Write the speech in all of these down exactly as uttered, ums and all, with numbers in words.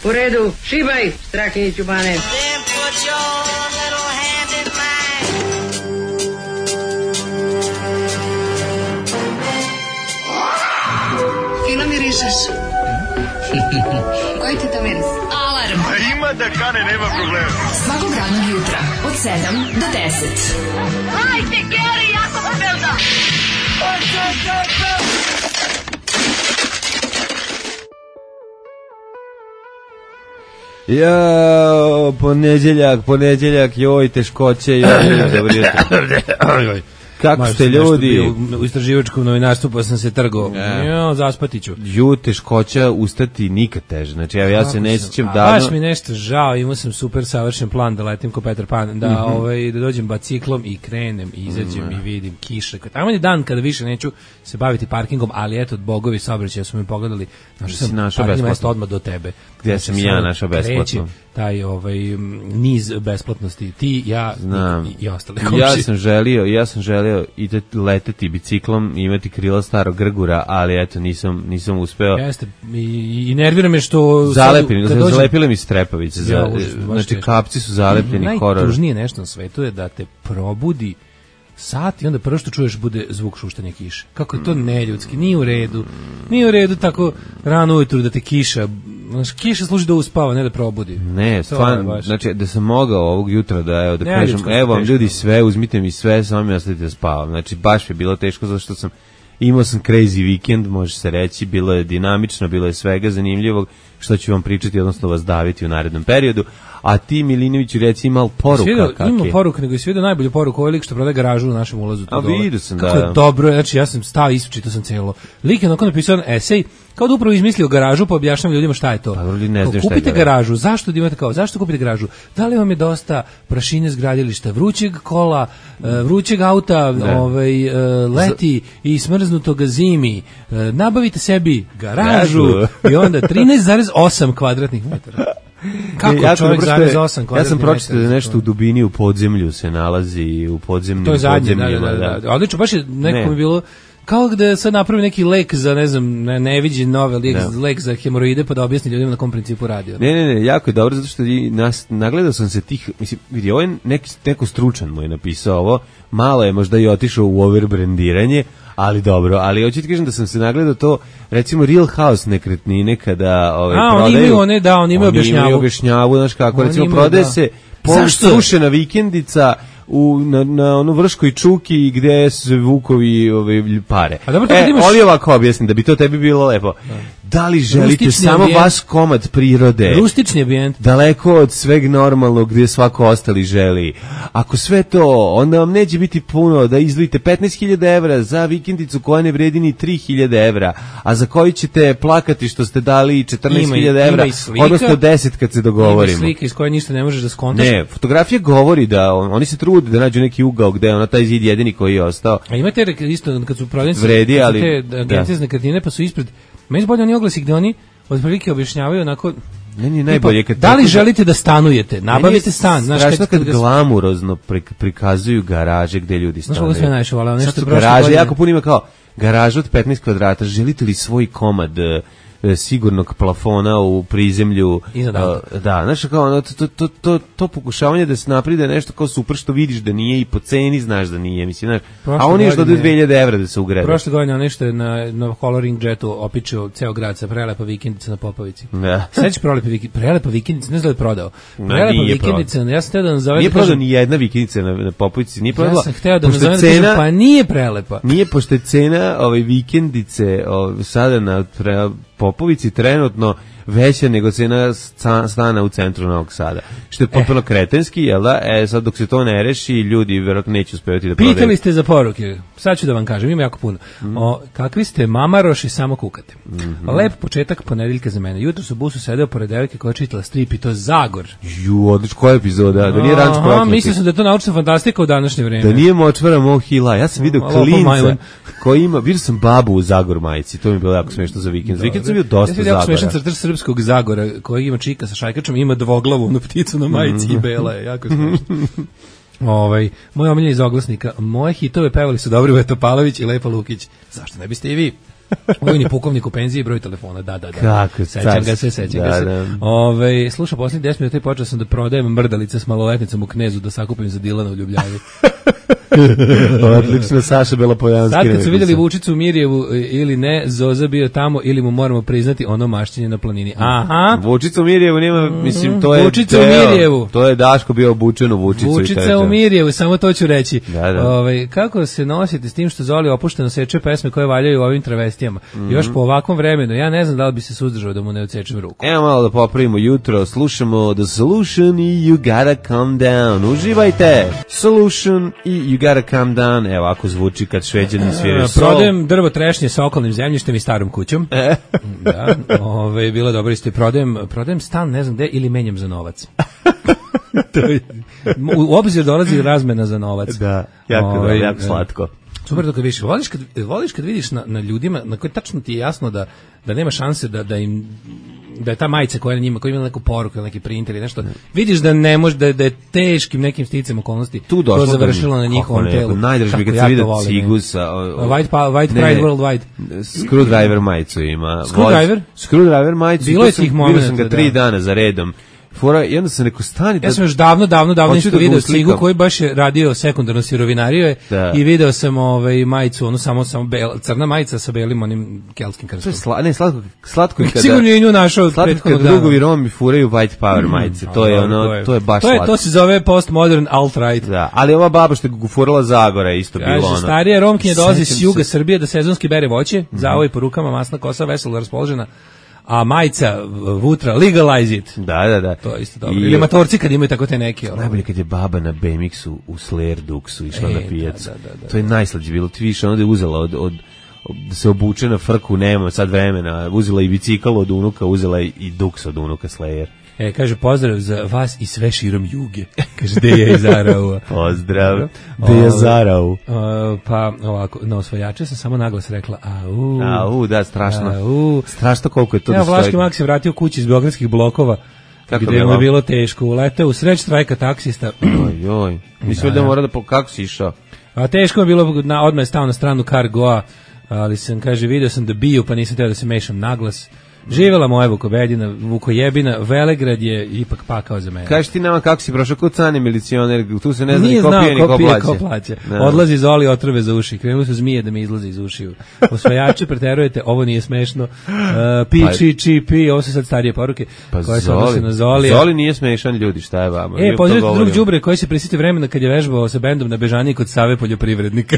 U redu, šibaj, Strahinjiću Bane. Fino mirišeš. Koji ti to miris? Alarm. A ima da kane, nema problema. Svakog radnog jutra, od sedam do deset. Hajde, Geri, jako se belda. Ja, ponedeljak, ponedeljak, joj, teškoće, joj, dobro jutro. Kako ste ljudi? U istraživačkom novinarstvu pa sam se trgao. Ja, zaspati ću. Ju, teškoća ustati nikad teže. Znači, evo, ja se ne sjećam da... davno... Baš mi nešto žao, imao sam super savršen plan da letim ko Petar Pan, da, mm -hmm. ovaj, da dođem biciklom i krenem i izađem mm -hmm. i vidim kiše. Tamo je dan kada više neću se baviti parkingom, ali eto, bogovi saobraćaja su mi pogledali. Našao sam parking mesto odmah do tebe. Gdje sam i ja našao besplatno? Taj ovaj niz besplatnosti, ti, ja i, i, i ostali komši. Ja sam želio, ja sam želio i leteti biciklom i imati krila starog grgura, ali eto nisam nisam uspeo. Jeste, i, i nervira me što zalepili, dođem... zalepile mi strepavice, za, ja, užas, znači kapci su zalepljeni horor. Najtužnije nešto na svetu je da te probudi sat i onda prvo što čuješ bude zvuk šuštanja kiše. Kako je to neljudski, nije u redu. Nije u redu tako rano ujutru da te kiša, znači kiša služi da uspava, ne da probudi. Ne, stvarno, znači da sam mogao ovog jutra da evo da ne, kažem, evo vam ljudi sve, uzmite mi sve, samo mi ostavite da spavam. Znači baš je bilo teško zato što sam imao sam crazy weekend, može se reći, bilo je dinamično, bilo je svega zanimljivog, što ću vam pričati, odnosno vas daviti u narednom periodu. A ti, Milinoviću, reci imao poruka svijedo, kakve? Ima poruka, nego je svijedo najbolju poruku, ovaj lik što prodaje garažu u našem ulazu. A vidio sam, kako da. Je dobro, znači ja sam stao i isčitao sam celo. Lik je onako napisao esej, kao da upravo izmislio garažu, pa objašnjam ljudima šta je to. Pa, ne kao, kupite garažu, zašto da imate kao, zašto kupite garažu? Da li vam je dosta prašine s gradilišta, vrućeg kola, vrućeg auta, ovaj, leti i smrznutog zimi, nabavite sebi garažu i onda trinaest zarez osam kvadratnih metara. Kako e, čovjek zarez osam kvadratnih metara? Ja sam pročitao da nešto u dubini u podzemlju se nalazi, u podzemnim to je zadnje, podzemljima. Da, da, da. Odlično, baš je nekako ne. mi bilo kao da sad napravi neki lek za, ne znam, ne, neviđen novel, lek, no. lek za hemoroide, pa da objasni ljudima na kom principu radi. Ne, ne, ne, jako je dobro, zato što nas, nagledao sam se tih, mislim, vidi, ovo je neki, neko stručan mu je napisao ovo, malo je možda i otišao u overbrandiranje, ali dobro, ali hoću ti kažem da sam se nagledao to, recimo Real House nekretnine kada ovaj, A, prodaju. A, oni imaju one, da, oni imaju objašnjavu. Oni imaju objašnjavu, znaš kako, recimo imaju, prodaje da. se polustrušena vikendica u na, na onu Vrškoj čuki gde su vukovi ove pare. A dobro, e, imaš... ali ovako objasnim da bi to tebi bilo lepo. Da, da li želite rustični samo ambijent, vas komad prirode? Rustični ambijent. Daleko od sveg normalnog gdje svako ostali želi. Ako sve to, onda vam neće biti puno da izdvojite petnaest hiljada evra za vikendicu koja ne vredi ni tri hiljade evra, a za koju ćete plakati što ste dali četrnaest hiljada evra, odnosno deset kad se dogovorimo. Ima slika iz koje ništa ne možeš da skontaš. Ne, fotografija govori da on, oni se trude da nađu neki ugao gde je ona taj zid jedini koji je ostao. A imate isto kad su prodavnice vredi, ali te agencije za nekretnine pa su ispred meni bolje oni oglasi gde oni otprilike objašnjavaju onako meni najbolje kad da li želite da stanujete, nabavite stan, znaš kad, kad, kad glamurozno prikazuju garaže gde ljudi stanuju. Znaš kako sve najviše volim, nešto garaže godine... jako puno ima kao garaža od petnaest kvadrata, želite li svoj komad sigurnog plafona u prizemlju, da, znaš kao to, to, to, to pokušavanje da se napravi da je nešto kao super što vidiš da nije i po ceni znaš da nije, mislim, znaš, a oni još dodaju dve hiljade evra da se ugrede. Prošle godine nešto je na, na Coloring Jetu opičio ceo grad sa prelepa vikendica na Popovici. Da. Sveći prelepa vikendica, prelepa vikendica, ne znam da je prodao. Prelepa vikendica, ja sam hteo da nazovem... Nije prodao ni jedna vikendica na, na Popovici, nije prodala. Ja sam hteo da nazovem da kažem, pa nije prelepa. Nije, pošto je cena ove vikendice ove, sada na pre, Popovici trenutno veća nego cena stana u centru Novog Sada. Što je potpuno eh. kretenski, jel da? E, sad dok se to ne reši, ljudi vjerojatno neće uspevati da prodaju. Pitali ste za poruke. Sad ću da vam kažem, ima jako puno. Mm. O, kakvi ste mamaroši, samo kukate. Mm -hmm. Lep početak ponedeljka za mene. Jutro su u busu sedeo pored devojke koja je čitala strip i to Zagor. Ju, odlično, koja epizoda? Da nije Ranč prokleti. Mislio sam da je to naučna fantastika u današnje vreme. Da nije Močvara Mohila. Ja sam vidio klinca koji ima, vidio sam babu u Zagor majici. To mi je bilo jako smešno za vikend. Za vikend sam bio dosta Zagora. Ja sam smešan crtač srpskog Zagora koji ima čika sa šajkačom, ima dvoglavu onu pticu na majici mm-hmm. i bela je, jako smešno. Ovaj, moj omiljen iz oglasnika, moje hitove pevali su Dobrivoje Topalović i Lepa Lukić. Zašto ne biste i vi? Vojni pukovnik u penziji, broj telefona, da, da, da. Kako sećam ga se, sećam ga se. Da. Ove, slušao posljednjih deset minuta i počeo sam da prodajem mrdalice s maloletnicom u Knezu da sakupim za Dilana u Ljubljavi. Odlično, Saša Belopojanski. Sad kad su vidjeli Vučicu u Mirjevu ili ne, Zoza bio tamo ili mu moramo priznati ono mašćenje na planini. Aha. Vučica u Mirjevu nema, mislim, to je Vučica u Mirjevu. To je Daško bio obučen u Vučicu. Vučica u Mirjevu, samo to ću reći. Da, da. Ove, kako se nosite s tim što Zoli opušteno seče pesme koje valjaju ovim travestijama? Mm-hmm. Još po ovakvom vremenu, ja ne znam da li bi se suzdržao da mu ne odsečem ruku. Evo malo da popravimo jutro, slušamo The Solution i You Gotta Calm Down. Uživajte! Solution i You Gotta Calm Down. Evo, ako zvuči kad Šveđani sviraju sol. Prodajem drvo trešnje sa okolnim zemljištem i starom kućom. E. Da, ove, bilo dobro isto. Prodajem, prodajem stan, ne znam gde, ili menjam za novac. To je, u obzir dolazi razmena za novac. Da, jako, ove, da, jako slatko. Super to kad vidiš. Voliš kad, voliš kad vidiš na, na ljudima na koje tačno ti je jasno da, da nema šanse da, da im da je ta majica koja je na njima, koja ima neku poruku ili neki printer ili nešto, vidiš da ne može, da, da je teškim nekim sticam okolnosti tu to završilo na njihovom telu. Najdraži mi kad se vidi Cigusa. White, pa, white Pride Worldwide. Screwdriver majicu ima. Screwdriver? Screwdriver majicu. Bilo je tih momenta. Vidio sam ga tri da. dana za redom. Fora, jedno sam neko stani da... Ja sam još davno, davno, davno isto da video Cigu koji baš je radio sekundarno sirovinario je i video sam ovaj, majicu, ono samo, samo bel, crna majica sa belim onim kelskim krstom. Sla, ne, slatko, slatko je kada... Sigurno je nju našao od prethodnog dana. Drugovi Romi furaju White Power majice, to je ono, to je, to je baš to je, slatko. To se zove postmodern alt-right. Da, ali ova baba što je gufurala Zagora isto bilo ono. Kaže, starija Romkinja dolazi s juga Srbije da sezonski bere voće, zavoj po rukama, masna kosa, veselo raspoložena. A majica Vutra, legalize it. Da, da, da. To je isto dobro. I ili matorci kad imaju tako te neke. Najbolje kad je baba na B M X-u u Slayer Duxu išla e, na pijacu. Da, da, da, to je najslađe bilo. Ti više onda je uzela od, od, od, da se obuče na frku, nema sad vremena. Uzela i bicikl od unuka, uzela i Dux od unuka Slayer. E, kaže, pozdrav za vas i sve širom juge. Kaže, Deja iz Araua. Pozdrav, Deja Zarau. Pa, ovako, na osvajače sam samo naglas rekla, au. Au, da, strašno. Au. Strašno koliko je to. Evo, Vlaški Mak se vratio kući iz beogradskih blokova, kako gde mu je bilo teško. Uleteo u sreć štrajka taksista. Oj, oj. Mislim da, da mora da, po, kako si išao? A teško je bilo, na, odmah je stao na stranu Cargoa, ali sam, kaže, video sam da biju, pa nisam teo da se mešam naglas. Živjela moja Vukobedina, Vukojebina, Velegrad je ipak pakao za mene. Kažeš ti nama kako si prošao kod cani milicioner, tu se ne zna ni ko pije ni ko plaće. Ko plaće. Odlazi Zoli otrove za uši, krenuli su zmije da mi izlaze iz ušiju. Osvajače preterujete, ovo nije smešno. Uh, pi, pa, či, či, pi, ovo su sad starije poruke pa koje se odnose na Zoli. Zoli nije smešan, ljudi, šta je vama? E, pozdravite drug đubre koji se prisjeti vremena kad je vežbao sa bendom na Bežaniji kod Save poljoprivrednika.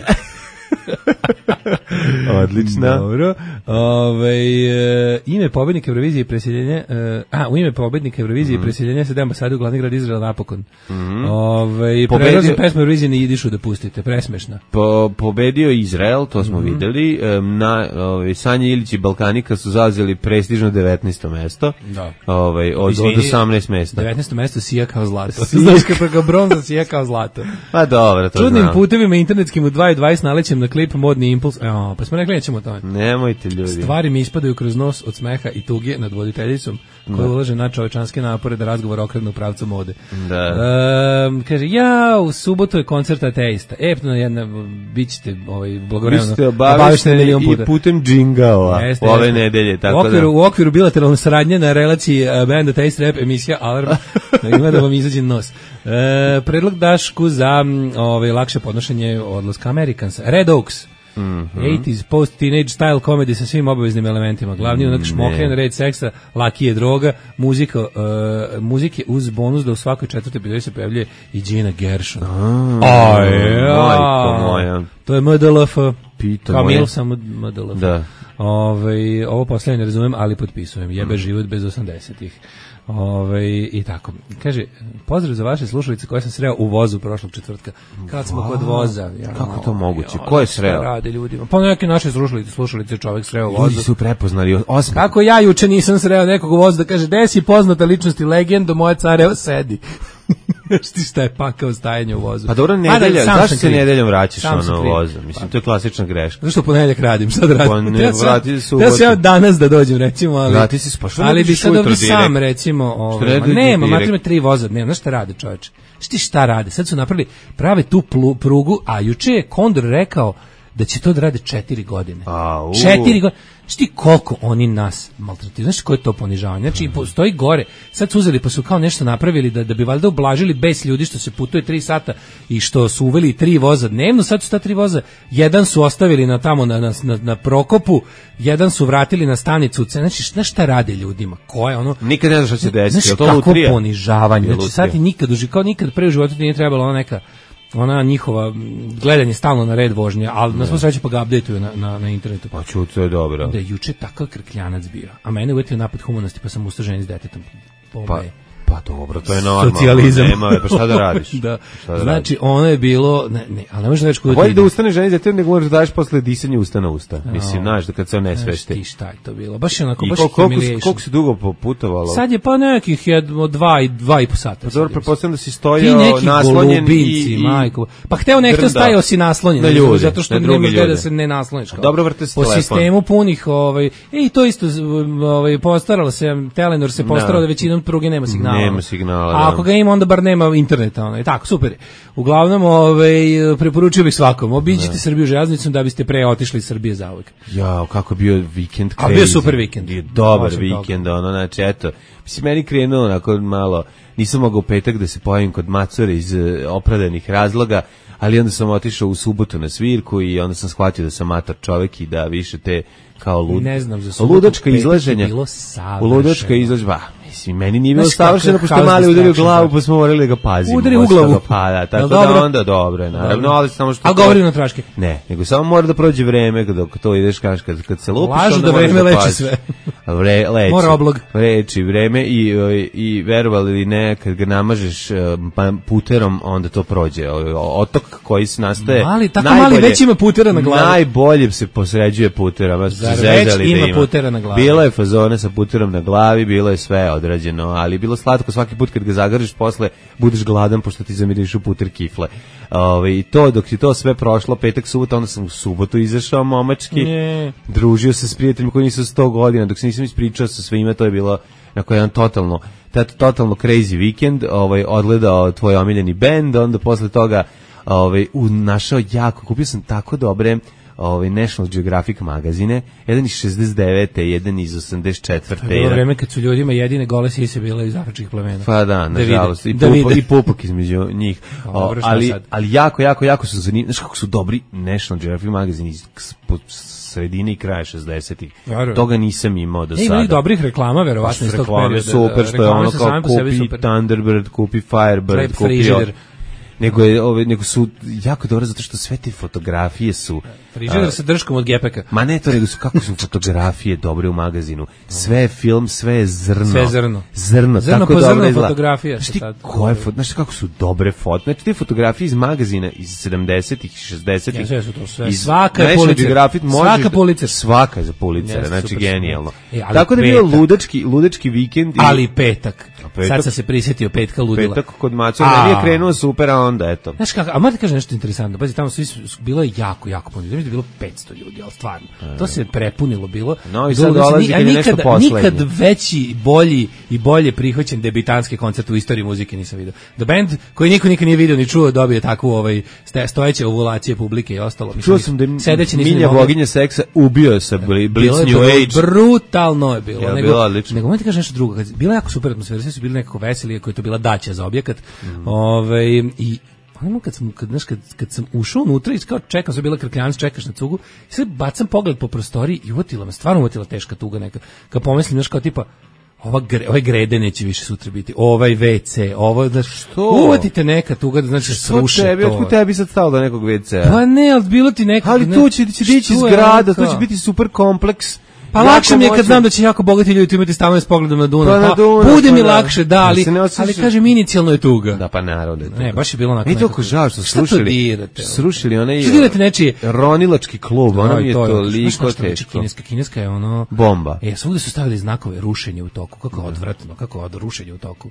Odlično. Dobro. Ove, e, ime pobednika Eurovizije i preseljenja, e, a, u ime pobednika Eurovizije i mm. preseljenja se da ambasadu u glavni grad Izraela napokon. Mm. Ove, prerazim pesmu Eurovizije na jidišu da pustite, presmešna. Po, pobedio Izrael, to smo mm. videli, na, ove, Sanja Ilić i Balkanika su zauzeli prestižno devetnaesto mesto. Da. Ove, od, od osamnaest mesta. devetnaesto mesto sija kao zlato. Znaš kako bronza sija kao zlato. Pa dobro, to Čudnim znam. putevima internetskim u dva i dvadeset nalećem na klip Modni impuls. Evo, pa smo rekli nećemo o tome. Nemojte ljudi. Stvari mi ispadaju kroz nos od smeha i tuge nad voditeljicom koja ulaže na čovečanske napore da razgovor okrene u pravcu mode. Da. E, kaže, ja, u subotu je koncert ateista. E, no, jedna, bit ćete ovaj, blagovremeno obavešteni i putem džingala ove nedelje. Tako u, okviru, da. u okviru bilateralne saradnje na relaciji uh, band Ateist Rap emisija Alarm ima da vam izađe nos. E, predlog Dašku za ovaj, lakše podnošenje odlaska Amerikansa. Red Oaks. Mm -hmm. osamdesetih post-teenage style comedy sa svim obaveznim elementima. Glavni onak šmoken, red seksa, laki je droga, muzika, uh, muzike uz bonus da u svakoj četvrtoj epizodi se pojavljuje i Gina Gershon. A ja. To je M D L F. Pito Kamil, moje. Samo M D L F. Da. Ove, ovo posljednje ne razumem, ali potpisujem. Jebe mm. život bez osamdesetih. Ove, i tako. Kaže, pozdrav za vaše slušalice koje sam sreo u vozu prošlog četvrtka. Kad smo wow. kod voza. Ja, kako to moguće? Ko je sreo? Rade ljudima. Pa neke naše slušalice, slušalice čovjek sreo u vozu. Ljudi su prepoznali. Osmi. Kako ja juče nisam sreo nekog u vozu da kaže, gde si poznata ličnost i legendo, moja careva sedi. Znaš ti šta je pakao stajanje u vozu. Pa dobro, nedelja, da, zašto se nedeljom vraćaš ono u vozu? Mislim, to je klasična greška. Zašto u ponedeljak radim, sad radim. Pa ne, vrati se u ja se ja danas da dođem, recimo, ali... Vrati se, pa što ali bi sad ovdje sam, recimo, ovaj, ma nema, matri me tri voza dnevno, znaš šta rade čoveče? Šti šta rade? Sad su napravili, prave tu prugu, a juče je Kondor rekao da će to da rade četiri godine. A, četiri godine. Znaš ti koliko oni nas maltretiraju, znaš koje je to ponižavanje, znači postoji gore, sad su uzeli pa su kao nešto napravili da, da bi valjda ublažili bes ljudi što se putuje tri sata i što su uveli tri voza dnevno, sad su ta tri voza, jedan su ostavili na tamo na, na, na, na Prokopu, jedan su vratili na stanicu, znači znaš šta rade ljudima, ko je ono... Nikad ne znaš šta će desiti, znaš to kako ponižavanje, znači sad ti nikad, kao nikad pre u životu ti nije trebalo ona neka ona njihova gledanje stalno na red vožnje, ali na svu sreću pa ga updateuju na, na, na internetu. Pa ču, to je dobro. Da je juče takav krkljanac bio, a mene uvetio napad humanosti pa sam ustao ženi s detetom. Pa, pa dobro, to je normalno. Socijalizam. Nema, pa šta da radiš? Da. Da znači, ono je bilo, ne, ne, ali ne možeš da reći kuda ti bolje da ustane ženi s detetom, nego možeš da daješ posle disanja usta na usta. No. Mislim, znaš, da kad se ne svešti. Ti šta je to bilo? Baš je onako, I baš humiliation. Koliko si dugo putovalo? Sad je pa nekih jedno, dva i dva i po sata. Pa dobro, pretpostavljam da si stojao naslonjen i... majko. Pa hteo nekto stajao si naslonjen. Na ljudi, zato što nema gde da se ne nasloniš. Dobro, vrte se po telefon. Sistemu punih, ovaj, i to isto, ovaj, postaralo se, Telenor se postarao da većinom pruge nema signala. Nema signala, a ako ga ima, onda bar nema interneta. Ono. I tako, super. Uglavnom, ovaj, preporučio bih svakom. Obiđite Srbiju železnicom da biste pre otišli iz Srbije zauvek. Ja, kako bio vikend crazy. A bio super vikend. Bio dobar vikend, ono, znači, eto. Mislim, meni krenuo onako malo, nisam mogao u petak da se pojavim kod Macore iz uh, opravdanih razloga, ali onda sam otišao u subotu na svirku i onda sam shvatio da sam mator čovek i da više te kao lud, ne znam, za subotu, ludačka izlaženja. U ludačka izlažba. Mislim, meni nije bilo savršeno, pošto je mali udario glavu, pa smo morali da ga pazimo. Udari u glavu. Pa da, tako da onda dobro je, naravno, ali samo što... A govori na traške. Ne, nego samo mora da prođe vreme dok to ideš, kaš, kad, kad se lupiš, lažu onda da vreme da leči sve. Vre, leči. Mora oblog. Leči vreme i, i, i verovali ili ne, kad ga namažeš puterom, onda to prođe. Otok koji se nastaje... Mali, tako mali već ima putera na glavi. Najbolje se posređuje puterom. Zar već ima da putera na glavi? Bila je fazona sa puterom na glavi, bilo je sve odrađeno, ali bilo slatko svaki put kad ga zagržiš, posle budeš gladan pošto ti zamirišu puter kifle. Ove, I to, dok je to sve prošlo, petak, subota, onda sam u subotu izašao momački, ne. družio se s prijateljima koji nisu sto godina, dok se nisam ispričao sa svima, to je bilo neko jedan totalno, totalno crazy vikend, ovaj, odgledao tvoj omiljeni bend, onda posle toga ovaj, u, našao jako, kupio sam tako dobre ovaj National Geographic magazine, jedan iz šezdeset devete, jedan iz osamdeset četvrte. To je bilo vreme kad su ljudima jedine gole sise bile iz afričkih plemena. Pa da, nažalost, i, pupo, i pupak između njih. O, ali, ali jako, jako, jako su zanimljivi. Znaš kako su dobri National Geographic magazine iz sredine i kraja šezdesetih. Toga nisam imao do sada. Ima i dobrih reklama, verovatno iz tog perioda. Super, što je ono kao kupi Thunderbird, kupi Firebird, kupi... Nego, je, ove, nego su jako dobro zato što sve te fotografije su... Frižider sa drškom od gepeka. Ma ne to, nego su kako su fotografije dobre u magazinu. Sve je film, sve je zrno. Sve je zrno. Zrno, zrno tako po dobro zrno fotografija. Znaš ti koje foto, znaš kako su dobre foto. Znači te fotografije iz magazina iz sedamdesetih, šezdesetih. Ja, sve su to sve. Svaka je Pulitzer. Svaka Pulitzer. Svaka je za Pulitzer, znači genijalno. E, tako da je bio ludački, ludački vikend. I... Ali petak. petak. Sad sam se prisjetio petka ludila. Petak kod Maco, meni je krenuo super, a onda eto. Znaš kako, a moram ti kažem nešto interesantno. Pazi, tamo svi su, bilo je jako, jako puno. Znači da je bilo petsto ljudi, ali stvarno. To se prepunilo bilo. No i sad dolazi kad je nešto poslednje. Nikad veći, bolji i bolje prihvaćen debitanski koncert u istoriji muzike nisam vidio. The Band, koji niko nikad nije vidio ni čuo, dobije takvu ovaj, stojeće ovulacije publike i ostalo. Čuo sam da je Milja boginja seksa ubio sa Blitz New Age. Brutalno je bilo. Ja, nego, bilo odlično. Nego, ti kažeš nešto drugo. Bila jako super atmosfera, svi su bili nekako veseli, koji je to bila daća za objekat. Mm. Ove, i ono kad sam, kad, znaš, kad, kad sam ušao unutra i kao čekam, sam bila krkljanac, čekaš na cugu, i sad bacam pogled po prostoriji i uvotila me, stvarno uvotila teška tuga neka. Kad pomislim, znaš, kao tipa, ova gre, ovaj grede neće više sutra biti, ovaj ve ce, ovo, da što? Uvotite neka tuga, da znači sruše tebi, to. Otkud tebi sad stalo do nekog ve ce-a? Pa ne, ali bilo ti neka... Ali ne, tu će, će dići zgrada, to će biti super kompleks. Pa lakše mi je kad znam da će jako bogati ljudi imati stanove s pogledom na Dunav. Pa, pa Dunav, bude pa mi da. lakše, da, ali, ja ali kažem, inicijalno je tuga. Da, pa naravno. Ne, baš je bilo onako. I toliko žao što srušili. Srušili onaj ronilački klub, ono mi je toliko teško. Kineska, kineska je ono... Bomba. E, svugde su stavili znakove rušenje u toku, kako odvratno, kako od rušenja u toku.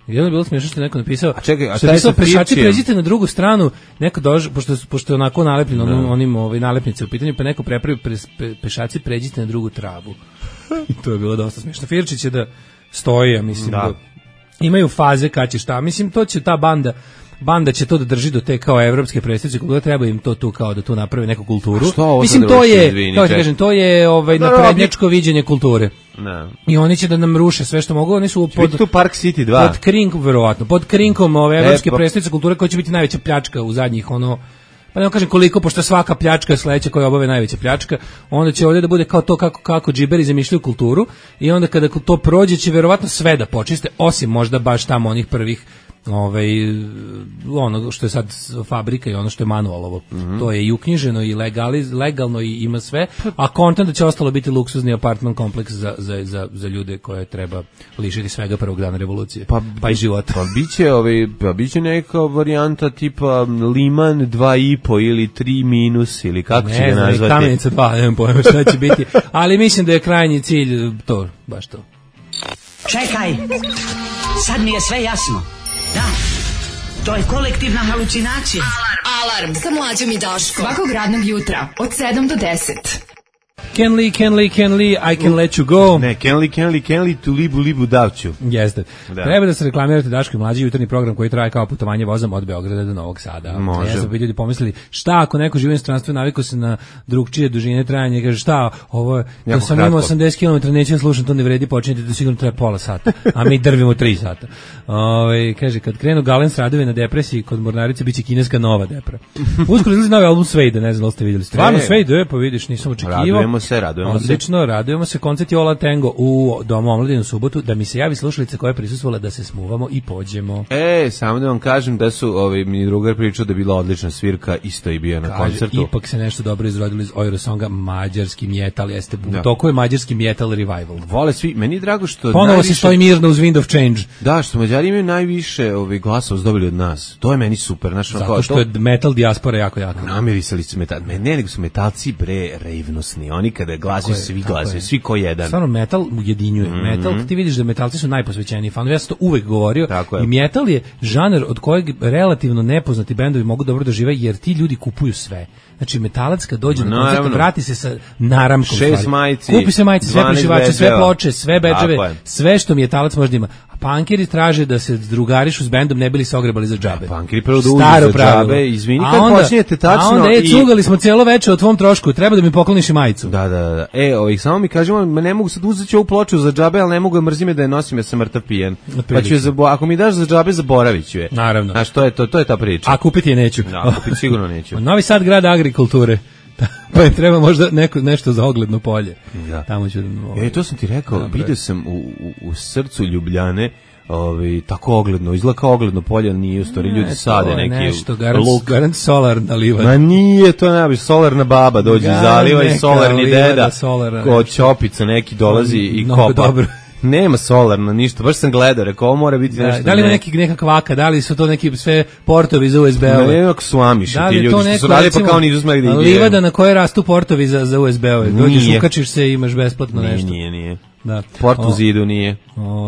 Jedno je bilo smiješno što je neko napisao, a čekaj, a taj sa pešači pređite na drugu stranu, neko dođe, pošto, pošto je onako nalepljeno onim, onim ovaj, nalepnice u pitanju, pa neko prepravi pre, pe, pešaci pređite na drugu travu. I to je bilo dosta smiješno. Firčić je da stoji, ja mislim, da. Da imaju faze kad će šta, mislim, to će ta banda, banda će to da drži do te kao evropske predstavnice kulture, treba im to tu kao da tu napravi neku kulturu. Što mislim to je, izvini, kao ti kažem, to je ovaj naprednjačko viđenje kulture. Ne. I oni će da nam ruše sve što mogu, oni su pod tu Park City dva. Pod krinkom verovatno, pod krinkom ove evropske e, pa... predstavnice kulture koja će biti najveća pljačka u zadnjih ono pa ne kažem koliko, pošto svaka pljačka sledeća koja obave najveća pljačka, onda će ovdje da bude kao to kako, kako džiberi zamišljaju kulturu i onda kada to prođe će verovatno sve da počiste, osim možda baš tamo onih prvih ovaj ono što je sad fabrika i ono što je manualovo. Mm-hmm. To je i uknjiženo i legaliz, legalno i ima sve, a kontent da će ostalo biti luksuzni apartman kompleks za, za, za, za ljude koje treba lišiti svega prvog dana revolucije, pa, pa i života. Pa biće, ovaj, pa biće neka varijanta tipa Liman dva i po ili tri minus ili kako ne, će ga nazvati. Ne, Kamenica dva, nemam pojma šta će biti, ali mislim da je krajnji cilj to, baš to. Čekaj, sad mi je sve jasno. Da, to je kolektivna halucinacija. Alarm, Alarm. Sa Mlađom i Daškom. Svakog radnog jutra od sedam do deset. Can Lee, can Lee, can Lee, I can let you go. Ne, can Lee, can Lee, can Lee, tu libu, libu davću. Jeste. Da. Treba da se reklamirate Daško i Mlađi jutarnji program koji traje kao putovanje vozom od Beograda do Novog Sada. Može. Ja sam bi ljudi pomislili, šta ako neko živi u inostranstvu navikao se na drugčije dužine trajanja i kaže šta, ovo je, da sam imao osamdeset kilometara, neću slušati, to ne vredi, počinjete da sigurno treba pola sata, a mi drvimo tri sata. Ove, kaže, kad krenu Galens radovi na depresiji, kod Mornarice biće kineska nova depra. Uskoro izlazi novi album Svejda, ne znam da ste vidjeli. Stvarno Svejda, je, pa vidiš, nisam očekivao. Radujemo se, radujemo se. Odlično, radujemo se. Koncert je Ola Tango u Domu omladine u subotu, da mi se javi slušalica koja je prisustvovala da se smuvamo i pođemo. E, samo da vam kažem da su ovi mi drugar pričao da je bila odlična svirka, isto i bio na Kaže, koncertu. Ipak se nešto dobro izrodilo iz Eurosonga, mađarski metal, jeste u toku je mađarski metal revival. Vole svi, meni je drago što ponovo najviše... se stoji mirno uz Wind of Change. Da, što Mađari imaju najviše ovih glasova dobili od nas. To je meni super, znači zato kao, što to... je metal dijaspora jako jako. Namirisali su metal, ne, ne nego su metalci bre revnosni. Oni kada glasaju svi glasaju, svi ko jedan. Stvarno metal ujedinjuje. Mm-hmm. Metal, ti vidiš da metalci su najposvećeniji fanovi. Ja sam to uvek govorio. I metal je žanr od kojeg relativno nepoznati bendovi mogu dobro da žive, jer ti ljudi kupuju sve. Znači metalac kad dođe no, na koncert vrati se sa naramkom šest majici, kupi se majice, sve prešivače, sve ploče, sve bedževe, sve što metalac može da ima. A punkeri traže da se drugarišu s bendom, ne bili se ogrebali za džabe. A punkeri prvo da uđu za džabe, izvini kad počinjete tačno. A onda je i... cugali smo cijelo veče o tvom trošku, treba da mi pokloniš i majicu. Da, da, da. E, ovih samo mi kažemo, ne mogu sad uzeti ovu ploču za džabe, ali ne mogu, mrzim je da je nosim, ja sam mrtav pijen. Pa ću je zabo... ako mi daš za džabe, zaboravit ću je. Naravno. Znaš, to je to, to je ta priča. A kupiti je neću. Da, kupiti sigurno neću. Novi Sad grad agrikulture. Pa je treba možda neko, nešto za ogledno polje. Da. Tamo ću... E, to sam ti rekao, vidio sam u, u, u srcu Ljubljane, Ovi, tako ogledno, izgleda kao ogledno polje, nije u stvari, ljudi sade neki nešto, garant, luk. Garant solarna livada. Ma nije to najbolje, solarna baba dođe iz zaliva i solarni deda, ko Ćopica neki dolazi i kopa. Dobro. Nema solarno, ništa, baš sam gledao, rekao, ovo mora biti da, nešto. Da li ima neki, neka kvaka, da li su to neki sve portovi za U S B-ove? Ne, neko su amiši, da ti ljudi, neko, su radili pa kao nisu smeli da ide. Livada na kojoj rastu portovi za, za U S B-ove, dođeš, ukačiš se i imaš besplatno nije, nešto. Nije, nije, da. Port u zidu nije.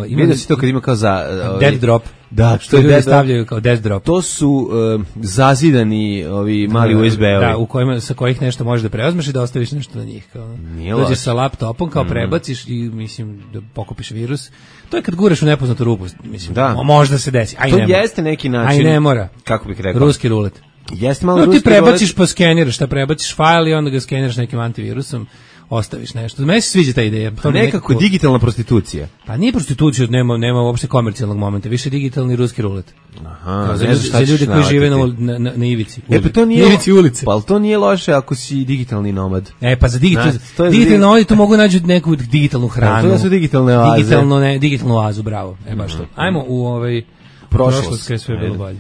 Vidio si to kad ima kao za... Uh, dead drop. Da, što ljudi stavljaju kao death drop. To su uh, zazidani ovi mali U S B-ovi. Da, u kojima, sa kojih nešto možeš da preozmeš i da ostaviš nešto na njih. Kao. Dođeš sa laptopom, kao mm. prebaciš i mislim da pokupiš virus. To je kad guraš u nepoznatu rupu, mislim, da. Možda se desi. Aj, to ne jeste mora. Neki način. Aj ne mora. Kako bih rekao? Ruski rulet. Jeste malo no, ruski ti prebaciš rulet. Pa skeniraš, šta prebaciš fajl i onda ga skeniraš nekim antivirusom. Ostaviš nešto. Meni se sviđa ta ideja. To nekako, nekako digitalna prostitucija. Pa nije prostitucija, nema nema uopšte komercijalnog momenta, više digitalni ruski rulet. Aha, za, ljudi, za ljude koji žive na, na, na, na ivici. E, pa to nije, na ivici ulice. Pa to nije loše ako si digitalni nomad. E, pa za digital, na, digitalni nomadi to mogu naći neku digitalnu hranu. To su digitalne oaze. Digitalno, ne, digitalnu oazu, bravo. E, baš to. Ajmo u ovaj prošlost, kada sve bilo bolje.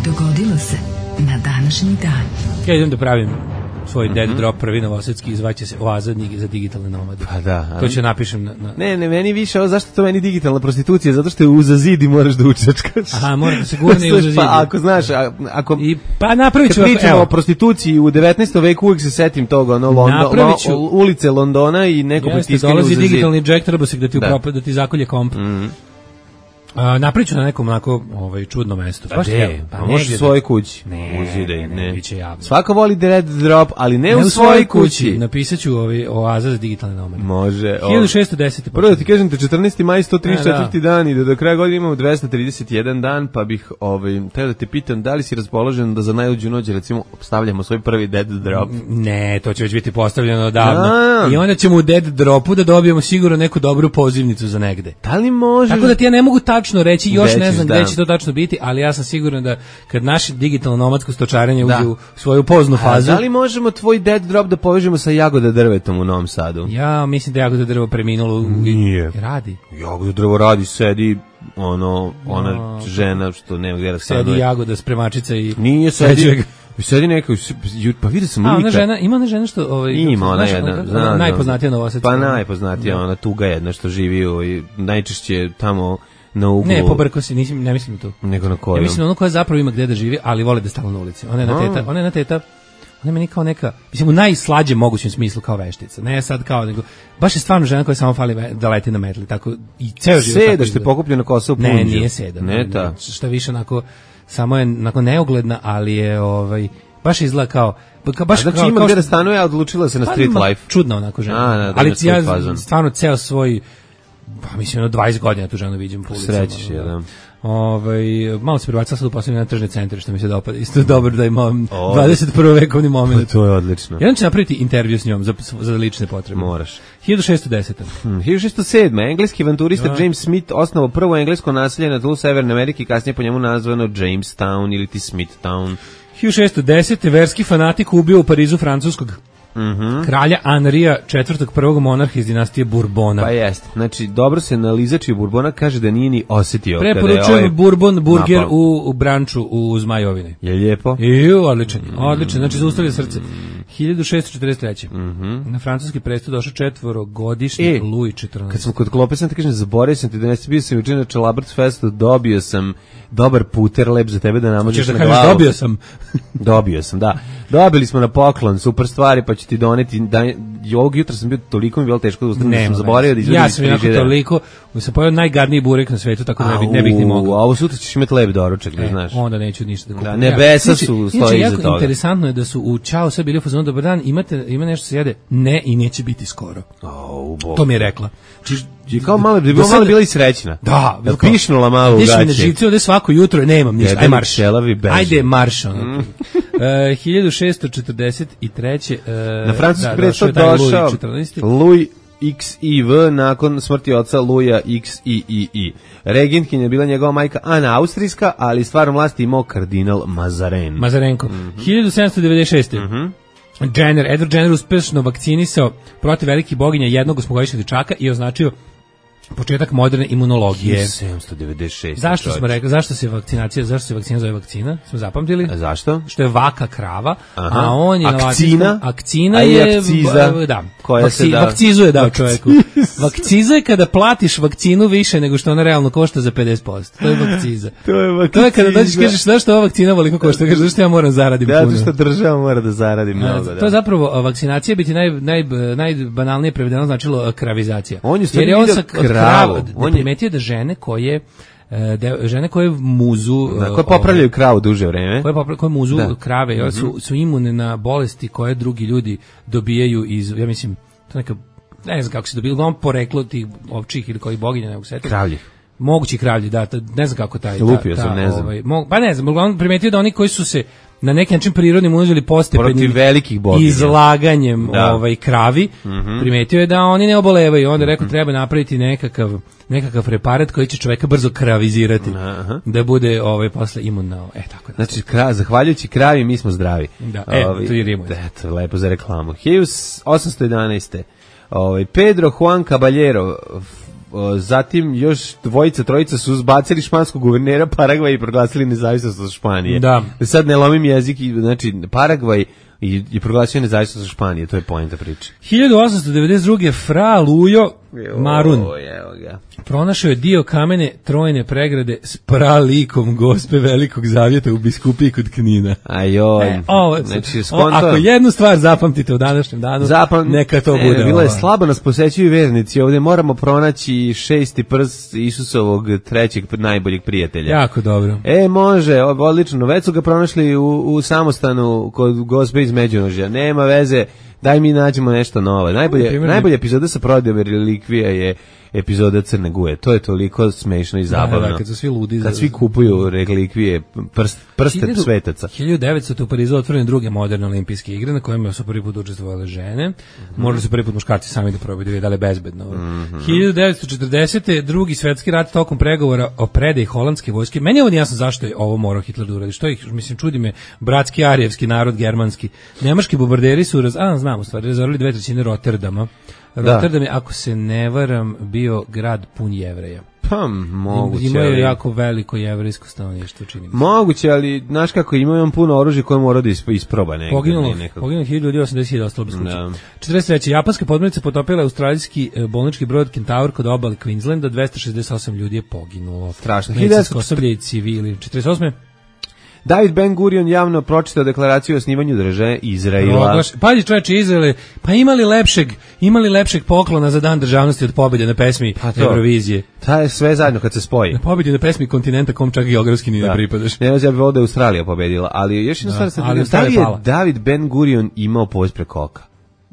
Dogodilo se na današnji dan. Ja idem da pravim svoj dead mm-hmm. drop prvi novosadski, izvaće se oaza za digitalne nomade. Pa da. To ću napišem na, na... Ne, ne, meni više, ovo, zašto to meni digitalna prostitucija? Zato što je uza zid i moraš da učačkaš. Aha, mora da se gurne uza zid. Pa ako znaš, ako... I, pa napravit ću... Kad pričamo o prostituciji u devetnaestom veku, uvijek se setim toga, ono, London, ću... ulice Londona i neko pritiskanje uza zid. Dolazi digitalni jack, treba se da ti, da. Upropa, da ti zakolje komp. Mm. A, napriču na nekom onako ovaj, čudnom mestu. Pa gde? Pa može u svojoj kući. Ne, Uzide, ne, ne, biće javno. Svako voli Dead Drop, ali ne, ne u svojoj kući. kući. Napisat ću ovaj, oaza za digitalne nomade. Može. hiljadu šessto deset. Prvo da ti kažem, te četrnaesti maj, sto trideset četvrti da. dan i da do kraja godine imamo dvesta trideset jedan dan, pa bih ovaj, treba da te pitam da li si raspoložen da za najluđu noć, recimo, stavljamo svoj prvi Dead Drop. Ne, to će već biti postavljeno odavno. A. I onda ćemo u Dead Dropu da dobijemo sigurno neku dobru pozivnicu za negde. Da li možeš? Tako da ti ja ne mogu tačno reći, još Većiš, ne znam gde će to tačno biti, ali ja sam siguran da kad naše digitalno nomadsko stočarenje uđe u svoju poznu fazu. A da li možemo tvoj Dead Drop da povežemo sa Jagoda drvetom u Novom Sadu? Ja mislim da Jagoda drvo preminulo. Nije. Radi. Jagoda drvo radi, sedi ono, ona no, žena što nema gde da stanuje. Sedi Jagoda, spremačica i... Nije, sedi... Sedi neka, pa vidio sam lika. A ona žena, ima ona žena što... Ovaj, ima ona jedna, ona, ona najpoznatija Novosadska. Pa najpoznatija, ona tuga jedna što živi u, najčešće tamo na uglu. Ne, pobrko si, nisam, ne mislim to. Nego na koju? Ja mislim ono koja zapravo ima gde da živi, ali vole da stalo na ulici. Ona je na teta, ona je na teta, ona je meni kao neka, mislim u najslađem mogućem smislu kao veštica. Ne sad kao, nego, baš je stvarno žena koja samo fali da leti na metli, tako i ceo život. Seda što je pokupljena kosa u punđu. Ne, nije seda. Ne, ta. Šta više onako, samo je onako neugledna, ali je ovaj, baš izgleda kao, baš znači kao, ima kao gde da stanuje, a odlučila se na street pa, life. Čudna onako žena. A, da, ali ja stvarno ceo svoj, pa mislim, ono dvadeset godina tu ženu viđem po ulicama. Srećiš je, da. Ovaj malo se prebacila sad u poslednje na tržne centre što mi se dopada. Isto dobro da imam dvadeset prvi vekovni moment. Pa to je odlično. Ja ću napraviti intervju s njom za, za lične potrebe. Moraš. hiljadu šessto deset. Hmm, hiljadu šessto sedam. Engleski avanturista ja. James Smith osnovao prvo englesko naselje na tlu Severne Amerike, kasnije po njemu nazvano Jamestown ili ti Smithtown. hiljadu šessto deset. verski fanatik ubio u Parizu francuskog Mm-hmm. kralja Anrija četvrtog prvog monarha iz dinastije Bourbona. Pa jeste. Znači, dobro se nalizači Bourbona kaže da nije ni osetio. Preporučujem ovaj Bourbon burger u, u branču u Zmajovine. Je lijepo? I, odličan, odličan. Znači, zaustavlja srce. hiljadu šessto četrdeset treće. Mm-hmm. Na francuski presto došao četvorogodišnji e, Louis četrnaesti. Kad smo kod klope, sam ti kažem, zaboravio sam ti da nesi bio sam jučer na Čelabrc Festu, dobio sam dobar puter lep za tebe da namažeš da na kažeš, glavu. Dobio sam. Dobio sam, da. Dobili smo na poklon, super stvari, pa ću ti doneti. Da, ovog jutra sam bio toliko mi bilo teško da ustanem, da sam zaboravio da izvedim. Ja sam jako toliko, sam pojao najgadniji burek na svetu, tako da ne bih, ne bih ni mogao. A ovo sutra ćeš imati lep doručak, e, da znaš. Onda neću ništa da kupim. Da, nebesa ja. su stoji iza toga. Interesantno je da su u Ćao sve bili u fazonu, dobar dan, imate, ima nešto se jede? Ne, i neće biti skoro. Oh, to mi je rekla. Je kao malo, bi bila malo bila i srećna. Da, da pišnula malo u gaće. Ništa ne živci ovde svako jutro, nemam ništa. Ajde marš. Ajde marš. Ono. Mm. uh, hiljadu šessto četrdeset treće. Uh, Na francuski da, presto došao Louis X I V nakon smrti oca Louisa X I I I. Regentkinja je bila njegova majka Ana Austrijska, ali stvarno vlasti imao kardinal Mazarin. Mazarenko. Mm-hmm. hiljadu sedamsto devedeset šeste. Mhm. Jenner, Edward Jenner uspešno vakcinisao protiv velikih boginja jednog osmogodišnjeg dečaka i označio početak moderne imunologije. hiljadu sedamsto devedeset šeste. Zašto čovječ. smo rekli, zašto se vakcinacija, zašto se vakcina zove vakcina? Smo zapamtili? A zašto? Što je vaka krava, aha. a on je akcina, na akcina je akciza, da, koja vakci, se da vakcizuje da čovjeku. Vakciza je kada platiš vakcinu više nego što ona realno košta za pedeset posto. To je vakciza. to je vakciza. To je kada dođeš kažeš da što ova vakcina veliko košta, kažeš zašto ja moram zaraditi puno. Da, što država mora da zaradi mnogo, da. To je zapravo vakcinacija biti naj naj najbanalnije prevedeno značilo kravizacija. On je jer je on sa kravu. On primetio da žene koje de, žene koje muzu da, koje popravljaju kravu duže vreme koje, popra, koje muzu da. krave mm-hmm. su, su imune na bolesti koje drugi ljudi dobijaju iz, ja mislim, to neka ne znam kako se dobilo, uglavnom poreklo tih ovčih ili kojih boginja ne mogu setiti. Kravljih. Mogući kravlji, da, ta, ne znam kako taj. Lupio ta, sam, ta, ne znam. Ovaj, mo, pa ne znam, uglavnom primetio da oni koji su se na neki način prirodnim uzeli postepenim velikih boginja izlaganjem da. ovaj kravi, mm-hmm. primetio je da oni ne obolevaju, onda je rekao treba napraviti nekakav nekakav preparat koji će čoveka brzo kravizirati. Aha. Da bude ovaj posle imun na, e tako da. Znači kra, zahvaljujući kravi mi smo zdravi. Da, e, Ovi, to je rimuje. Eto, lepo za reklamu. hiljadu osamsto jedanaeste. Ovaj Pedro Juan Caballero, zatim još dvojica, trojica su zbacili španskog guvernera Paragvaj i proglasili nezavisnost od Španije. Da. Sad ne lomim jezik, znači Paragvaj i, i proglasio nezavisnost od Španije, to je poenta priče. hiljadu osamsto devedeset druge. Fra Lujo Marun. Pronašao je dio kamene trojne pregrade s pralikom Gospe Velikog Zavjeta u Biskupiji kod Knina. Ajoj. E, ovo, znači, o, ako jednu stvar zapamtite u današnjem danu, Zapam... neka to bude. E, bilo je slabo nas posećuju vernici. Ovdje moramo pronaći šesti prst Isusovog trećeg najboljeg prijatelja. Jako dobro. E, može, odlično. Već su ga pronašli u, u samostanu kod Gospe iz Međunožja. Nema veze. Daj mi nađemo nešto novo. Najbolje, najbolja epizoda sa prodajom relikvija je epizoda Crne Guje. To je toliko smešno i zabavno. Da, da, kad su svi ludi. Kad svi kupuju relikvije, prst, prsten svetaca. hiljadu devetsto u Parizu otvorene druge moderne olimpijske igre na kojima su prvi put učestvovale žene. Mm-hmm. Morali su prvi put muškarci sami da probaju da je dale bezbedno. Mm-hmm. hiljadu devetsto četrdesete drugi svetski rat tokom pregovora o predaji holandske vojske. Meni je ovo jasno zašto je ovo morao Hitler da uradi. Što ih, mislim, čudi me, bratski arijevski narod, germanski. Nemački bombarderi su, raz, a, znam u stvari, razorili dve trećine Rotterdama. Rotterdam je, ako se ne varam, bio grad pun Jevreja. Pa, moguće. Ima je jako veliko jevrejsko stanovništvo, čini mi se. Moguće, ali, znaš kako, ima on puno oružja koje mora da isproba negdje. Poginulo, poginulo hiljadu osamdeset hiljada ostalo bez kuće. četrdeset treće japanska podmornica potopila australijski bolnički brod Kentaur kod obale Queenslanda, dvesta šezdeset osam ljudi je poginulo. Strašno. Medicinsko osoblje i civili. četrdeset osme David Ben Gurion javno pročitao deklaraciju o osnivanju države Izraela. Pazi čoveče, Izraele, pa imali lepšeg, imali lepšeg poklona za dan državnosti od pobjede na pesmi pa Eurovizije. Ta je sve zajedno kad se spoji. Na pobjedi na pesmi kontinenta kom čak geografski ni ne pripadaš. Ne znam, ja bih volio da je Australija pobedila, ali još jedna stvar, da li je David Ben Gurion imao povez preko oka?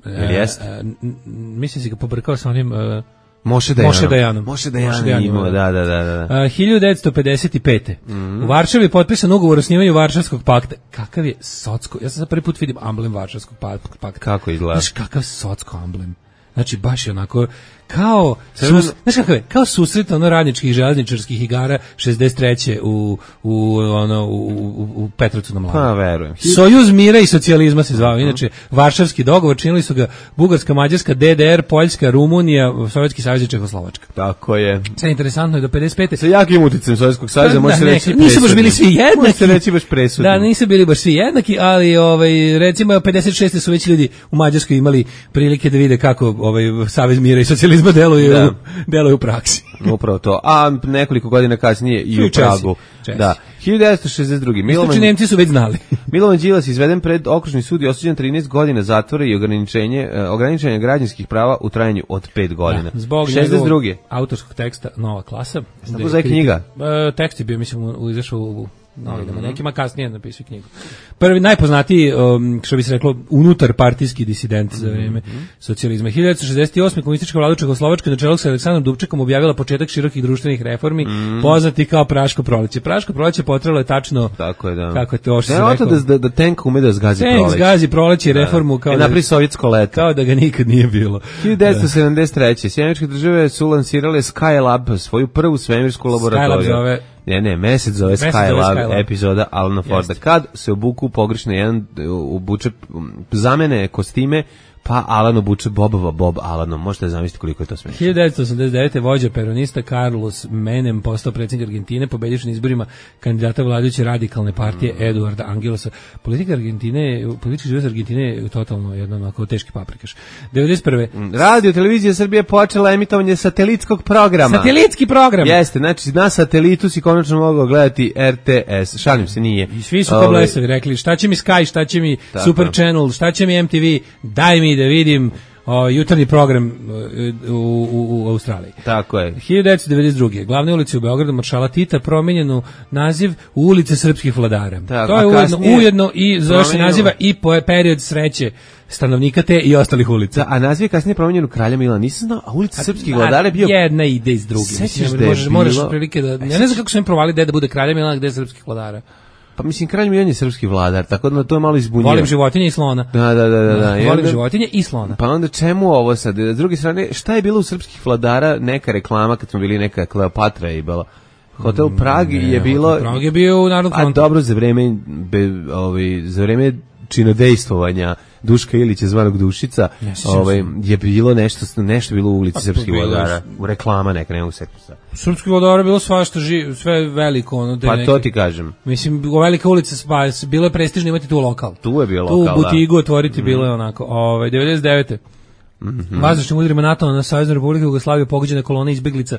Ili jeste? E, mislim si ga pobrkao sa onim... Uh, Moše Dajanom. Moše Dajanom. Moše Dajanom imao, da, da, da. da. Uh, hiljadu devetsto pedeset pete. Mm-hmm. U Varšavi je potpisan ugovor o osnivanju Varšavskog pakta. Kakav je socko? Ja sam sad prvi put vidim amblem Varšavskog pakta. Kako izgleda? Znaš kakav socko amblem? Znači, baš je onako, kao, sus, znaš kakav je, kao susret ono radničkih železničarskih igara šezdeset treće u, u, ono, u, u, u Petrovcu na Mlavu. Pa, verujem. Sojuz mira i socijalizma se zvao. Inače, Varšavski dogovor činili su ga Bugarska, Mađarska, D D R, Poljska, Rumunija, Sovjetski savez i Čehoslovačka. Tako je. Sve interesantno je do pedeset pete. Sa jakim uticajem Sovjetskog saveza, može se reći presudni. Nisu baš bili svi jednaki. Može se reći baš presudni. Da, nisu bili baš svi jednaki, ali ovaj, recimo pedeset šeste su već ljudi u Mađarskoj imali prilike da vide kako ovaj Savez mira i socijalizma deluje, da. u, deluje u praksi. Upravo to. A nekoliko godina kasnije i u Pragu. Da. hiljadu devetsto šezdeset druge. Milovan, Nemci su već znali. Milovan Đilas izveden pred okružni sud i osuđen trinaest godina zatvora i ograničenje ograničenja građanskih prava u trajanju od pet godina. Da, zbog šezdeset druge autorskog teksta Nova klasa. Kako zove knjiga? E, tekst je bio, mislim, u, izašao u novinama, mm-hmm. nekima kasnije napisao knjigu. Prvi najpoznatiji, um, što bi se reklo, unutar partijski disident za vrijeme mm-hmm. socijalizma. hiljadu devetsto šezdeset osme komunistička vlada Čehoslovačke na čelu sa Aleksandrom Dubčekom objavila početak širokih društvenih reformi, mm-hmm. poznati kao Praško proleće. Praško proleće potrelo je tačno tako je, da. Kako je to što se rekao. Da, da, da tank ume da zgazi proleće. Tank zgazi proleće i reformu kao, e, da, napri sovjetsko leto. Kao da ga nikad nije bilo. hiljadu devetsto sedamdeset treće Sjedinjene države su lansirale Skylab, svoju prvu svemirsku laboratoriju. Skylab zove Ne, ne, mesec zove Skylab, epizoda Alana Forda. Kad se obuku pogrešno jedan, obuče, zamene kostime, pa Alan obuče Bobova Bob Alanom. Možete zamisliti koliko je to smiješno. hiljadu devetsto osamdeset devete vođa peronista Carlos Menem postao predsjednik Argentine, pobedivši na izborima kandidata vladajuće radikalne partije mm. Eduarda Angelosa. Politika Argentine, politički život Argentine je totalno jedno onako teški paprikaš. devedeset prve Radio televizija Srbije počela emitovanje satelitskog programa. Satelitski program. Jeste, znači na satelitu si konačno mogao gledati R T S. Šalim se, nije. I svi su kao blesavi rekli, šta će mi Sky, šta će mi tako. Super Channel, šta će mi M T V, daj mi da vidim o, jutarnji program u, u, u Australiji. Tako je. hiljadu devetsto devedeset druge Glavne ulice u Beogradu Maršala Tita promijenjenu naziv u ulice srpskih vladara. Tako, to je ujedno, ujedno i zove se naziva i po period sreće stanovnika te i ostalih ulica. Da, a naziv je kasnije promijenjen u Kralja Milana. Nisam znao, a ulica srpskih vladara je bio... Jedna ide iz druge. Mislim, da možeš, bilo... moraš prilike da... Ja ne znam kako su im provali gde da bude Kralja Milana, gde je srpskih vladara. Pa mislim, Kralj Milan je srpski vladar, tako da to je malo izbunjivo. Volim životinje i slona. Da, da, da, da, da. Volim onda, životinje i slona. Pa onda čemu ovo sad? S druge strane, šta je bilo u srpskih vladara? Neka reklama kad smo bili, neka Kleopatra je bila. Hotel Prag je bilo... Prag je bio u Narodnom frontu. A dobro, za vreme, be, ovaj, za vreme činodejstvovanja Duška Ilića zvanog Dušica, ovaj, je bilo nešto, nešto bilo u ulici srpskih vladara, u reklama neka, ne mogu se setiti. Srpskih vladara je bilo svašta, ži, sve veliko. Ono, pa neke, to ti kažem. Mislim, u velika ulica, pa, bilo je prestižno imati tu lokal. Tu je bio lokal, tu butigu otvoriti mm. bilo je onako. Ovaj, devedeset devete Mm-hmm. Vazdušnim udarima NATO na Saveznu Republiku Jugoslaviju pogođena kolona izbeglica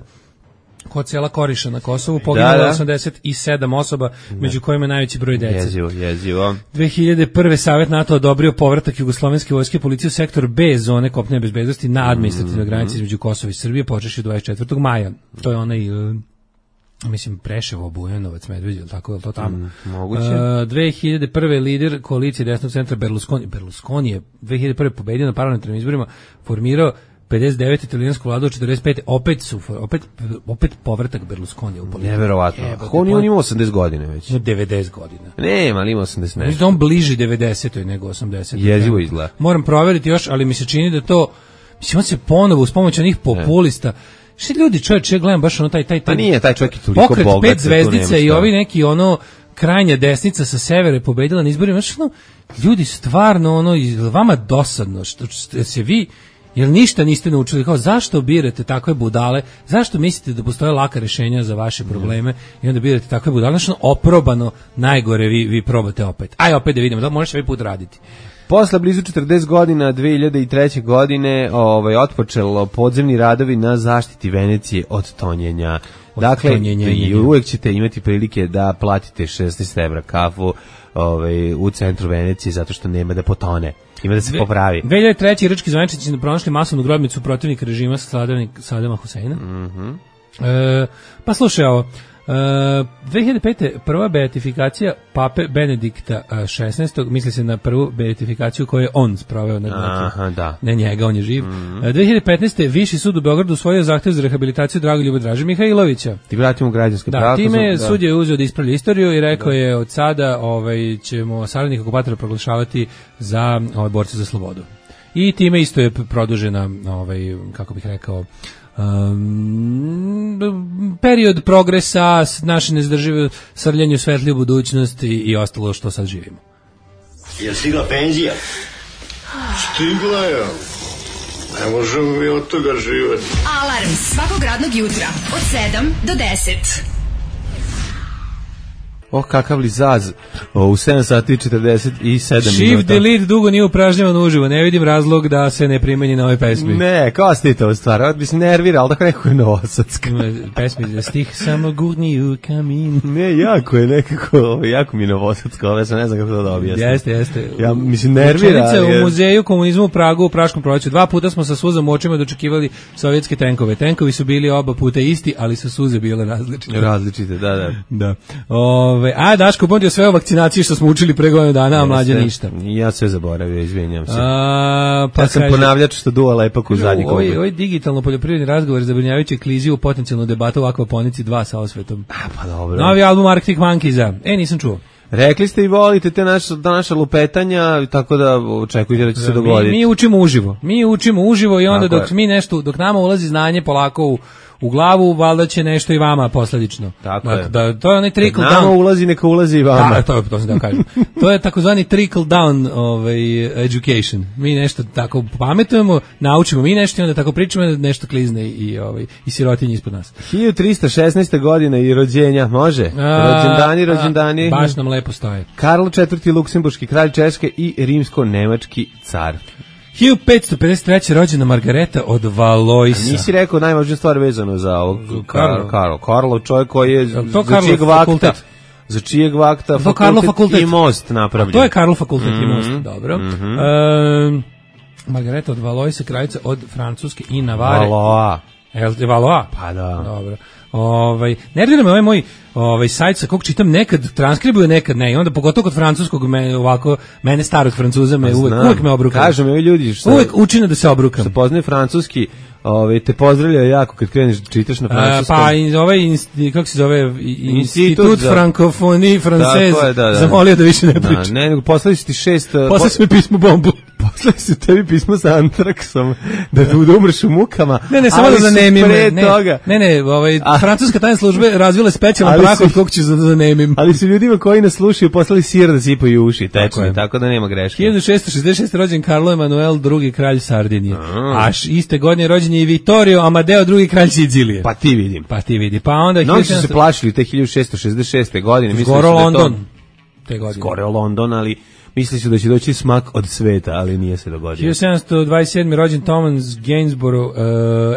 kod sela Koriša na Kosovu, poginulo da, da. osamdeset sedam osoba, da. među kojima je najveći broj dece. Jezivo, jezivo. dve hiljade prve Savet NATO odobrio povratak jugoslovenske vojske i policije u sektor B zone kopnene bezbednosti na administrativnoj mm-hmm. granici između Kosova i Srbije, počevši od dvadeset četvrtog maja. To je onaj, uh, mislim, Preševo, Bujanovac, Medveđa, tako je to tamo. Mm, moguće. Uh, dve hiljade prve lider koalicije desnog centra Berlusconi, Berlusconi je dve hiljade prve pobedio na parlamentarnim izborima, formirao pedeset devete italijansku vladu, četrdeset pete opet su opet opet povratak Berlusconi u politiku. Neverovatno. On je on ima osamdeset godina već. devedeset godina. Ne, ali ima osamdeset. Mislim da on bliži devedesetoj nego osamdesetoj. Jezivo izgleda. Moram proveriti još, ali mi se čini da to, mislim, on se ponovo uz pomoć onih populista. Ne. Što ljudi, čovječe, ja gledam baš ono taj taj taj. Pa nije taj čovjek je toliko pokret bogat. Pet zvezdica i ovi neki ono krajnja desnica sa severa pobedila na izborima. Znači, ono, ljudi stvarno ono, vama dosadno što, što se vi jer ništa niste naučili, kao zašto birate takve budale, zašto mislite da postoje laka rješenja za vaše probleme i onda birate takve budale, znači oprobano najgore vi, vi probate opet. Aj opet da vidimo, da možeš ovaj put raditi. Posle blizu četrdeset godina dve hiljade treće. godine ovaj, otpočelo podzemni radovi na zaštiti Venecije od tonjenja. Od dakle, tonjenja. Uvijek ćete imati prilike da platite šesnaest evra kafu ovaj, u centru Venecije zato što nema da potone. Ima da se popravi. dve hiljade treće. irački zvaničnici pronašli masovnu grobnicu protivnika režima Sadama Huseina. Mm-hmm. E, pa slušaj ovo. E, dve hiljade pete. prva beatifikacija pape Benedikta šesnaestog. Misli se na prvu beatifikaciju koju je on sproveo nad nekim. Da. Ne njega, on je živ. Mm-hmm. dve hiljade petnaeste. Viši sud u Beogradu usvojio zahtev za rehabilitaciju Dragoljuba Draže Mihajlovića. Ti vratimo građanske da, pravo. Time da. Sud je uzeo da ispravlja istoriju i rekao da. je od sada ovaj, ćemo saradnika okupatora proglašavati za ovaj, borce za slobodu. I time isto je produžena, ovaj, kako bih rekao, Um, period progresa, naše nezdržive srljanje u svetliju budućnost i, i ostalo što sad živimo. Je stigla penzija? Stigla je. Ne možemo mi od toga živeti. Alarm svakog radnog jutra od sedam do deset. Oh, kakav li zaz. O, u sedam sati i četrdeset sedam Shift minuta. Shift delete dugo nije upražnjavan uživo. Ne vidim razlog da se ne primeni na ovoj pesmi. Ne, kao ste to u stvari. Mi se nervira, ali tako neko je novosadska. Pesmi za stih samo gurni u kamin. Ne, jako je nekako, jako mi je novosadska. Ove sam ne znam kako to da objasnim. Jeste, jeste. Ja, mislim, nervira. Učenice u muzeju komunizmu u Pragu u Praškom proleću. Dva puta smo sa suzom u očima dočekivali sovjetske tenkove. Tenkovi su bili oba puta isti, ali su suze bile različite. Različite, da, da. Da. Ove, a Daško podio sve o vakcinaciji što smo učili pre godinu dana, a mlađe ništa. Ja sve zaboravio, izvinjam se. A, pa ja sam kaže, ponavljač što duva lepak u zadnji ovaj, ovaj digitalno poljoprivredni razgovor zabrinjavajući kliziju u potencijalnu debatu o akvaponici dva sa osvetom. A, pa dobro. Novi album Arctic Monkeys-a. E, nisam čuo. Rekli ste i volite te naša, naša lupetanja, tako da očekujte da će se dogoditi. Mi, mi učimo uživo. Mi učimo uživo i onda tako dok je. mi nešto, dok nama ulazi znanje polako u u glavu, valjda će nešto i vama posledično. Tako da, je. Da, to je onaj trickle down. Nama ulazi, neka ulazi i vama. Da, to je, to sam da kažem. To je takozvani trickle down ovaj, education. Mi nešto tako pametujemo, naučimo mi nešto i onda tako pričamo da nešto klizne i, ovaj, i sirotinje ispod nas. hiljadu trista šesnaeste. godina i rođenja, može? Rođendani, rođendani. A, baš nam lepo stoje. Karlo četvrti. Luksemburški kralj Češke i rimsko-nemački car. hiljadu petsto pedeset treće. rođena Margareta od Valoisa. A nisi rekao najvažnija stvar vezano za ovog Karlo. Karlo, Karlo čovjek koji je to za Karlo čijeg vakta, fakultet. za čijeg vakta to fakultet, fakultet i most napravljen. To je Karlo fakultet mm-hmm. i most, dobro. Mm-hmm. E, Margareta od Valoisa, kraljica od Francuske i Navare. Valois. Je Valois? Pa da. Dobro. Ovaj, nervira me ovaj moj ovaj sajt sa kog čitam, nekad transkribuje, nekad ne. I onda pogotovo kod francuskog me ovako mene starog Francuza me uvek, uvek me obruka. Kažu mi ovi ljudi što uvek učine da se obrukam. Što poznaje francuski, ovaj te pozdravljaju jako kad kreneš čitaš na francuskom. A, pa i ovaj kako se zove Institut za... Francophonie Française da, da. Zamolio da više ne priča. Da, ne, nego poslali su ti šest Poslali su mi pismo bombu. Poslali su tebi pismo sa antraksom da da umreš u mukama. Ne, ne, samo da zanemim. Ne, toga. ne, ne, ovaj a, francuska tajne službe razvile specijalan prah od kog ću da zanemim. Ali su ljudima koji nas slušaju poslali sir da sipaju uši, tačno, tako da nema greške. hiljadu šessto šezdeset šeste. rođen Karlo Emanuel drugi kralj Sardinije. A iste godine rođen je i Vittorio Amadeo drugi kralj Sicilije. Pa ti vidim. Pa ti vidi. Pa onda no, su se plašili te hiljadu šesto šezdeset šeste. godine, mislim da London. Te godine. Skoro London, ali Misli su da će doći smak od sveta, ali nije se dogodio. hiljadu sedamsto dvadeset sedme rođen Thomas Gainsborough, uh,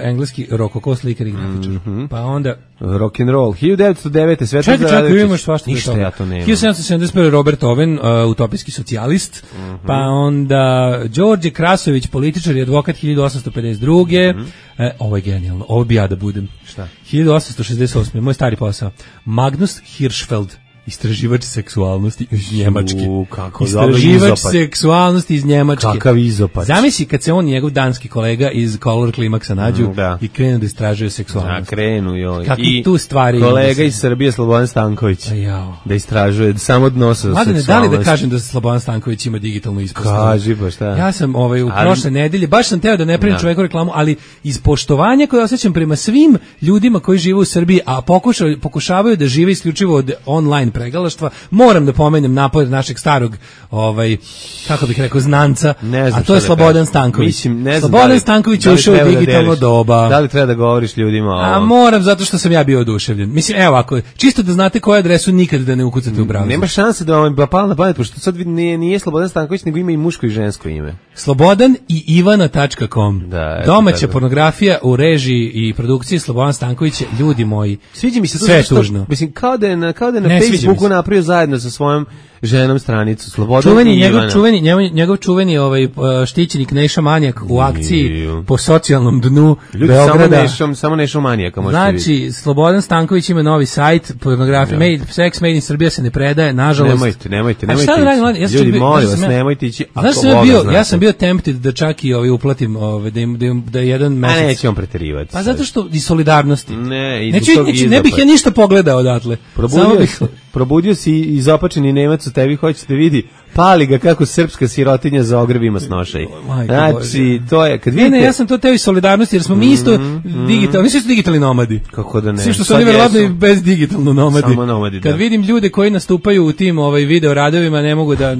engleski rokoko slikar i grafičar. Mm -hmm. Pa onda rock and roll. hiljadu devetsto devete Svetozar Radojičić. Čekaj, čekaj, imaš svašta. Ništa ja to nemam. hiljadu sedamsto sedamdeset prve Robert Owen, uh, utopijski socijalist. Mm -hmm. Pa onda Đorđe Krasović, političar i advokat hiljadu osamsto pedeset druge. Mm -hmm. e, ovo je genijalno. Ovo bi ja da budem. Šta? hiljadu osamsto šezdeset osme moj stari posao. Magnus Hirschfeld, istraživač seksualnosti iz Njemačke. U, kako istraživač seksualnosti iz Njemačke. Kakav izopač. Zamisli kad se on i njegov danski kolega iz Color Klimaksa nađu da. i krenu da istražuju seksualnost. Da, krenu, joj. Kakvi tu stvari. Kolega iz Srbije, Slobodan Stanković, da istražuje samo dno sa seksualnosti. Da li da kažem da Slobodan Stanković ima digitalnu ispostavu? Kaži, pa šta? Ja sam ovaj, u ali, prošle nedelje, baš sam teo da ne pravim čoveku reklamu, ali iz poštovanja koje osjećam prema svim ljudima koji žive u Srbiji, a pokušavaju, pokušavaju da žive isključivo od online pregalaštva, moram da pomenem napor našeg starog, ovaj, kako bih rekao, znanca, a to je Slobodan Stanković. Mislim, ne znam Slobodan da li, Stanković da je ušao u digitalno da doba. Da li treba da govoriš ljudima o... A moram, zato što sam ja bio oduševljen. Mislim, evo ovako, čisto da znate koju adresu nikad da ne ukucate u browser. Nema šanse da vam je pala na pamet, pošto sad nije, nije Slobodan Stanković, nego ima i muško i žensko ime. Slobodan i Ivana tačka com. Da, domaća pornografija u režiji i produkciji Slobodan Stanković, ljudi moji. Sviđa mi se to sve što, tužno. Mislim, kao da je na, kao da je na ne, Facebooku napravio zajedno sa svojom ženom stranicu Slobodan čuveni, njegov čuveni njegov, njegov čuveni ovaj štićenik Neša Manijak u akciji po socijalnom dnu ljudi, Beograda. Samo Nešom, samo Nešom Manijaka možete znači, vidjeti. Slobodan Stanković ima novi sajt, pornografija, made, sex made in Srbija se ne predaje, nažalost. Nemojte, nemojte, nemojte. A šta da radim, ja ljudi, bio, molim vas, ja, nemojte ići. Znaš sam ja bio, ja sam bio tempted da čak i ovaj uplatim, ovaj da im, da, im, da jedan mesec. A neće on preterivati. Pa zato što i solidarnosti. Ne, i neću, neću, ne bih ja ništa pogledao odatle. Probudio, bih... probudio si izopačeni Nemac u tebi, hoćete vidi, pali ga kako srpska sirotinja za ogrevima snošaj. Znači, to je, kad vidite... Ne, ne, ja sam to teo i solidarnosti, jer smo mi isto mm, digitalni, mi smo isto digitalni nomadi. Kako da ne? Svi što su oni verovatno i bez digitalno nomadi. Samo nomadi, kad da. vidim ljude koji nastupaju u tim ovaj, video radovima, ne mogu da...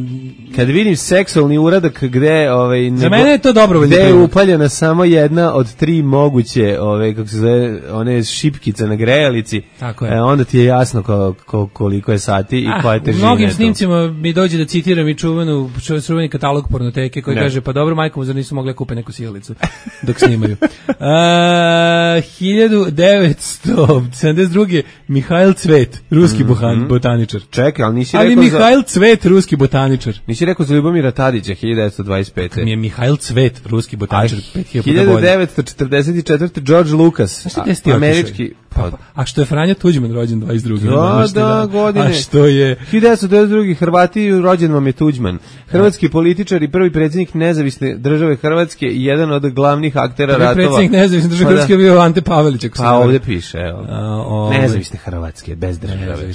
Kad vidim seksualni uradak gde... Ovaj, za mene je to dobro. Gde je upaljena samo jedna od tri moguće, ove, kako se zove, one šipkice na grejalici, tako je. E, onda ti je jasno ko, ko, koliko je sati i ah, koja je težina. U mnogim snimcima mi dođe da citiram i čuvenu, čuveni katalog pornoteke koji ne. kaže, pa dobro, majkom, zar nisu mogli kupe neku sjelicu dok snimaju. uh, hiljadu devetsto sedamdeset druge Mihajl Cvet, ruski mm -hmm. botaničar. Čekaj, ali nisi ali rekao Mihajl za... Cvet, ruski botaničar. Nisi rekao za Ljubomira Tadića, hiljadu devetsto dvadeset pete. Mi je Mihajl Cvet, ruski botaničar. hiljadu devetsto četrdeset četvrte George Lucas, a, američki... Pa, a što je Franjo Tuđman rođen dvadeset druge Da, da, godine. A što je... hiljadu devetsto devedeset druge Hrvati, rođen vam je Tuđman. Hrvatski političar i prvi predsjednik nezavisne države Hrvatske i jedan od glavnih aktera prvi ratova. Prvi predsjednik nezavisne države Hrvatske je bio Ante Pavelić. Pa ovdje piše, evo. A, nezavisne Hrvatske, bez države.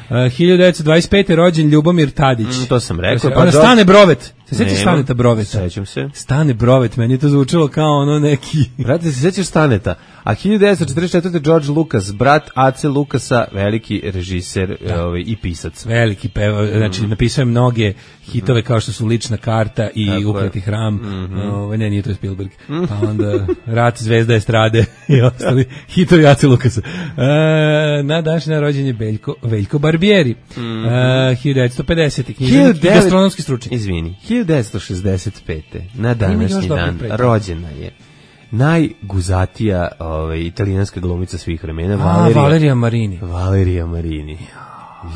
Uh, hiljadu devetsto dvadeset pete rođen Ljubomir Tadić. Mm, to sam rekao. Pa Stane Brovet. Se sećaš Staneta Broveta? Sećam se. Stane Brovet, meni je to zvučalo kao ono neki... Brate, se sećaš Staneta? A hiljadu devetsto četrdeset četvrte George Lucas, brat Ace Lucasa, veliki režiser ovaj, i pisac. Veliki peva, znači mm. napisao je mnoge hitove kao što su Lična karta i tako Ukleti hram. Mm -hmm. ovaj, ne, nije to Spielberg. Mm. Pa onda Rat, Zvezda estrade i ostali hitovi Ace Lucasa. E, na današnji rođenje Beljko, Veljko Barbieri. Mm -hmm. e, hiljadu devetsto pedesete književnik i gastronomski stručnjak. Izvini, hiljadu devetsto šezdeset pete na današnji dan rođena je najguzatija ovaj, italijanska glumica svih vremena, A, Valerija, Valerija Marini. Valerija Marini.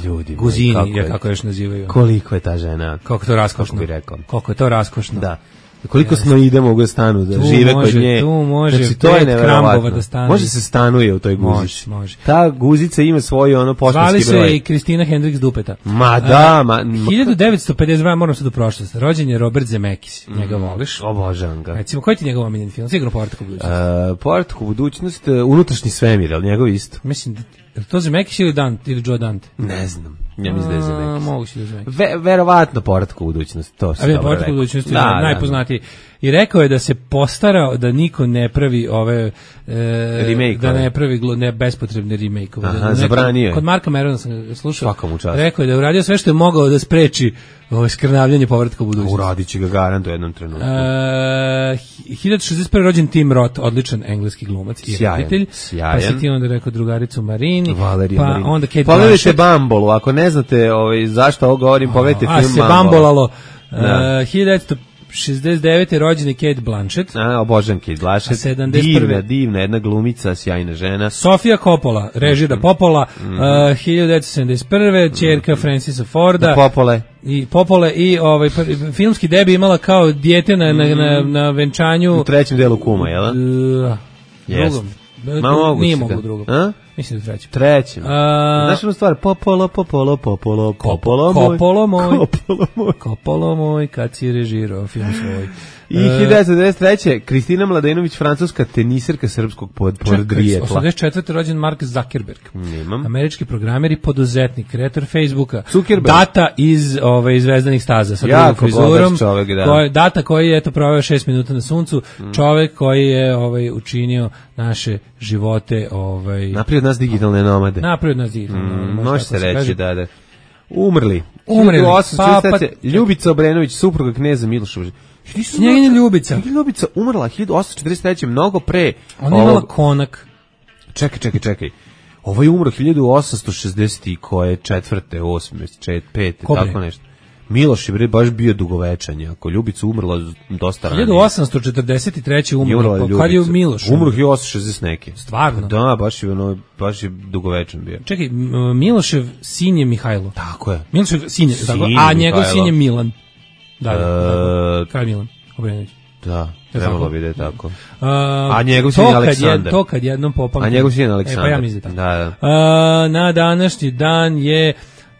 Ljudi, Guzini, kako je, kako još nazivaju. Koliko je ta žena? Kako to raskošno. Kako bi rekao. Koliko je to raskošno. Da. Koliko yes. snoide mogu da stanu, da tu žive može, kod nje. Tu može, znači, to je neverovatno. Da stane. Može se stanuje u toj guzici. Može, može. Ta guzica ima svoj ono poštanski broj. Zvali se i Kristina Hendriks Dupeta. Ma da, ma... hiljadu devetsto pedeset dva, moram sad u prošlost. Rođen je Robert Zemeckis. Mm. Njega voliš? Obožavam ga. Recimo, koji ti njegov omiljeni film? Sigurno Povratak u budućnost. Uh, Povratak u budućnost, uh, Unutrašnji svemir, ali njegov isto. Mislim, je to Zemeckis ili Dante, ili Joe Dante? Ne znam. Ja mislim da je Zemeckis. Moguće da je Zemeckis. Ve, verovatno Povratak u budućnost, to se dobro rekao. Povratak u budućnosti da, je najpoznatiji. I rekao je da se postarao da niko ne pravi ove e, da ne pravi glo, ne bespotrebne remake-ove. Aha, zabranio je. Kod Marka Merona sam slušao. Svaka mu čast. Rekao je da je uradio sve što je mogao da spreči ovo skrnavljanje Povratka u budućnost. Uradit će ga garant u jednom trenutku. E, hiljadu šezdeset prve rođen Tim Roth, odličan engleski glumac i reditelj. Pa si ti onda rekao drugaricu Marini, Valerija pa Marini. onda Kate Pogledajte Bumble, ako ne ne znate ovaj, zašto ovo govorim, pogledajte film A se bambolalo. Da. Uh, hiljadu devetsto šezdeset devete rođeni Kate Blanchett. A, obožavam Kate Blanchett. Divna, divna, jedna glumica, sjajna žena. Sofia Coppola, režira mm -hmm. Popola, mm -hmm. uh, hiljadu devetsto sedamdeset prve ćerka mm -hmm. Francisa Forda. Popole. I Popole i ovaj filmski debi imala kao dijete na, na, na, na venčanju. U trećem delu Kuma, jel da? Uh, Jeste. Ma mogu nije mogu drugom. A? Mislim da trećem. Trećem. A... Znaš jednu stvar? Popolo, popolo, popolo, popolo moj. Kopolo moj. Kopolo moj. Kopolo moj, kad si režirao film svoj. I hiljadu devetsto devedeset treće Kristina Mladenović, francuska teniserka srpskog podrijetla. osamdeset četvrte rođen Mark Zuckerberg. Nemam. Američki programer i poduzetnik, kreator Facebooka. Zuckerberg. Data iz ove iz Zvezdanih staza sa drugom frizurom. Čovjek, da. Koji, data koji je eto proveo šest minuta na suncu, mm. čovjek koji je ovaj učinio naše živote ovaj naprijed nas digitalne nomade. Naprijed nas digitalne nomade. Mm, može se reći, da, da. Umrli. Umrli. Pa, pa, Ljubica Obrenović, supruga kneza Miloša. Njegina Ljubica. Ljubica umrla hiljadu osamsto četrdeset treće mnogo pre. Ona je imala konak. Čekaj, čekaj, čekaj. Ovo je umro hiljadu osamsto šezdeset koje četvrte, osme, pete, tako nešto. Miloš je bre baš bio dugovečan, ako Ljubica umrla dosta ranije. hiljadu osamsto četrdeset treće umrla. Pa kad je Miloš? Umro hiljadu osamsto šezdeset neke. Stvarno? Da, baš je ono, baš je dugovečan bio. Čekaj, Milošev sin je Mihajlo. Tako je. Milošev sin je, sin tako, a njegov sin je Milan. Da, da, Kralj Milan Obrenović. Da, trebalo bi da je tako. Uh, a njegov sin je Aleksandar. Je, to kad jednom popam. A njegov sin je Aleksandar. E, pa ja mislim da. Da, da. Uh, na današnji dan je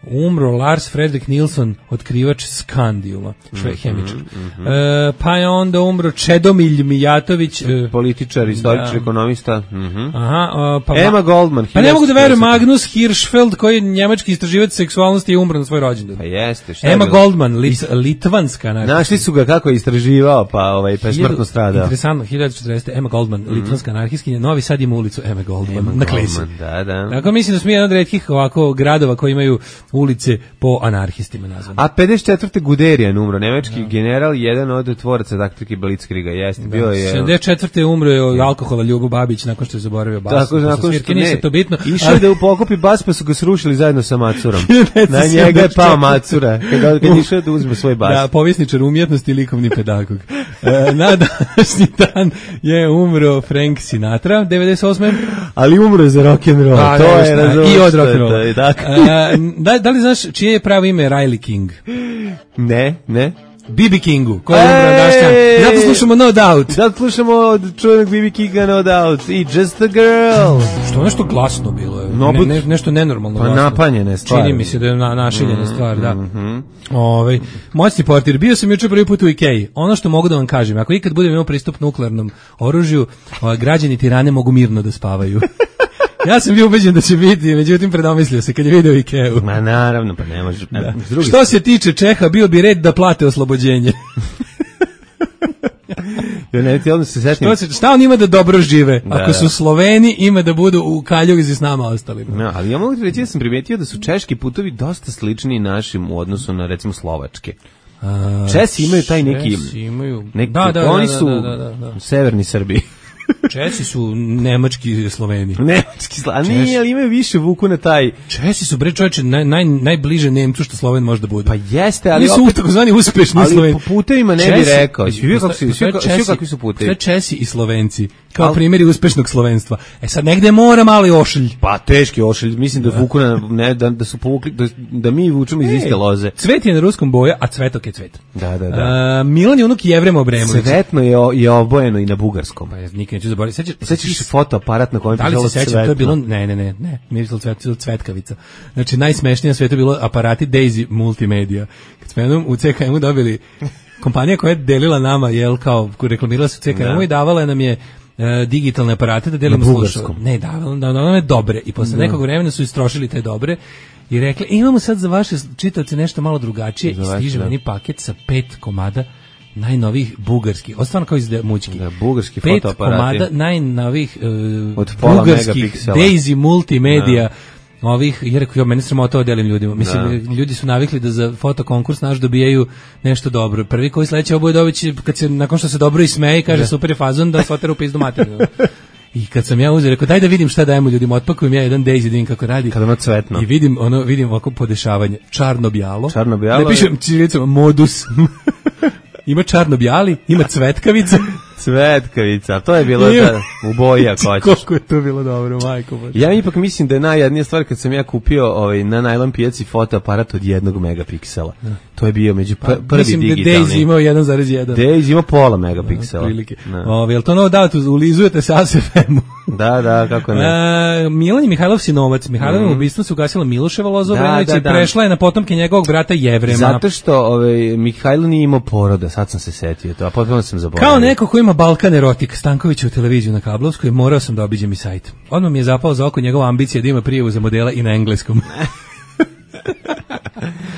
umro Lars Fredrik Nilsson, otkrivač skandijuma, šve hemičar. Mm -hmm. e, pa je onda umro Čedomilj Mijatović, e, političar, istoričar, da. Ekonomista. Mm -hmm. Aha, o, pa Emma Goldman. Pa ne mogu da verujem, Magnus Hirschfeld, koji je njemački istraživač seksualnosti, je umro na svoj rođendan. Pa jeste. Šta Emma Goldman, lit, litvanska. Znači. Našli su ga kako je istraživao, pa, ovaj, pa je smrtno stradao. Interesantno, hiljadu četiristo Emma Goldman, mm -hmm. litvanska anarhistkinja, Novi Sad ima ulicu Emma Goldman, Emma na Klesi. Da, da. Dakle, mislim da smo jedan od retkih ovako gradova koji imaju ulice po anarhistima nazvane. A pedeset četvrte Guderian umro, nemački da. general, jedan od tvoraca taktike Blitzkriega, jeste, da. bio je... sedamdeset četvrte umro je od alkohola Ljubo Babić nakon što je zaboravio bas. Tako, nakon što ne, to bitno. Išao ali... da upokopi bas, pa su ga srušili zajedno sa Macurom. Na njega je pao Macura, kad, kad išao da uzme svoj bas. Da, povjesničar umjetnosti i likovni pedagog. E, na današnji dan je umro Frank Sinatra, devedeset osme Ali umro za rock'n'roll, pa, to je razumno. I od rock'n'rolla. Da, da li znaš čije je pravo ime Riley King? Ne, ne. B B Kingu, koji je umro dašćan. I zato slušamo No Doubt. Zato slušamo od čuvenog B B Kinga No Doubt i Just a Girl. Što nešto glasno bilo je. No, ne, ne, nešto nenormalno pa glasno. Napanjene stvari. Čini mi se da je na, našiljena mm, stvar, da. Mm -hmm. Ove, moćni portir, bio sam juče prvi put u Ikeji. Ono što mogu da vam kažem, ako ikad budem imao pristup nuklearnom oružju, građani Tirane mogu mirno da spavaju. Ja sam bio ubeđen da će biti, međutim predomislio se kad je video Ikeu. Ma naravno, pa ne može. Da. Što se tiče Čeha, bio bi red da plate oslobođenje. Ja ne ti se sećam. Šta, šta on ima da dobro žive? Da, ako su Sloveni, ima da budu u kaljugi s nama ostalima. No, ali ja mogu ti reći da sam primetio da su češki putovi dosta slični našim u odnosu na recimo slovačke. A, Česi imaju taj neki... Česi imaju... Neki, da, da, oni da, su da, da, da, da. u severni Srbiji. Česi su nemački Sloveni. Nemački Sloveni, nije, ali imaju više vuku na taj... Česi su, bre čovječe, naj, naj, najbliže Nemcu što Sloven može da bude. Pa jeste, ali... Oni su opet, takozvani uspešni ali Sloveni. Ali po putevima ne bi rekao. Svi kako su, svi kakvi su putevi. Sve Česi i Slovenci, kao ali, primjeri uspešnog slovenstva. E sad, negde mora mali ošilj. Pa teški ošilj, mislim da, da vuku na... Ne, da, da su povukli, da, da mi vučemo iz iste loze. Cvet je na ruskom boja, a cvetok je cvet. Da, da, da. A, Milan je unuk Jevrema Obremovića. Cvetno je, je obojeno i na bugarskom. Pa ja nikad neću zaboraviti. Sećaš se fotoaparat na kojem da li se sećam, to je bilo, ne, ne, ne, ne, mirisalo cvet, cvetkavica. Znači, najsmešnije na svetu je bilo aparati Daisy Multimedia. Kad smo jednom u C K M-u dobili, kompanija koja je delila nama, jel, kao, reklamirala se u C K M-u i davala nam je uh, digitalne aparate da delimo slušao. Ne, davala da nam je dobre. I posle no. nekog vremena su istrošili te dobre i rekli, imamo sad za vaše čitaoce nešto malo drugačije i stiže meni paket sa pet komada najnovih bugarskih, ostvarno kao iz mućki. Da, bugarski pet fotoaparati. Komada najnovih uh, od pola bugarskih Daisy Multimedia. Da. Ovih, jer ja meni sramota to delim ljudima. Mislim, da. Ljudi su navikli da za fotokonkurs naš dobijaju nešto dobro. Prvi koji sledeće oboje dobiće, kad se, nakon što se dobro ismeje i kaže da. Super je fazon, da se otera u pizdu materinu. I kad sam ja uzeo, rekao, daj da vidim šta dajemo ljudima, otpakujem ja jedan Daisy, da vidim kako radi. Kad ono cvetno. I vidim, ono, vidim ovako podešavanje. Čarno-bjalo. Čarno-bjalo. Ne pišem čilicom, modus. Ima čarno-bjali, ima cvetkavica. Cvetkavica, to je bilo da, u boji ako hoćeš. Koliko je to bilo dobro, majko Bože. Ja ipak mislim da je najjadnija stvar kad sam ja kupio ovaj, na najlon pijaci fotoaparat od jednog megapiksela. Da. To je bio među pr prvi mislim digitalni. Mislim da Daisy imao jedan zarez jedan. Daisy ima pola megapiksela. Ove, jel to novo dato, ulizujete se A S F M-u? Da, da, kako ne. E, Milan je Mihajlov sinovac. Mihajlovim mm. ubistvom se ugasila Miloševa Loza Obrenović i prešla je na potomke njegovog brata Jevrema. Zato što ovaj, Mihajlo nije imao poroda, sad sam se setio to, a potpuno sam zaboravio. Kao neko ko ima Balkan erotik, Stanković u televiziju na Kablovskoj, morao sam da obiđem i sajt. Odmah mi je zapao za oko njegova ambicija da ima prijavu za modela i na engleskom.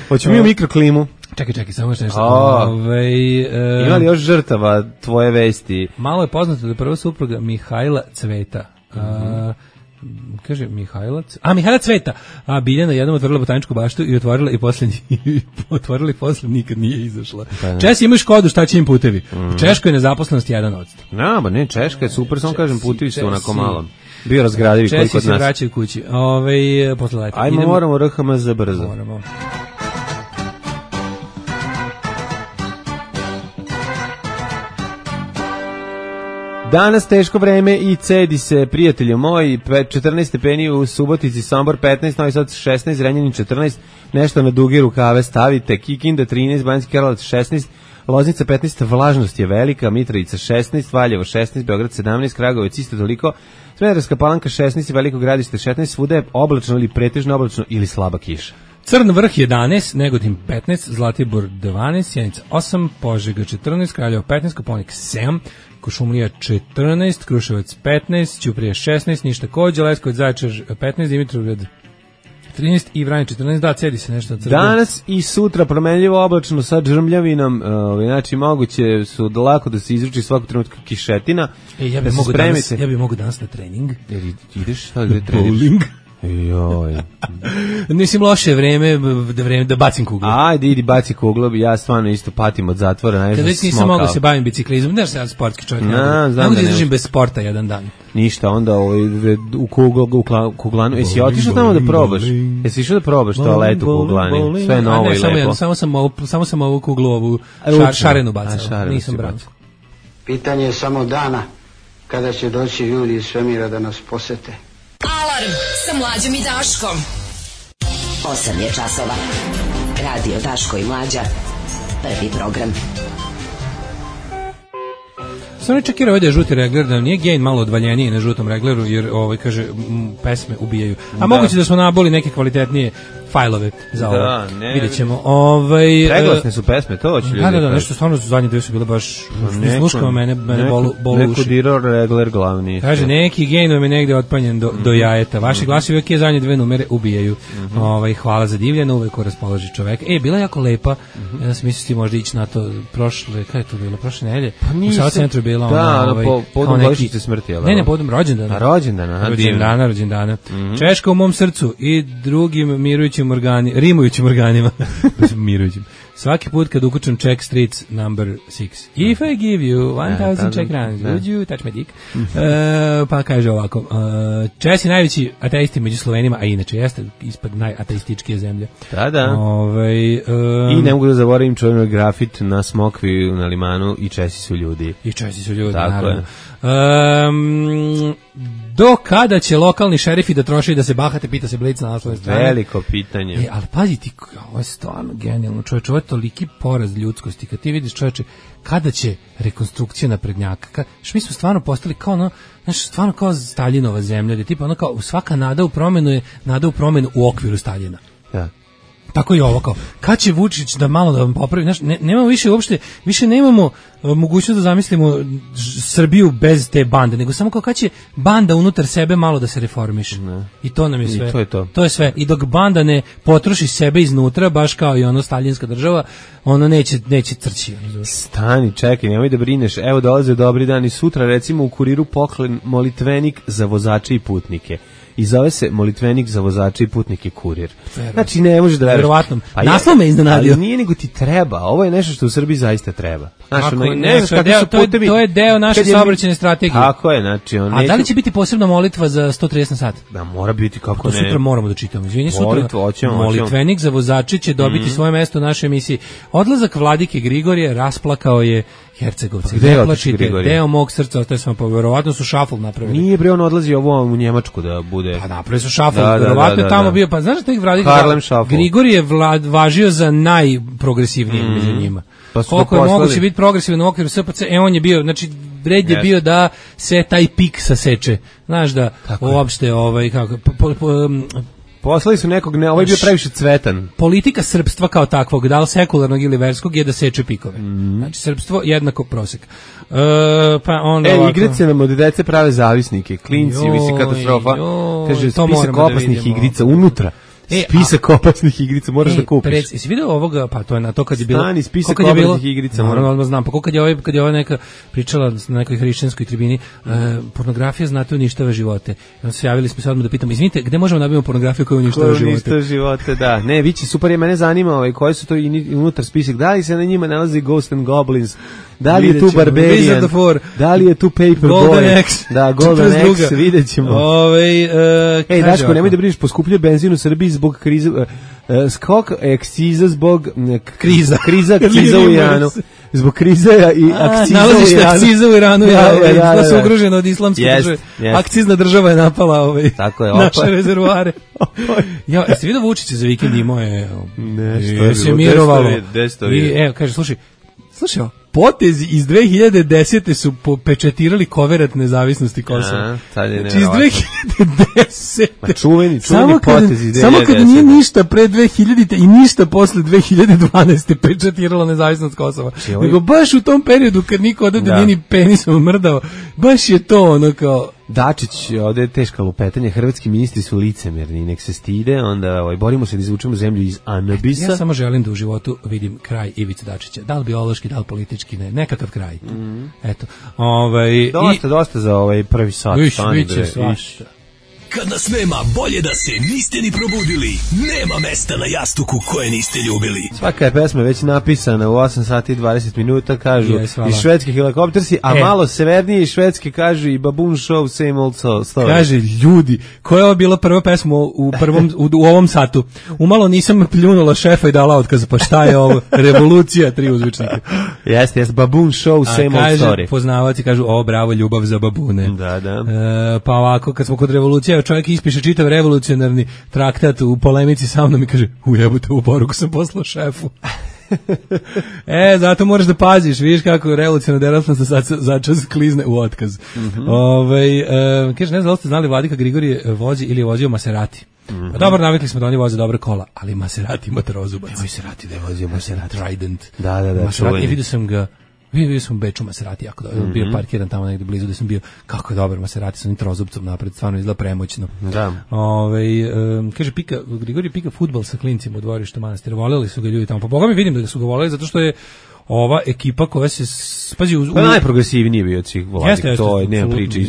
Hoću mi u mikroklimu. Čekaj, čekaj, samo što nešto. Oh. Ove, e, ima li još žrtava tvoje vesti? Malo je poznato da je prva supruga Mihajla Cveta. Mm -hmm. A, kaže Mihajla, a Mihajla Cveta, a Biljana jednom otvorila botaničku baštu i otvorila i posle otvorila i posle nikad nije izašla. Česi imaju Škodu, šta će im putevi? Mm. U Češkoj je nezaposlenost jedan odsto. No, ba ne, Češka je super, samo kažem putevi su onako malo. Bio razgradivi koji kod nas. Česi se vraćaju kući. Ove, posle leta. Ajmo, idemo, moramo R H M Z brzo. Moramo. Danas teško vreme i cedi se, prijatelju moji, četrnaest stepeni u Subotici, Sombor petnaest, Novi Sad šesnaest, Zrenjanin četrnaest, nešto na duge rukave stavite, Kikinda trinaest, Banjski Karlovac šesnaest, Loznica petnaest, vlažnost je velika, Mitrovica šesnaest, Valjevo šesnaest, Beograd sedamnaest, Kragujevac isto toliko, Smederevska Palanka šesnaest, Veliko Gradište šesnaest, svuda je oblačno ili pretežno oblačno ili slaba kiša. Crn vrh jedanaest, Negotin petnaest, Zlatibor dvanaest, Sjenica osam, Požega četrnaest, Kraljevo petnaest, Koponik sedam, Košumlija četrnaest, Kruševac petnaest, Ćuprija šesnaest, Niš takođe, Leskovac, Zaječar petnaest, Dimitrovgrad trinaest i Vranje četrnaest, da, cedi se nešto. Danas i sutra promenljivo oblačno sa džrmljavinom, uh, znači moguće su lako da se izruči svakog trenutka kišetina. E, ja bih mogu danas, ja bih mogu danas na trening. Jer ideš, šta gde treniraš? Joj. Mislim loše vreme, da vreme da bacim kuglu. Ajde, idi baci kuglu, ja stvarno isto patim od zatvora. Kad već nisam mogao se bavim biciklizmom, znaš se ja sportski čovjek. Ne mogu da izdržim bez sporta jedan dan. Ništa, onda ovaj, u kuglu, u kuglanu. Jesi otišao tamo da probaš? Jesi išao da probaš toalet u kuglani? Sve novo i lepo. Samo sam ovu, samo sam ovu kuglu, ovu šarenu bacao. Nisam brao. Pitanje je samo dana kada će doći ljudi iz svemira da nas posete. Alarm sa Mlađom i Daškom. osam je časova. Radio Daško i Mlađa. Prvi program. Sam ne čekira ovdje je žuti regler, da nije Gain malo odvaljeniji na žutom regleru, jer ovaj, kaže, m, pesme ubijaju. A da. Moguće da smo naboli neke kvalitetnije fajlove za ovo. Da, ne. Vidjet ćemo. Ovaj, preglasne su pesme, to hoće ljudi. Da, da, da, nešto stvarno su zadnje dve su bile baš, ne sluškamo mene, mene neko, bolu, bolu neko dirao regler glavni. Kaže, neki Gain vam je negde otpanjen do, mm. do jajeta. Vaši mm. glasovi uvijek je zadnje dve numere ubijaju. Mm -hmm. ovaj, hvala za divljeno, uvijek ko raspoloži čoveka. E, bila je jako lepa. Mm -hmm. Ja sam mislio ti možda ići na to prošle, kada je to bilo, prošle nedelje? Pa u Sava centru je bila da, ona, ovaj, po, povodom godišnjice smrti, ali ne, ne, povodom rođendana. A rođendana, aha, rođendana, rođendana. Mm -hmm. Češka u mom srcu i drugim mirujućim organi, rimujućim organima. mirujućim. Svaki put kad ukučem check streets number six. If I give you one thousand check runs, would you touch my dick? uh, pa kaže ovako, uh, Česi najveći ateisti među Slovenima, a inače jeste ispod najateističkije zemlje. Da, da. Ove, um, I ne mogu da zaboravim čovjek grafit na Smokvi na Limanu i Česi su ljudi. I Česi su ljudi, tako naravno. Je. Um, do kada će lokalni šerifi da troše i da se bahate, pita se Blic na naslovnoj strani. Veliko pitanje. E, ali pazi ti, ovo je stvarno genijalno, čovječe, ovo je toliki poraz ljudskosti, kad ti vidiš, čovječe, kada će rekonstrukcija naprednjaka, kad, što mi smo stvarno postali kao ono, znaš, stvarno kao Staljinova zemlja, gdje tipa ono kao svaka nada u promenu je nada u promenu u okviru Staljina. Da. Tako i ovo kao, kad će Vučić da malo da vam popravi, znaš, ne, nemamo više uopšte, više nemamo uh, mogućnost da zamislimo Srbiju bez te bande, nego samo kao kad će banda unutar sebe malo da se reformiše. Ne. I to nam je sve. I to je to. To je sve. I dok banda ne potroši sebe iznutra, baš kao i ono staljinska država, ono neće, neće trći. Stani, čekaj, nemoj da brineš. Evo dolaze dobri dani sutra, recimo u Kuriru poklen molitvenik za vozače i putnike. i zove se molitvenik za vozače i putnike kurir. Znači ne možeš da veruješ. Verovatno. Pa naslov me iznenadio. Ali nije nego ti treba. Ovo je nešto što u Srbiji zaista treba. Znaš, Kako, ono, ne, ne znaš to, je kakvi deo, su to, je, putevi. to je deo naše saobraćajne strategije. Tako je, znači on. A neće... da li će biti posebna molitva za sto trideset na sat? Da, mora biti kako to ne. Sutra moramo da čitamo. Izvini, sutra. Molitva, oćemo, molitvenik za vozače će dobiti mm-hmm. svoje mesto u našoj emisiji. Odlazak vladike Grigorije rasplakao je Hercegovci. Gde ne plačite, deo mog srca, to je samo verovatno su šafl napravili. Nije bre, on odlazi ovo u Njemačku da bude. Pa napravili su šafl, da, verovatno da, da, tamo da. bio, pa znaš da ih vladike Grigorije vlad važio za najprogresivniji mm-hmm. među njima. Pa koliko je moguće biti progresivan u okviru S P C, e on je bio, znači red je yes. bio da se taj pik saseče. Znaš da tako uopšte je. ovaj kako po, po, po, um, poslali su nekog, ne, ovaj je bio previše cvetan. Politika srpstva kao takvog, da li sekularnog ili verskog, je da seče pikove. Mm. Znači srpstvo jednako prosek. Uh, pa onda e, ovako... igrice nam od dece prave zavisnike. Klinci, mislim katastrofa. Joj, kaže, spisak opasnih da igrica unutra. E, spisak a, opasnih igrica moraš e, da kupiš. Pred, jesi vidio ovoga, pa to je na to kad je bilo. Stani, spisak opasnih bilo, igrica. Moram odmah znam, pa kako kad je ovaj kad je ova neka pričala na nekoj hrišćanskoj tribini, uh, pornografija znate uništava živote. I onda se javili smo se odmah da pitamo, izvinite, gde možemo da nabavimo pornografiju koja uništava živote? Uništava živote, da. Ne, vići super, je mene zanima, ovaj koji su to unutar spisak. Da li se na njima nalazi Ghost and Goblins? Da li je tu Barbarian? Da li je tu Paperboy? Da, Golden X, vidjet ćemo. Ove, uh, Ej, Daško, nemoj da brineš, poskupljuje benzin u Srbiji zbog krize, uh, skok akciza zbog uh, kriza, kriza, akciza u Iranu. Zbog krize i akciza u Iranu. Nalazište akciza u Iranu, ja, ovaj, da, da su ugrožene od islamske yes, države. Yes. Akcizna država je napala ovaj, tako je, naše rezervoare. Ja, jeste vidio Vučića za vikend imao je... Nešto je se mirovalo. I, evo, kaže, slušaj, slušaj, potezi iz dve hiljade desete su pečetirali koverat nezavisnosti Kosova. Znači iz dve hiljade desete. Ma čuveni, čuveni potezi iz dve hiljade desete. Samo kad nije ništa pre dve hiljadite i ništa posle dve hiljade dvanaeste pečetiralo nezavisnost Kosova. Nego baš u tom periodu kad niko odavde da. Nije ni penisom mrdao, baš je to ono kao... Dačić, ovde je teška lupetanje, hrvatski ministri su licemerni, nek se stide, onda ovaj, borimo se da izvučemo zemlju iz anabisa. Ja samo želim da u životu vidim kraj Ivice Dačića, da li biološki, da li politički, ne, nekakav kraj. Mm. Eto, ovaj... Dosta, i... dosta za ovaj prvi sat. Viš, viće, svašta. Kad nas nema, bolje da se niste ni probudili. Nema mesta na jastuku koje niste ljubili. Svaka je pesma već napisana u osam sati i dvadeset minuta, kažu yes, iz švedske helikoptersi, a e. malo severnije iz švedske kažu i Baboon Show, same old story. Kaže, ljudi, koja je ovo bila prva pesma u, prvom, u, u ovom satu? Umalo nisam pljunula šefa i dala otkaz, pa šta je ovo? Revolucija, tri uzvičnike. Jeste, jeste, Baboon Show, same a, kaže, old story. Poznavaci kažu, o, bravo, ljubav za babune. Da, da. E, pa ovako, kad smo kod revolucije, čovjek ispiše čitav revolucionarni traktat u polemici sa mnom i kaže, ujebote, u poruku sam poslao šefu. E, zato moraš da paziš, vidiš kako revolucionarna delatnost začas klizne u otkaz. Mm-hmm. Ove, e, kaže, ne znam da li ste znali, Vladika Grigorije vozi ili je vozio Maserati. Mm-hmm. Pa dobro, navikli smo da oni voze dobre kola, ali Maserati ima trozubac. Evo Maserati da je vozio Maserati. Trident. Da, da, da. Maserati, i vidio sam ga, vidio sam u Beču Maserati, jako dobro, mm-hmm. bio parkiran tamo negde blizu gde sam bio, kako je dobar Maserati sa onim trozubcom napred, stvarno izgleda premoćno. Da. Ove, um, kaže, pika, Grigorije pika fudbal sa klincima u dvorištu manastira, voleli su ga ljudi tamo, pa boga mi vidim da ga su ga voleli, zato što je ova ekipa koja se spazi u, u... Pa najprogresivniji bio od svih Vladika, to je, nema priče.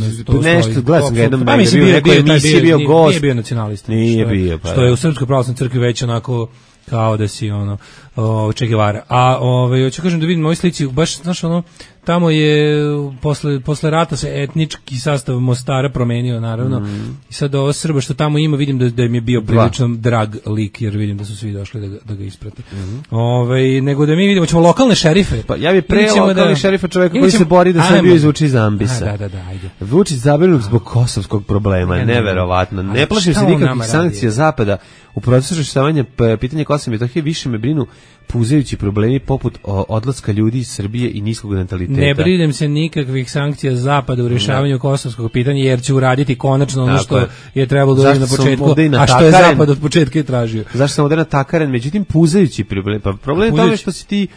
Nešto, gledam sam ga jednom, pa mislim, bio, bio, bio, bio, bio gost. Nije bio nacionalista. Nije bio, pa. Što je u Srpskoj pravoslavnoj crkvi već onako kao da si ono o, Che Guevara. A ovaj hoću kažem da vidim ovoj slici, baš znaš ono, tamo je posle posle rata se etnički sastav Mostara promenio naravno. Mm. I sad ovo Srba što tamo ima, vidim da da im je bio prilično drag lik, jer vidim da su svi došli da ga, da ga isprate. Mm. Ovaj nego da mi vidimo ćemo lokalne šerife. Pa ja bih pre lokalnih da, šerifa čoveka koji se bori da Srbiju izvuči iz ambisa. Da, da, da, ajde. Vučić zabrinut zbog kosovskog problema, ne, neverovatno. Ne, ne plašim se nikakvih sankcija zapada. U procesu rešavanja pitanja Kosova i Metohije više me brinu puzajući problemi poput o, odlaska ljudi iz Srbije i niskog nataliteta. Ne brinem se nikakvih sankcija zapada u rešavanju kosovskog pitanja, jer će uraditi konačno ono što je, je trebalo da na početku, a što je zapad od početka i tražio. Zašto sam ovdje natakaren? Međutim, puzajući problem. Pa problem je tome što si ti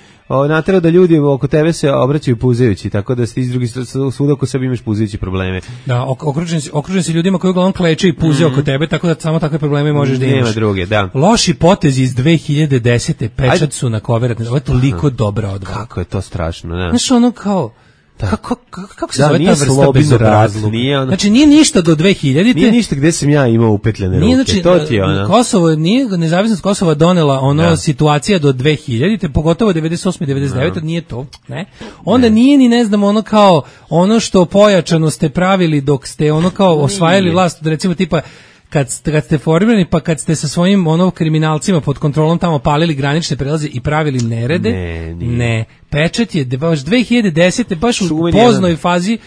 naterao da ljudi oko tebe se obraćaju puzajući, tako da ti iz drugih svuda oko sebe imaš puzajući probleme. Da, okružen si, okružen si ljudima koji uglavnom kleče i puze mm. oko tebe, tako da samo takve probleme možeš da imaš. Nema druge, da. Loši potezi iz dve hiljade desete pečat su na koverat. Ovo je toliko dobra odbrana. Kako je to strašno, da. Znaš, ono kao, Kako, kako, kako se da, zove ta vrsta bezobrazluka? Nije ono... Znači, nije ništa do dve hiljadite. Nije ništa gde sam ja imao upetljene ruke. Znači, to ti je ono. Kosovo, nije nezavisnost Kosova donela ono da. situacija do dve hiljadite, pogotovo devedeset osme devedeset devete nije to, ne? Onda ne. nije ni, ne znam, ono kao, ono što pojačano ste pravili dok ste ono kao osvajali vlast, recimo tipa, kad, kad ste formirani, pa kad ste sa svojim ono kriminalcima pod kontrolom tamo palili granične prelaze i pravili nerede, ne, ne. Pečet je baš dve hiljade desete baš u poznoj fazi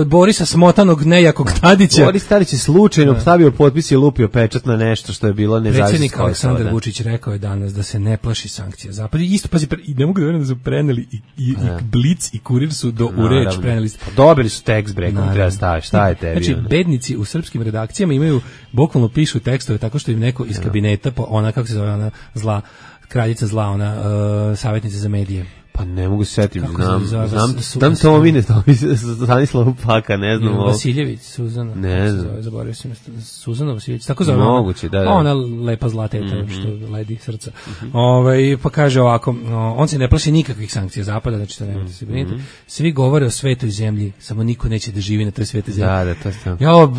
Borisa Smotanog nejakog Tadića. Boris Tadić je slučajno stavio potpis i lupio pečat na nešto što je bilo nezavisno. Predsjednik Aleksandar Vučić rekao je danas da se ne plaši sankcija Zapada. Isto, pazi, i ne mogu da verujem da su preneli i, i, i Blic i Kurir su do u reč preneli. Pa dobili su tekst brekom, treba staviti, šta je tebi? Znači, bednici u srpskim redakcijama imaju, bukvalno pišu tekstove tako što im neko iz kabineta, ona, kako se zove, ona zla, kraljica zla, ona uh, savjetnica za medije. Pa ne mogu se setiti, znam, znam, znam, znam Tomine, Tomine, Stanislav Paka, ne znam. Vasiljević, Suzana, ne znam. Zaboravio sam, Suzana Vasiljević, tako zove. Moguće, da, da. Ona lepa zlateta, mm -hmm. što ledi srca. Mm -hmm. Ove, pa kaže ovako, on se ne plaši nikakvih sankcija Zapada, znači to nemojte se briniti. Mm -hmm. Svi govore o svetoj zemlji, samo niko neće da živi na toj svetoj zemlji. Da, da, to ste. Jo,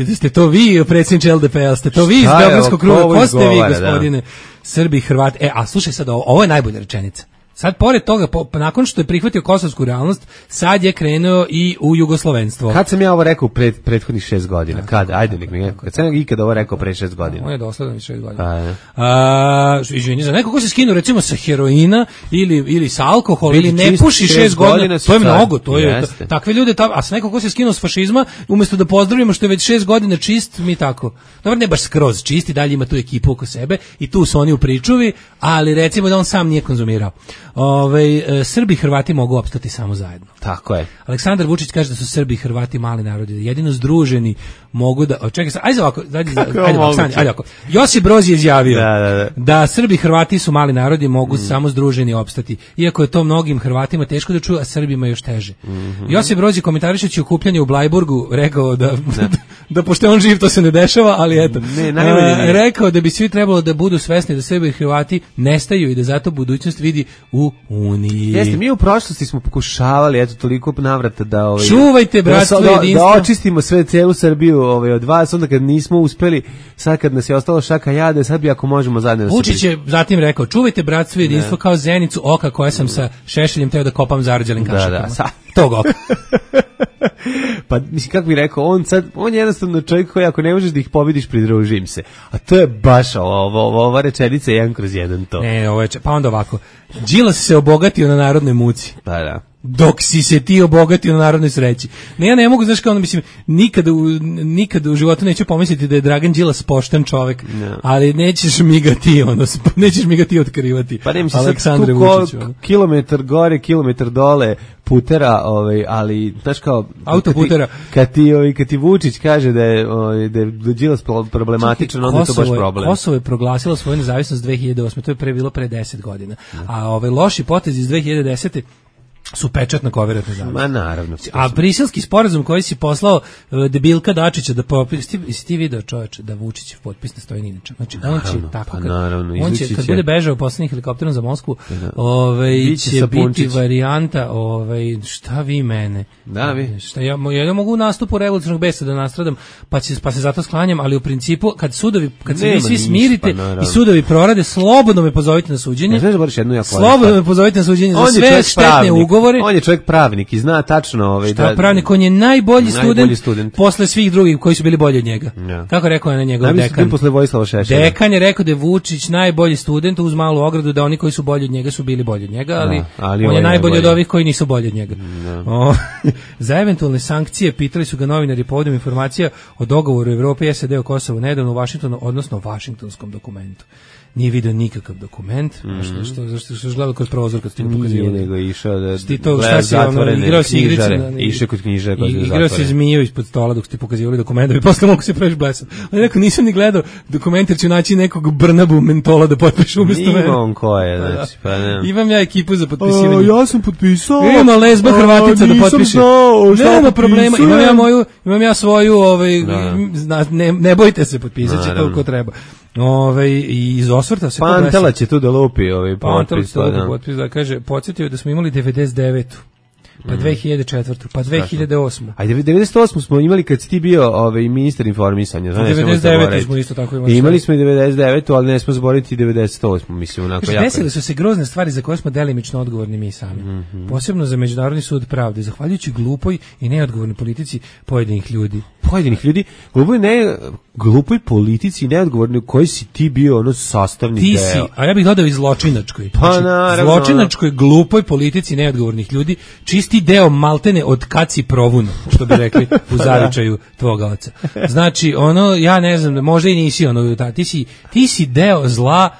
da ste to vi, predsjedniče L D P-a, ste to vi iz Beogradskog kruga, ko ste vi, gospodine? Srbi, Hrvati. E, a slušaj sad, ovo je najbolja rečenica. Sad, pored toga, po, nakon što je prihvatio kosovsku realnost, sad je krenuo i u jugoslovenstvo. Kad sam ja ovo rekao pred prethodnih šest godina? Da, kad? Ajde, nek mi kad sam ikada ovo rekao pre šest godina. On je dosledan šest godina. A, a, izvini, za neko ko se skinu, recimo, sa heroina ili, ili sa alkohola, ili ne puši šest godina, to je mnogo, to je, to, takve ljude, ta, a sa neko ko se skinu s fašizma, umjesto da pozdravimo što je već šest godina čist, mi tako. Dobro, ne baš skroz čisti, dalje ima tu ekipu oko sebe i tu su oni u pričuvi, ali recimo da on sam nije konzumirao. Ove, e, Srbi i Hrvati mogu opstati samo zajedno. Tako je. Aleksandar Vučić kaže da su Srbi i Hrvati mali narodi, jedino združeni mogu da... Čekaj, ajde ovako, ajde, ajde, ajde, ajde, ajde ovako. Josip Broz je izjavio da, da, da. da Srbi i Hrvati su mali narodi, mogu mm. samo združeni opstati. Iako je to mnogim Hrvatima teško da čuju, a Srbima još teže. Mm -hmm. Josip Broz je komentarišući okupljanje u Blajburgu rekao da, da, da pošto on živ to se ne dešava, ali eto. Ne, najbolje, rekao da bi svi trebalo da budu svesni da Srbi i Hrvati nestaju i da zato budućnost vidi u Uniji. Jeste, mi u prošlosti smo pokušavali, eto, toliko navrata da... Ovaj, čuvajte bratstvo da, jedinstvo. Da očistimo sve, celu Srbiju ovaj, od vas, onda kad nismo uspeli, sad kad nas je ostalo šaka jade, sad bi ako možemo zajedno... Vučić je zatim rekao, čuvajte bratstvo jedinstvo kao zenicu oka koja sam sa Šešeljem teo da kopam zarđalim kašikama. Da, da, sa... Tog oka. Pa, mislim, kako bih rekao, on sad, on je jednostavno čovjek koji ako ne možeš da ih pobediš, pridružim se. A to je baš ovo, ovo, ova rečenica jedan kroz jedan to. Ne, ovo je, pa onda ovako, Đilas se obogatio na narodnoj muci. Da, da. Dok si se ti obogatio na narodnoj sreći. Ne, ja ne mogu, znaš kao ono, mislim, nikada u, nikada u životu neću pomisliti da je Dragan Đilas pošten čovjek, no. ali nećeš mi ga ti, ono, nećeš mi ga ti otkrivati. Pa ne, mislim, Aleksandre Vučiću. Kilometar gore, kilometar dole, putera, ovaj, ali, znaš kao... Autoputera. Kad ti, ovaj, kad ti Vučić kaže da je, ovaj, da je Đilas problematičan, onda je to baš problem. Kosovo je proglasilo svoju nezavisnost dve hiljade osme, to je pre bilo pre deset godina. No. A ovaj loši potezi iz dve hiljade desete su pečatno koveratne zavis. Ma naravno. A briselski sporazum koji si poslao uh, debilka Dačića da popis, ti, si ti video čoveče da Vučićev potpis ne stoji ni inače. Znači naravno, on će tako, pa, kad, naravno, on će, kad bude bežao poslednjim helikopterom za Moskvu, da. ovaj, će biti varijanta, ovaj, šta vi mene? Da, vi. Šta, ja, ja mogu u nastupu revolucionarnog besa da nastradam, pa, će, pa se zato sklanjam, ali u principu, kad sudovi, kad se vi svi smirite pa, i sudovi prorade, slobodno me pozovite na suđenje. Ne, ne, jednu slobodno me pozovite na suđenje za sve štetne ugovore. On je čovjek pravnik i zna tačno ovaj šta da, pravnik, on je najbolji, najbolji student, student posle svih drugih koji su bili bolji od njega. Ja. Kako rekao je na njegov najbolji dekan? Posle Vojislava Šešelja. Dekan je rekao da je Vučić najbolji student uz malu ogradu da oni koji su bolji od njega su bili bolji od njega, ali, da, ali on je ovaj najbolji najbolji od ovih koji nisu bolji od njega. O, za eventualne sankcije pitali su ga novinari povodom informacija o dogovoru Evrope i S A D o Kosovu nedavno u Vašingtonu, odnosno Vašingtonskom dokumentu. Nije video nikakav dokument, mm -hmm. što, što, zašto što je gledao kroz prozor kad ste ga pokazivali. Nije nego išao da ti to, šta si ono, igrao si igrice. Išao kod knjižara. Igrao si zmiju ispod stola dok ste pokazivali dokument, da bi posle mogu se preći blesan. Ali rekao, nisam ni gledao dokument jer ću naći nekog Brnabu mentola da potpiše umjesto mene. Ima on ko je, znači, pa ne. Imam ja ekipu za potpisivanje. A, ja sam potpisao. Ima lesba Hrvatica da potpiše. Nema problema, imam ja moju, imam ja svoju, ovaj, ne, ne bojte se, potpisat će toliko treba. Ove, i iz osvrta se Pantela će tu da lupi ovaj potpis, da. Potpis da kaže, podsjetio da smo imali devedeset devetu pa dve hiljade četvrtu, pa dve hiljade osmu. A devedeset osmu smo imali kad si ti bio ovaj, ministar informisanja. Znači, devedeset devetu smo isto tako imali. I imali smo i devedeset devetu, ali ne smo zaboraviti devedeset osmu, mislim, onako Kaži, jako. Desile su se grozne stvari za koje smo delimično odgovorni mi sami. Mm-hmm. Posebno za Međunarodni sud pravde, zahvaljujući glupoj i neodgovornoj politici pojedinih ljudi. Pojedinih ljudi, glupoj, ne, glupoj politici i neodgovorni u kojoj si ti bio ono sastavni ti deo. Si, a ja bih dodao i zločinačkoj. Pa znači, naravno. Zločinačkoj, glupoj politici neodgovornih ljudi, čisti deo maltene od kad si provuno, što bi rekli u zavičaju tvoga oca. Znači, ono, ja ne znam, možda i nisi ono, ta, ti, si, ti si deo zla,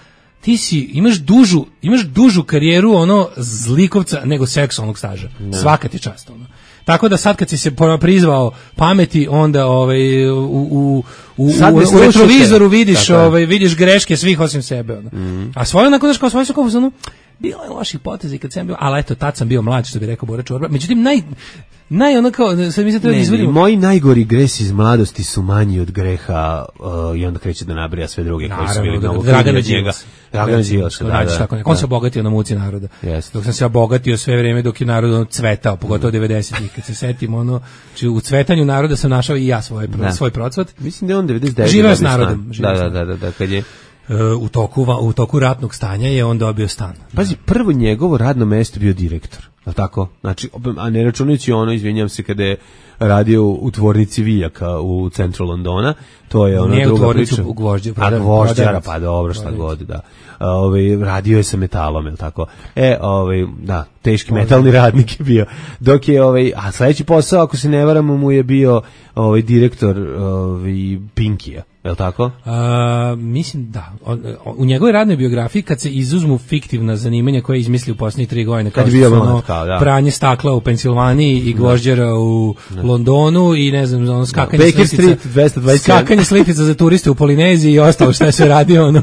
ti si, imaš dužu, imaš dužu karijeru ono zlikovca nego seksualnog staža. Ne. Svaka ti čast ono. Tako da sad kad si se prizvao pameti, onda ovaj u u u, u, u retrovizoru vidiš ovaj vidiš greške svih osim sebe ono. Mm. A svoje onako znaš kao svoje su kao ono bilo je loših poteza kad sam bio, ali eto tad sam bio mlad, što bi rekao Bora Čorba. Međutim naj naj ono kao sad mi se treba izvoditi. Moji najgori gresi iz mladosti su manji od greha uh, i onda kreće da nabrija sve druge koji su bili mnogo Dragana Đilasa. Dragana Đilasa, da, da, tako, on se obogatio na muci naroda. Yes. Dok sam se obogatio sve vreme dok je narod ono cvetao, pogotovo devedesetih kad se setim ono, či u cvetanju naroda sam našao i ja svoj svoj procvat. Mislim da je on devedeset devete živeo s narodom. Da, da, da, da, da, kad je u toku u toku ratnog stanja je on dobio stan. Pazi, prvo njegovo radno mesto bio direktor, je li tako? Znači, a ne računajući ono, izvinjam se, kada je radio u tvornici vijaka u centru Londona, to je ona druga priča. U Gvožđe, a Gvožđara, pa dobro, šta god, da. Ovaj radio je sa metalom, je li tako? E, ovaj, da, teški metalni radnik je bio. Dok je ovaj, a sledeći posao, ako se ne varamo, mu je bio ovaj direktor ovaj Pinkija. Je li tako? A, mislim da. O, u njegovoj radnoj biografiji kad se izuzmu fiktivna zanimanja koje je izmislio u posljednjih tri godine, kao što su ono, da. pranje stakla u Pensilvaniji i gvožđera u da. Londonu i ne znam, ono, skakanje Baker slitica, Street dvesta dvadeset sedam. skakanje slitica za turiste u Polineziji i ostalo što je se radio, ono,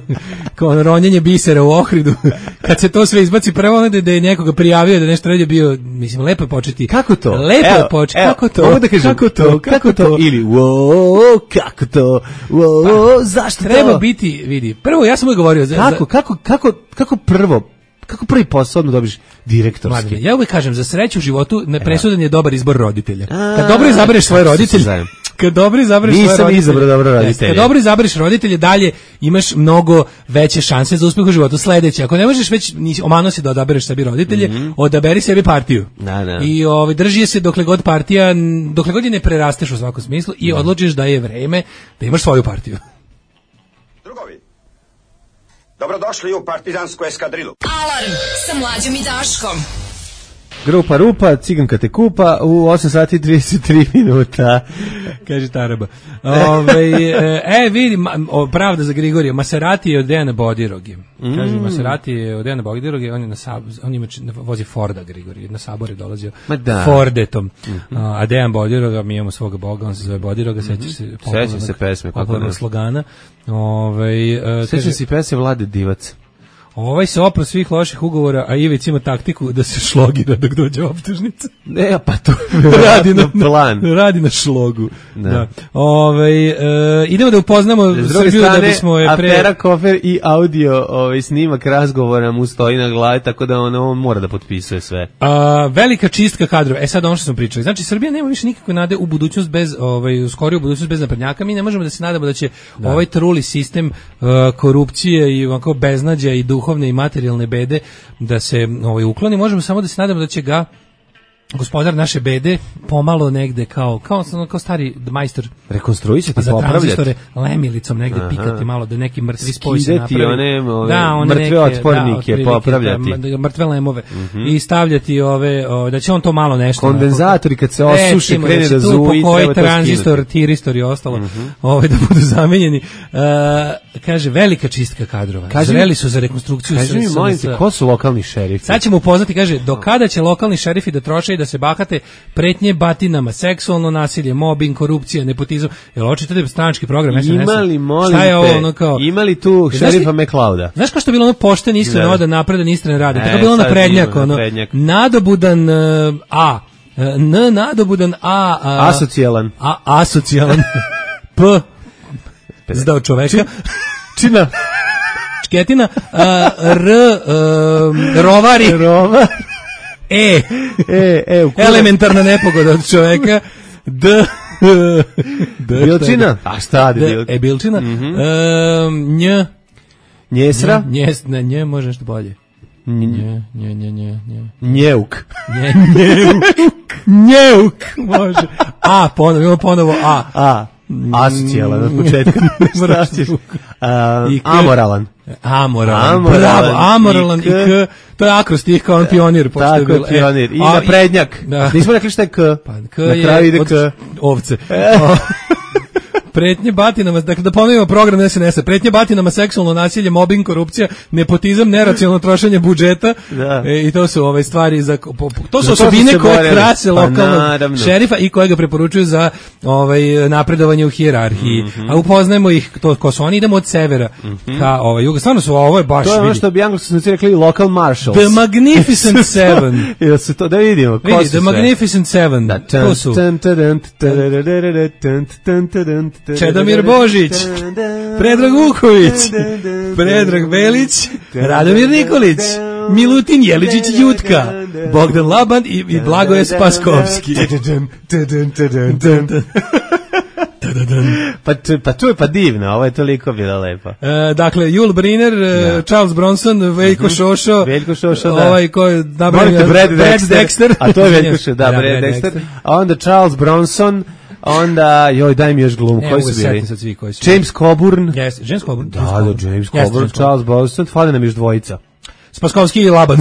kao ono, ronjenje bisera u Ohridu. Kad se to sve izbaci, prvo ono da je nekoga prijavio da nešto radio bio, mislim, lepo je početi. Kako to? Lepo je početi. Kako to? Da kažem, kako to? Kako to? Ili, wow, kako to? Wow. Pa, zašto treba to? biti, vidi. Prvo ja sam uvijek govorio za, kako, kako, kako, kako prvo kako prvi posao odmah dobiš direktorski. Mladine, ja uvijek kažem, za sreću u životu nepresudan je dobar izbor roditelja. Kad dobro izabereš svoje roditelje, kad dobro izabereš svoje roditelje, nisam izabrao dobro roditelje. Kad dobro izabereš roditelje, dalje imaš mnogo veće šanse za uspjeh u životu. Sledeće, ako ne možeš već, omano si da odabereš sebi roditelje, mm-hmm. odaberi sebi partiju. Da, da. I ovaj, drži je se dokle god partija, dokle god je ne prerasteš u svakom smislu i da. odlučiš da je vreme da imaš svoju partiju. Drugovi, dobrodošli u partizansku eskadrilu. Alarm sa Mlađom i Daškom. Grupa Rupa, Ciganka te kupa u osam sati i trideset tri minuta. Kaže Taraba. Ove, e, vidi, pravda za Grigorija. Maserati je od Dejana Bodiroge. Mm. Kaže, Maserati je od Dejana Bodiroge, on je na sab, on ima, vozi Forda Grigorija. Na sabor je dolazio Fordetom. Mm-hmm. A Dejan Bodiroga, mi imamo svoga boga, on se zove Bodiroga, mm-hmm. sećaš se popularnog, se pesme, popularnog slogana. Ove, sećam se pesme Vlade Divac. Ovaj se opro svih loših ugovora, a Ivić ima taktiku da se šlogira dok dođe optužnica. Ne, pa to radi na plan. Radi na šlogu. Da. Da. Ovaj e, idemo da upoznamo Srbiju da bismo je pre afera kofer i audio, ovaj snimak razgovora mu stoji na glavi, tako da on, on mora da potpisuje sve. A, velika čistka kadrova. E sad ono što smo pričali. Znači Srbija nema više nikakve nade u budućnost bez ovaj u skoriju budućnost bez naprednjaka. Mi ne možemo da se nadamo da će da. ovaj truli sistem uh, korupcije i onako beznađa i duhovne i materijalne bede da se ovaj ukloni, možemo samo da se nadamo da će ga gospodar naše bede pomalo negde kao kao kao stari majstor rekonstruisati, popravljati, lemilicom negde Aha. pikati malo da neki mrtvi spoj se napravi. One, ove, da, one mrtve neke, otpornike da, popravljati. Da, mrtve lemove mm-hmm. i stavljati ove, ove, da će on to malo nešto. Kondenzatori kad se osuše, e, krene da zuji, koji tranzistor, tiristor i ostalo, mm-hmm. ove, da budu zamenjeni. Uh, kaže, velika čistka kadrova. Kaži, Zreli su za rekonstrukciju. Kaži mi, molim te, ko su lokalni šerifi? Sad ćemo upoznati, kaže, do kada će lokalni šerifi da troše da se bahate pretnje batinama, seksualno nasilje, mobbing, korupcija, nepotizam. Jel očito da je stranački program es en es? Imali, molim te, ovo, ono kao, imali tu šerifa McLeoda. Znaš kao što je bilo ono pošten, iskren, odan, napredan, istren radi? E, tako bilo ono prednjak, ono, nadobudan uh, A, uh, N nadobudan A, uh, asocijalan. A, asocijalan. P, zdao čoveka. Či, čina. Čketina. Uh, R, uh, rovari. Rovar. E. E, e, u elementarna nepogoda od čoveka. D. Bilčina? A šta je Bilčina? E, Bilčina. Mm-hmm. Um, nj. Njesra? Njes, ne, nje može nešto bolje. Nje, nje, nje, nje, nje. Njeuk. Nje, njeuk. Njeuk, može. A, ponovo, imamo ponovo A. A. A su cijela, od početka. Šta ćeš? Uh, amoralan. Amoralan. Amoralan. Bravo, amoralan i k. I k. To je akrostih kao on pionir. Tako je pionir. I a, naprednjak. Da. Nismo rekli šta je k. Pa, k na kraju ide k. Ovce. Pretnje batinama, dakle da ponovimo program S N S-a, pretnje batinama, seksualno nasilje, mobbing, korupcija, nepotizam, neracionalno trošenje budžeta e, i to su ove stvari za po, to su za osobine to koje boreli. Krase lokalnog pa, šerifa i koje ga preporučuju za ovaj napredovanje u hijerarhiji. Mm-hmm. A upoznajemo ih to ko su oni, idemo od severa mm-hmm. ka ovaj jug. Stvarno su ovo je baš to je ono što bi Anglo-Saksonci rekli local marshals. The Magnificent Seven. Jel se to da vidimo ko Vidi, su The sve? Magnificent Seven. Da, tan, to su Čedomir Božić, Predrag Vuković, Predrag Belić, Radomir Nikolić, Milutin Jeličić Jutka, Bogdan Laban i, i Blagoje Spaskovski. pa, pa to je pa divno, ovo je toliko bilo lepo. E, dakle, Jul Briner, ja. Charles Bronson, Veljko Šošo, Veljko Šošo, da. Ovaj ko je napravio Brad Dexter, Dexter, a to je Veljko Šošo, da, Brad Dexter, a onda Charles Bronson, onda, joj, daj mi još glum, koji su bili? Svi koji su James Coburn. Yes, James Coburn. Da, da, James Coburn, yes, Charles Bronson, fali nam još dvojica. Spaskovski i Laban.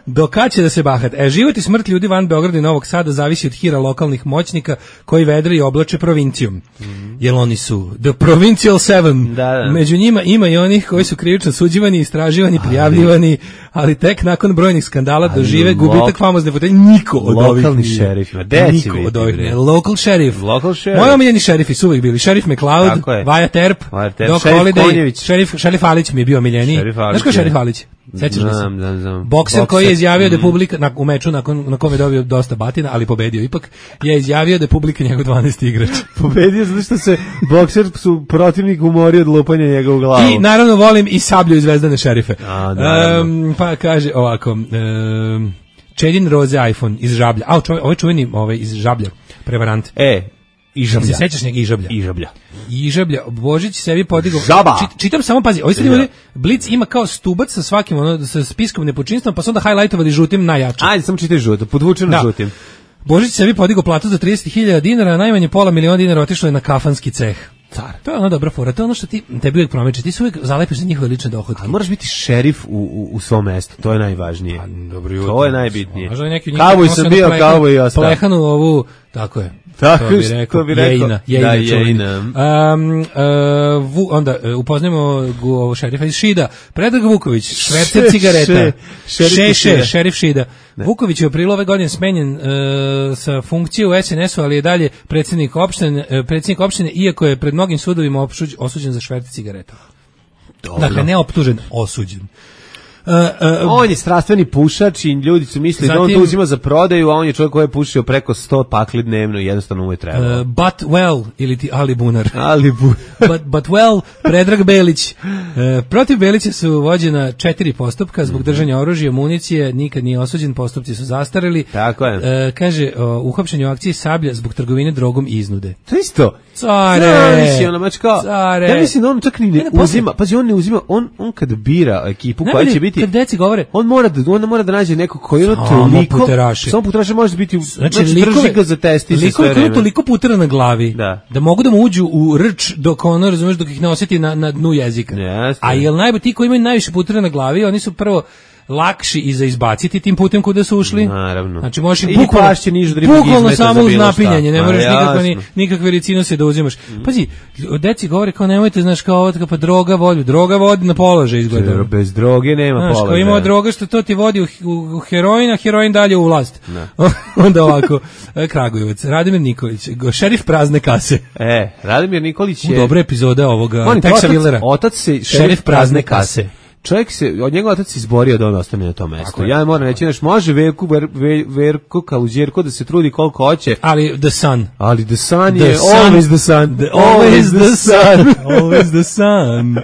Do kad će da se bahat? E, život i smrt ljudi van Beograda i Novog Sada zavisi od hira lokalnih moćnika koji vedre i oblače provincijom. Mm-hmm. Jer oni su The Provincial Seven. Da, da. Među njima ima i onih koji su krivično suđivani, istraživani, prijavljivani, ali tek nakon brojnih skandala ali dožive lo- gubitak famozne fotelje. Niko od ovih lokalni šerif. Niko od ovih ne. Local sheriff. Local sheriff. Moji omiljeni šerifi su uvijek bili Šerif McLeod, Vaja Terp, Doc Holiday, šerif, šerif Alić mi je bio omiljeni. Znaš ko je šerif Alić? Sećaš li se? Znam, znam, znam. Bokser, Bokser koji je izjavio mm. da je publika na, u meču nakon, na kome je dobio dosta batina, ali pobedio ipak, je izjavio da je publika njegov dvanaesti igrač. Pobedio zato što se Bokser su protivnik umori od lupanja njega u glavu. I naravno volim i Sablju i Zvezdane šerife. A, um, pa kaže ovako, um, Čedin Roze iPhone iz Žablja. A, čove, ovaj čuveni ovaj, iz Žablja, prevarant. E, Ižablja. Se sećaš njega Ižablja? Ižablja. Ižablja. Božić sebi podigao. Žaba. Čit, čitam samo, pazi, ovaj sad imali, Blic ima kao stubac sa svakim, ono, sa spiskom nepočinstvom, pa su onda highlightovali žutim najjače. Ajde, samo čitaj žuto, podvučeno da. Žutim. Božić sebi podigao platu za trideset hiljada dinara, a najmanje pola miliona dinara otišlo je na kafanski ceh. Car. To je ono dobra fora, to je ono što ti tebi uvijek promeče, ti se uvijek zalepiš za njihove lične dohodke. Ali moraš biti šerif u, u, u svom mestu, to je najvažnije. A, dobro jutro. To je najbitnije. Kauboj sam bio, kauboj i ostao. Plehanu ovu, tako je. Tako to bi rekao, bi rekao. Jejina, jejina, da, jejina. Um, uh, vu, onda uh, upoznajemo ovo šerifa iz Šida. Predrag Vuković, švercer cigareta. Še, še, šerif Šida. Ne. Vuković je u aprilu ove godine smenjen uh, sa funkcije u S N S-u, ali je dalje predsjednik opštine, uh, predsjednik opštine, iako je pred mnogim sudovima opšuđ, osuđen za švercer cigareta. Dobro. Dakle, ne optužen, osuđen. Uh, uh, on je strastveni pušač i ljudi su mislili zatim, da on to uzima za prodaju, a on je čovjek koji je pušio preko sto pakli dnevno i jednostavno mu je trebalo. Uh, but well, ili ti Ali Bunar. Ali Bunar. but, but well, Predrag Belić. Uh, protiv Belića su vođena četiri postupka zbog držanja oružja, municije, nikad nije osuđen, postupci su zastareli. Tako je. Uh, kaže, uh, uhapšen u akciji Sablja zbog trgovine drogom i iznude. To isto. Care. Znači, ono, mačka, Care. Ja mislim da on čak ni ne, ne uzima, pazi, on ne uzima, on, on kad bira ekipu ne, koja će biti kad deci govore, on mora da on mora da nađe nekog koji je toliko puteraši. Samo puteraši može biti, znači, znači drži ga za testi sve vreme. Liko toliko putera na glavi da. da mogu da mu uđu u rč dok ono, razumeš, dok ih ne osjeti na, na dnu jezika. Yes, a jel najbolje ti koji imaju najviše putera na glavi, oni su prvo lakši i za izbaciti tim putem kuda su ušli. Naravno. Znači možeš i bukvalno, bukvalno samo uz napinjanje, ne možeš nikakve, ni, nikakve ricinose da uzimaš. Mm. Pazi, deci govore kao nemojte, znaš, kao pa droga vodi, droga vodi na položaj izgleda. Bez droge nema znaš, položaja. Kao ima droga što to ti vodi u, u, u heroin, a heroin dalje u vlast. Onda ovako, Kragujevac, Radimir Nikolić, šerif prazne kase. E, Radimir Nikolić je... U dobra epizoda ovoga Texa Willera. Otac se šerif prazne kase. Čovjek se, od njega otac se izborio da on ostane na tom mjestu. Ja moram reći, znaš, može Verku, ver, ver, Verko Kaluđerko da se trudi koliko hoće. Ali the sun. Ali the sun the je sun, always the sun. The, always the sun. Always the sun.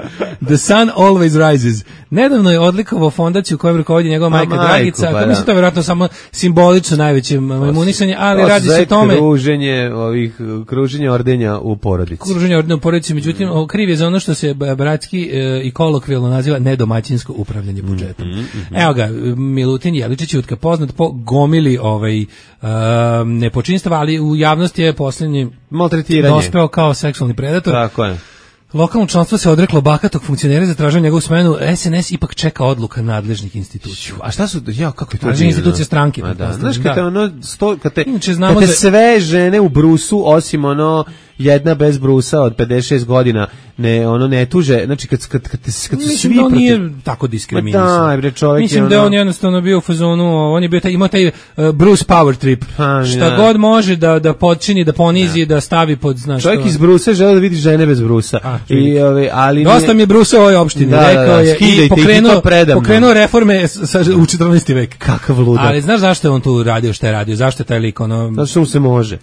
The sun always rises. Nedavno je odlikovao fondaciju kojom rukovodi njegova majka majku, Dragica, pa ako da. mislim to je vjerojatno samo simbolično najveće imunisanje, ali radi se o tome kruženje ovih kruženje ordenja u porodici. Kruženje ordenja u porodici, međutim mm. kriv je za ono što se bratski e, i kolokvijalno naziva nedomaćinsko upravljanje budžetom. Mm, mm, mm. Evo ga, Milutin Jeličić Jutka, poznat po gomili ovaj uh, nepočinstva, ali u javnosti je posljednji maltretiranje dospeo kao seksualni predator. Tako je. Lokalno članstvo se odreklo bahatog funkcionera za traženje njegovu smenu. S N S ipak čeka odluka nadležnih institucija. A šta su, ja, kako je to divno? Institucije stranke. Da. Znaš, kad te, ono, sto, kad te, Inače, kad te sve žene u brusu, osim ono, jedna bez brusa od pedeset šest godina, ne, ono, ne tuže, znači, kad, kad, kad, kad, kad su mislim svi da on protiv... nije tako diskriminisan. Da, bre, čovjek mislim je da ono... on jednostavno bio u fazonu, on je bio taj, imao taj uh, Bruce power trip. Ha, šta da. god može da, da počini, da ponizi, da, da stavi pod, znaš... Čovjek to... iz brusa žele da vidi žene bez brusa. A, I, ove, ali dosta nije... mi je brusa u ovoj opštini, da, rekao da, da, je i pokrenuo, pokrenuo reforme sa, u četrnaesti vek. Kakav ludak. Ali znaš zašto je on tu radio, šta je radio, zašto je taj lik, ono... Zašto mu se može?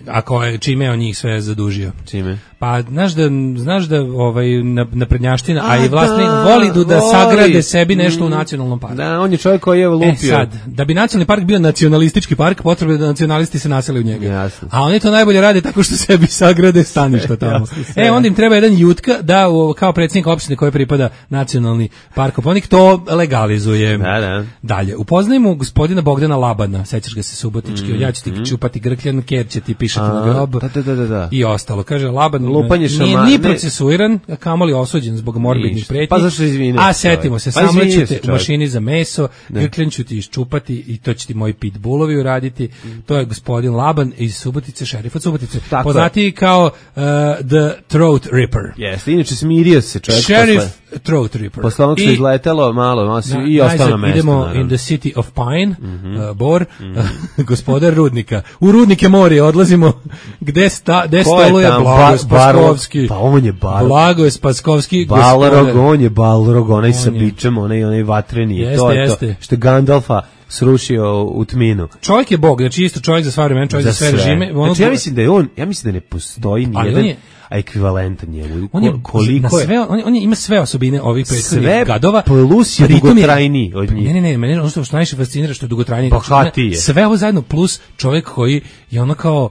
Ako je, čime je on njih sve zadužio. Čime? Pa znaš da znaš da ovaj naprednjaština, a, a i vlasnik da, voli da, da voli. sagrade sebi nešto u nacionalnom parku. Da, on je čovjek koji je lupio. E sad, da bi nacionalni park bio nacionalistički park, potrebno je da nacionalisti se nasele u njega. Jasno. A oni to najbolje rade tako što sebi sagrade staništa tamo. Jasno, e, onda im treba jedan Jutka da u, kao predsjednik opštine koje pripada nacionalni park Kopaonik to legalizuje. Da, da. Dalje, upoznajemo gospodina Bogdana Labana, sećaš ga se Subotički, mm, ja ću ti mm. čupati grkljan, ker će ti pišati a, na grob. Da, da, da, da. I ostalo. Kaže, Laban Lupanje nije šama, ni ne. procesuiran, a kamoli osuđen zbog morbidnih pretnji. Pa zašto izvinite? A setimo se, pa samlećete u mašini za meso, grkljan ću ti iščupati i to će ti moji pitbullovi uraditi. Mm. To je gospodin Laban iz Subotice, šerif od Subotice. Tako poznati kao uh, The Throat Ripper. Jeste, inače smirio se čovjek Sheriff posle. Throat Ripper. Posle onog što izletelo malo, malo si, na, i ostao na mesto. Idemo naravno. in the city of Pine, mm-hmm. uh, Bor, mm-hmm. gospodar Rudnika. U Rudnike more odlazimo, gde, sta, gde stoluje Blagoje Spaskovski. Pa on je bar. Blagoje Spaskovski. Balrog, on je Balrog, onaj sa bičem, onaj, onaj vatreni. Jeste, to je jeste. To, što je Gandalfa srušio u tminu. Čovjek je bog, znači isto čovjek za sva vremena, čovjek za, za sve režime. Ono znači ja mislim da je on, ja mislim da ne postoji ni jedan je, ekvivalentan njemu. On je koliko je sve, on, on ima sve osobine ovih prethodnih gadova. Plus je dugotrajniji od njih. Ne, ne, ne, mene ono što najviše fascinira što je dugotrajniji. Bohatiji. Sve ovo zajedno plus čovjek koji je ono kao,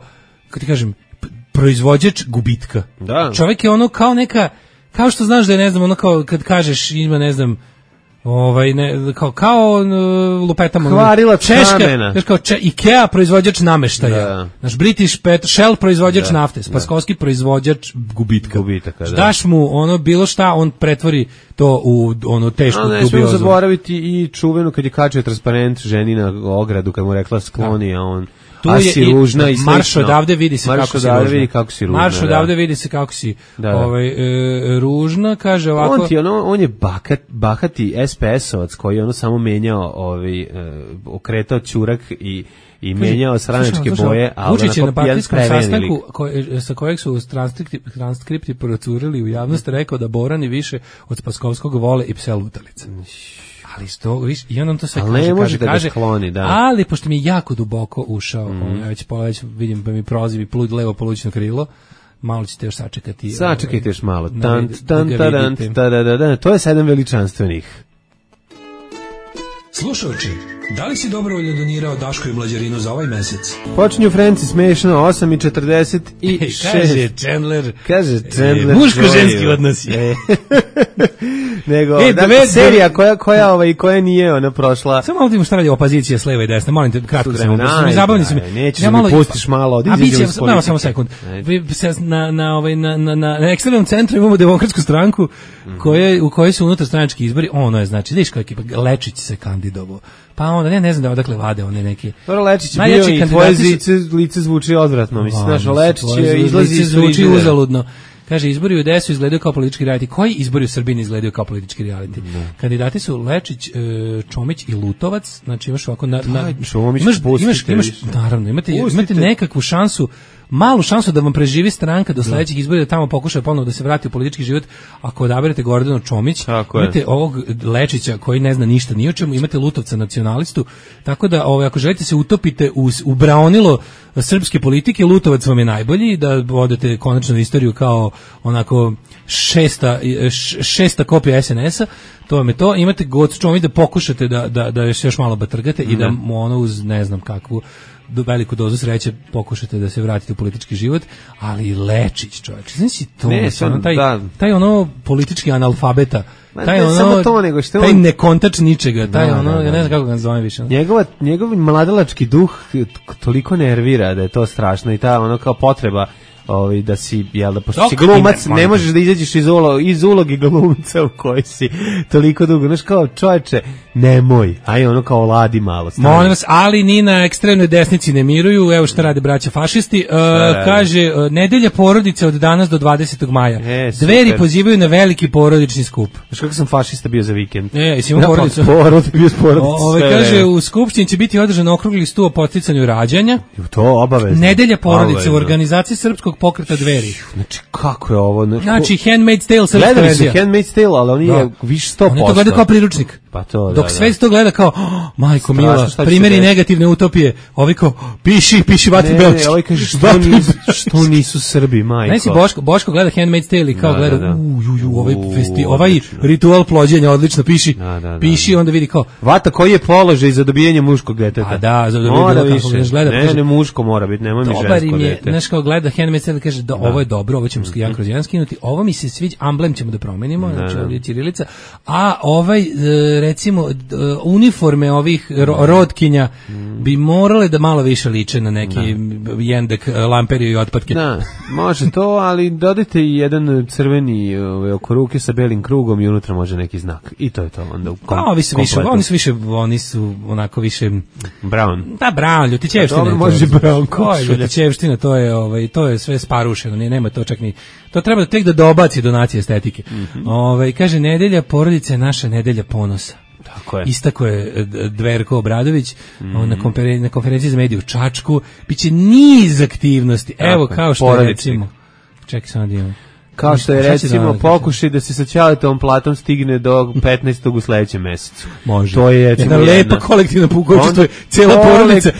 kako ti kažem, proizvođač gubitka. Da. Čovjek je ono kao neka, kao što znaš da je, ne znam, ono kao kad kažeš ima, ne znam, ovaj ne kao kao uh, lupetamo Hvarilac Češka, kamena. kao če, IKEA proizvođač nameštaja. Da. Naš British Pet, Shell proizvođač da. nafte, Spaskovski proizvođač gubitka. Gubitaka, da. Daš mu ono bilo šta, on pretvori to u ono tešku dubiozu. Ne smijemo zaboraviti i čuvenu kad je kačio transparent ženi na ogradu kad mu rekla skloni, a on tu a je si i ružna i slično. Marš odavde vidi se Marš kako si odavde ružna. vidi kako si ružna. Marš da. odavde vidi se kako si da, da. Ovaj, e, ružna, kaže ovako. On, ti, ono, on je bakat, bahati es pe esovac koji je ono samo menjao, ovaj, e, okretao ćurak i i menjao stranačke boje, a Vučić je na partijskom sastanku koje, sa kojeg su transkripti, transkripti procurili u javnost rekao da Borani više od Spaskovskog vole i pse lutalice. Ali sto, viš, i on to sve ali kaže, ne može kaže, da kaže, skloni, da. Ali pošto mi je jako duboko ušao, mm. on, ja već pola već vidim pa mi prozivi plud levo polućno krilo, malo ćete još sačekati. Sačekajte još malo. Da, tan, tan, da taran, tadadada. To je sedam veličanstvenih. Slušajući, da li si dobrovoljno donirao Daško i Mlađarinu za ovaj mesec? Počinju Frenci smešno, osam i četrdeset šest. Kaže Chandler. Kaže Chandler. E, muško-ženski odnos je. Nego, e, dakle, dve, serija koja, koja, ovaj, koja nije ona prošla. Samo malo ti mu šta radi opozicija s leve i desne, molim te, kratko samo, na, zabavni su mi. Nećeš ja da mi pustiš malo, od izađe iz politike. Samo sekund. Vi, na, na, ovaj, na, na, na, na ekstremnom centru imamo Demokratsku stranku, mm-hmm. koje, u kojoj su unutar stranački izbori, ono je, znači, vidiš koja ekipa, Lečić se kandidovao. Pa onda, ne, ne znam da odakle vade one neke. Dobro, Lečić je bio i tvoje lice, lice zvuči odvratno, mislim, znaš, Lečić je izlazi iz zvuči uzaludno. Kaže, izbori u D S U izgledaju kao politički reality. Koji izbori u Srbiji izgledaju kao politički reality? Ne. Kandidati su Lečić, Čomić i Lutovac. Znači imaš ovako... Na, na, Čomić, imaš, imaš, imaš, naravno, imate, imate nekakvu šansu malu šansu da vam preživi stranka do sledećih izbora, da tamo pokuša ponovo da se vrati u politički život. Ako odaberete Gordanu Čomić, imate ovog Lečića koji ne zna ništa ni o čemu, imate Lutovca nacionalistu, tako da ovaj, ako želite se utopite u, u braonilo srpske politike, Lutovac vam je najbolji, da odete konačno istoriju kao onako šesta, šesta kopija es en es a, to vam je to. Imate Gocu Čomić da pokušate da, da, da još malo batrgate i da mu ono uz ne znam kakvu do veliku dozu sreće pokušate da se vratite u politički život, ali Lečić, čovječe, znači to, ne, ono, taj, da. taj ono politički analfabeta, taj ne, ono, to, nego što taj on... nekontač ničega, taj da, ono, da, da. ja ne znam kako ga nazovem više. Njegova, njegov mladalački duh toliko nervira da je to strašno i ta ono kao potreba Ovi, da si, jel da, pošto si glumac, ne možeš da izađeš iz, ulo, iz ulogi glumca u kojoj si toliko dugo, znaš kao čovječe, nemoj, aj ono kao ladi malo. Stani. Molim vas, ali ni na ekstremnoj desnici ne miruju, evo šta rade braća fašisti, uh, kaže, uh, nedelja porodice od danas do dvadesetog maja, e, Dveri pozivaju na veliki porodični skup. Znaš kako sam fašista bio za vikend? E, jesi imao porodicu? Porod, bio s porodicom. Ove, kaže, u Skupštini će biti održan okrugli sto o podsticanju rađanja. To obavezno. Nedelja porodice obavezno. U organizaciji srpskog pokreta Dveri. Znači, kako je ovo? Znači, znači Handmaid's Tale srpska verzija. Gledali su Handmaid's Tale, ali oni je više sto posto. Oni to gleda kao priručnik. Pa to, da, Dok da. sve to gleda kao, oh, majko mila, primjeri negativne utopije, ovi kao, piši, piši Vatri Belčki. Ne, ovi kaže, što nisu, što nisu Srbi, majko. Ne si Boško, Boško gleda Handmaid's Tale i kao da, gleda, da, da. u, ju, ju, ovaj, festi, ovaj ritual plođenja, odlično, piši, da, da, da, piši, onda vidi kao. Vata, koji je položaj za dobijanje muškog deteta? A da, za dobijanje više. Gleda, ne, ne, muško mora biti, nemoj mi žensko dete. Znaš kao gleda Handmaid's Tale, kaže, da, ovo je dobro, ovo ćemo ja kroz jedan skinuti, ovo mi se sviđa, amblem ćemo da promenimo, znači ovdje je ćirilica, a ovaj, recimo, uniforme ovih rodkinja bi morale da malo više liče na neki jendek, lamperiju i otpadke. Da, može to, ali dodajte i jedan crveni ove, oko ruke sa belim krugom i unutra može neki znak. I to je to onda u kom, pa, ovi su više, oni su više, oni su onako više brown. Da, brown, ljutićevština. Dobro, može brown. Ko je ljutićevština, to je, ovaj, to je sve sparušeno, nije, nema to čak ni, to treba tek da dobaci donacije estetike. Mm-hmm. Ovaj, kaže, nedelja porodice je naša nedelja ponosa. Tako je. Istako je Dverko Obradović mm-hmm. na, konferen- na konferenciji za medije u Čačku. Biće niz aktivnosti. Tako, evo kao što je recimo. Čekaj samo da imam. Kao što je recimo pokušaj da se sa Ćaletovom platom stigne do petnaestog u sledećem mesecu. Može. To je jedna lepa kolektivna pukočstvo, cela porodica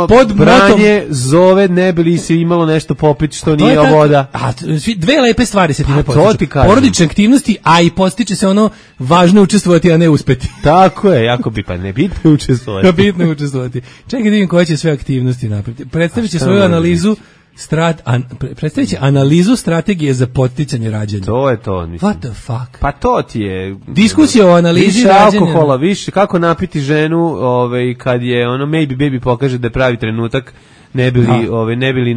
pod branje zove ne bi li se imalo nešto popiti što nije tako, voda. A dve lepe stvari se time postiču. Porodične aktivnosti, a i postiče se ono važno učestvovati, a ne uspeti. Tako je, jako bi pa ne bitno učestvovati. Bitno učestvovati. Čekaj da vidim koje će sve aktivnosti napraviti. Predstavit će svoju analizu Strat, an, predstavit će analizu strategije za podsticanje rađanja. To je to. Mislim. What the fuck? Pa to ti je... Diskusija o analizi više rađanja. Više alkohola, više kako napiti ženu ovaj, kad je ono maybe baby pokaže da je pravi trenutak, ne bili, ove, ne bili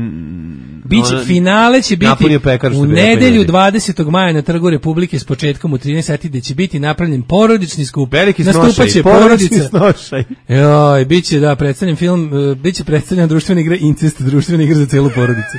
biće, finale će biti u nedelju dvadesetog maja na Trgu Republike s početkom u trinaest sati gde će biti napravljen porodični skup. Veliki snošaj, porodični snošaj. Joj, biće, da, predstavljen film, uh, biće predstavljena društvena igra Incest, društvena igra za celu porodicu.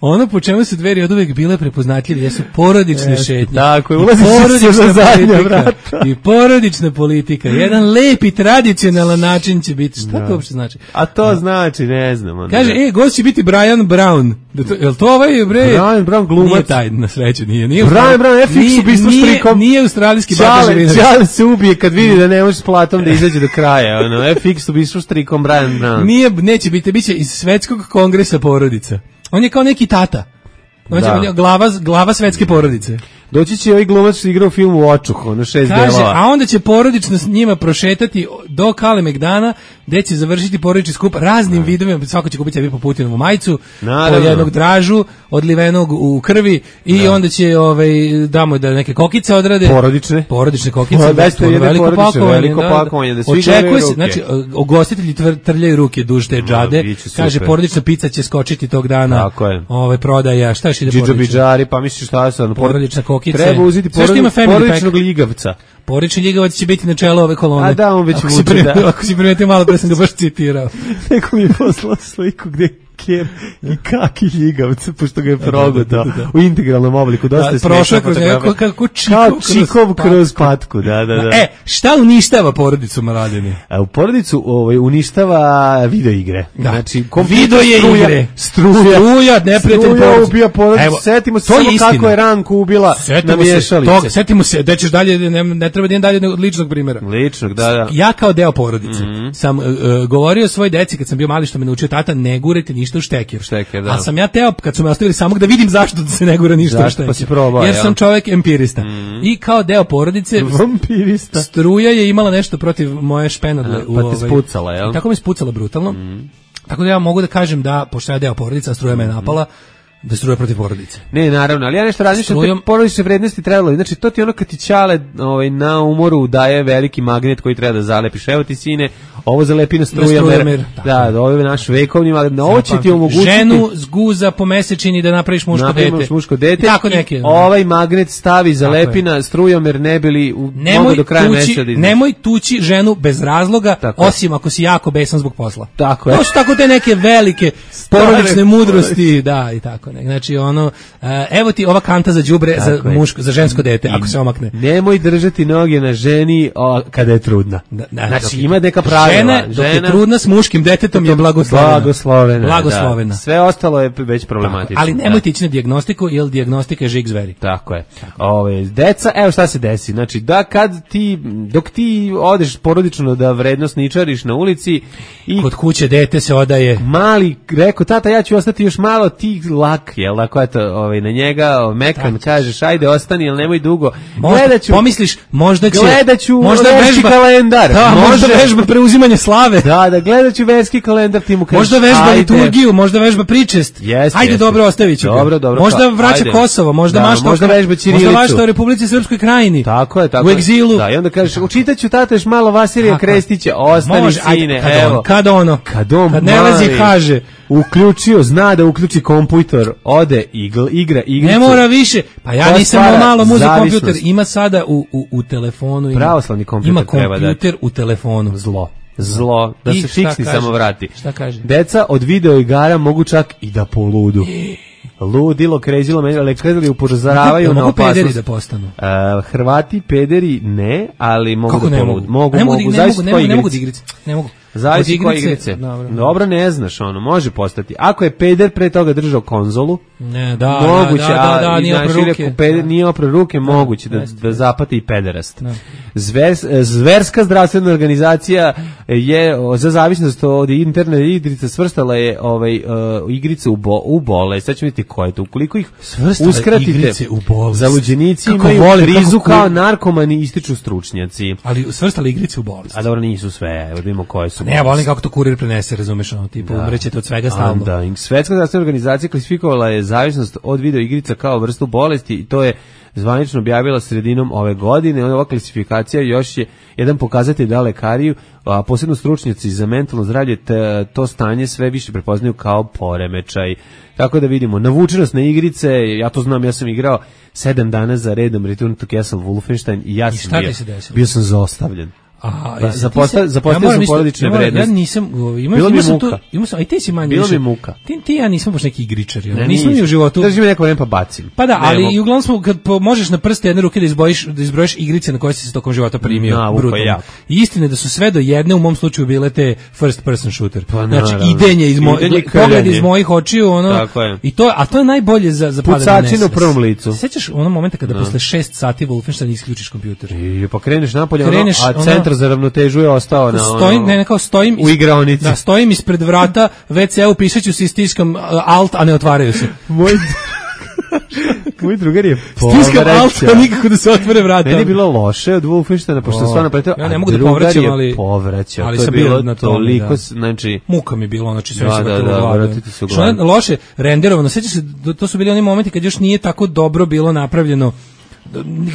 Ono po čemu su Dveri oduvek bile prepoznatljive jesu porodične e, šetnje. Tako je, ulazi se za zadnja vrata. I porodična politika. Jedan lepi tradicionalan način će biti. Šta no. to uopšte znači? A to no. znači, ne znam. Onda. Kaže, e, gost će biti Brian Brown. Da to, je li to ovaj, bre? Brian Brown glumac. Nije taj, na sreću, nije. nije Brian Brown, F X ubistvo štrikom. Nije australijski Bata Živinović. Čale se ubije kad vidi da ne može s platom da izađe do kraja. Ono, F X ubistvo štrikom Brian Brown. Nije, neće biti, biće iz Svetskog kongresa porodica. On je kao neki tata. On je glava, glava svetske porodice. Doći će ovaj glumac što igra u filmu Očuh, ono šest Kaže, delova. A onda će porodično s njima prošetati do Kalemegdana, gde će završiti porodični skup raznim vidovima, svako će kupiti sebi po Putinovu majicu, naravno, po jednog dražu, odlivenog u krvi i da. onda će ovaj, damo da neke kokice odrade. Porodične. Porodične kokice, da, to je veliko pakovanje. Veliko pakovanje, da svi očekuje se, znači, ogostitelji trljaju ruke duž te džade, no, kaže, porodična pizza će skočiti tog dana, tako je. Ove, prodaja, šta još ide porodična? Pa misliš šta sam? Porodična kokica. Treba uzeti porodičnog ljigavca. Porodični ljigavac će biti na čelu ove kolone. A da, on već vuče, da. Ako si primetio malo, pre sam ga baš citirao. Neko mi je poslao sliku gde ker i kaki ljigavca, pošto ga je progutao u integralnom obliku. Dosta da, prošao kroz nekako kako čikov, čikov kroz, kroz patku. Da, da, da. E, šta uništava porodicu Mladene? A u porodicu ovaj, uništava video igre. Da. Znači, video je struja, igre. Struja, struja neprijatelj porodicu. Struja ubija porodicu. Setimo se samo je kako je Ranku ubila na miješalice. Setimo se, da ćeš dalje, ne, ne treba da idem dalje od ličnog primjera. Ličnog, da, da. Ja kao deo porodice mm-hmm. sam uh, govorio svoj deci kad sam bio mali što me naučio tata, ne gurajte ništa u štekir. Štekir, da. A sam ja teo kad su me ostavili samog da vidim zašto da se ne gura ništa zašto, u štekir. Pa si probao, jer ja. sam čovjek empirista. Mm-hmm. I kao deo porodice vampirista. Struja je imala nešto protiv moje špenadle. A, pa te spucala, jel? Tako me spucala brutalno. Mm-hmm. Tako da ja mogu da kažem da, pošto ja deo porodica, a Struja me napala, da Struja protiv porodice. Ne, naravno, ali ja nešto razmišljam, Strujom... te porodične vrednosti trebalo, znači to ti ono kad ti ćale ovaj, na umoru daje veliki magnet koji treba da zalepiš, evo ti sine, ovo zalepi na strujomer, da, da, ovo je naš vekovni magnet, ovo će ti omogućiti... Ženu zguza po mesečini da napraviš muško napraviš dete. muško dete tako neke, i ovaj magnet stavi, zalepi na strujomer, ne bili u, mogu do kraja meseca da nemoj tući ženu bez razloga, tako osim ako si jako besan zbog posla. Tako je. To su tako te neke velike porodične mudrosti, da, i tako. Znači ono, uh, evo ti ova kanta za đubre za muško, za žensko dete, ako se omakne. Nemoj držati noge na ženi o, kada je trudna. Da, da, znači ima neka pravila. Žena, dok je trudna s muškim detetom je blagoslovena. Blagoslovena. Blagoslovena. Da. Sve ostalo je već problematično. Ali nemojte ići na dijagnostiku, jer dijagnostika je žig zveri. Tako je. Ove, deca, evo šta se desi. Znači da kad ti, dok ti odeš porodično da vrednost ničariš na ulici i kod kuće dete se odaje. Mali rekao tata ja ću ostati još malo, ti lak, jel tako eto, ovaj na njega mekan kažeš ajde ostani, al nemoj dugo. Gledaću, pomisliš možda će gledaću možda verski kalendar. Da, možda vežba preuzimanje slave. Da, da gledaću verski kalendar, ti mu kažeš. Možda vežba liturgiju, možda vežba pričest. Jest, ajde jest. Dobro ostaviću. Dobro, dobro. Možda vraća ajde. Kosovo, možda da, mašta. Možda vežba ćirilicu. Možda mašta u Republici Srpskoj Krajini. Tako je, tako. U egzilu. Da, i onda kažeš učitaću tata još malo Vasilija Krestića, ostani može, sine, kad evo. On, kad ono, kad on kad ne lazi kaže uključio, zna da uključi kompjuter, ode igl, igra igricu. Ne mora više. Pa ja nisam malo muzik kompjuter, ima sada u, u, u telefonu. Ima, pravoslavni kompjuter ima kompjuter u telefonu. Zlo. Zlo, da I se fiksni samo vrati. Šta kaže? Deca od video igara mogu čak i da poludu. Ludilo, krezilo, ali kredili upozoravaju na opasnost. Mogu pederi da postanu? Uh, Hrvati pederi ne, ali mogu kako da ne poludu. Mogu, mogu, mogu, mogu, ne, zavisno mogu, ne, ne mogu da igrice. Ne mogu. Zavisi koje igrice. Dobro. Dobro, ne znaš, ono, može postati. Ako je peder pre toga držao konzolu, ne, da, moguće, da, da, da, da, nije opre ruke. Peder, nije opre ruke, da, moguće da, da, da zapati i pederast. Zver, zverska zdravstvena organizacija je za zavisnost od internet igrice svrstala je ovaj, uh, igrice u, bo, u bolest. Sad ćemo vidjeti koje je to. Ukoliko ih svrstala uskratite, u bolest. Zaluđenici imaju vole, krizu kako, kao narkomani, ističu stručnjaci. Ali svrstala igrice u bolest. A dobro, nisu sve, evo vidimo koje su. Ne, ja volim kako to kurir prenese, razumeš, ono, tipa, da. Umrećete od svega stalno. Da, Svetska zdravstvena organizacija klasifikovala je zavisnost od video igrica kao vrstu bolesti i to je zvanično objavila sredinom ove godine. Ova klasifikacija još je jedan pokazatelj da lekari, a posebno stručnjaci za mentalno zdravlje, te, to stanje sve više prepoznaju kao poremećaj. Tako da vidimo, navučenost na igrice, ja to znam, ja sam igrao sedam dana za redom Return to Castle Wolfenstein i ja sam bio, bio sam zaostavljen. Aha, ba, zapostavio ja sam porodične ja vrednosti. Ja nisam, imam, bilo imam mi muka. Tu, imam sam, aj ti si manje bilo više. mi muka. Ti, ti ja nisam baš neki igričar, ne, nisam ni u životu. Drži mi neko vreme pa bacim. Pa da, ali i uglavnom smo, kad po, možeš na prste jedne ruke da izbojiš, da izbrojiš igrice na koje si se tokom života primio. Na, brutalno. I istina da su sve do jedne, u mom slučaju bile te first person shooter. Pa, znači, idenje iz mojih, pogled iz mojih očiju, ono, i to, a to je najbolje za, za padanje nesvest. Pucačina u prvom licu. Sećaš onog momenta kada posle šest sati Wolfenstein isključiš kompjuter? I pa kreneš napolje, a centar za ravnotežu je ostao na stojim, ne, ne, kao stojim u igraonici. Da, stojim ispred vrata ve ce u, pišeću si, stiskam alt, a ne otvaraju se. Moj Moj drugar je povraćao. Stiskam alt, a nikako da se otvore vrata. Meni je bilo loše od Wolfensteina, pošto stvarno pretio, ja ne mogu da povraćam, ali povraćao. Ali to je sam bilo na toliko, da. Znači muka mi bilo, znači sve da, se da, vrtilo da, u glavi. Što je loše renderovano, sećaš se, to su bili oni momenti kad još nije tako dobro bilo napravljeno.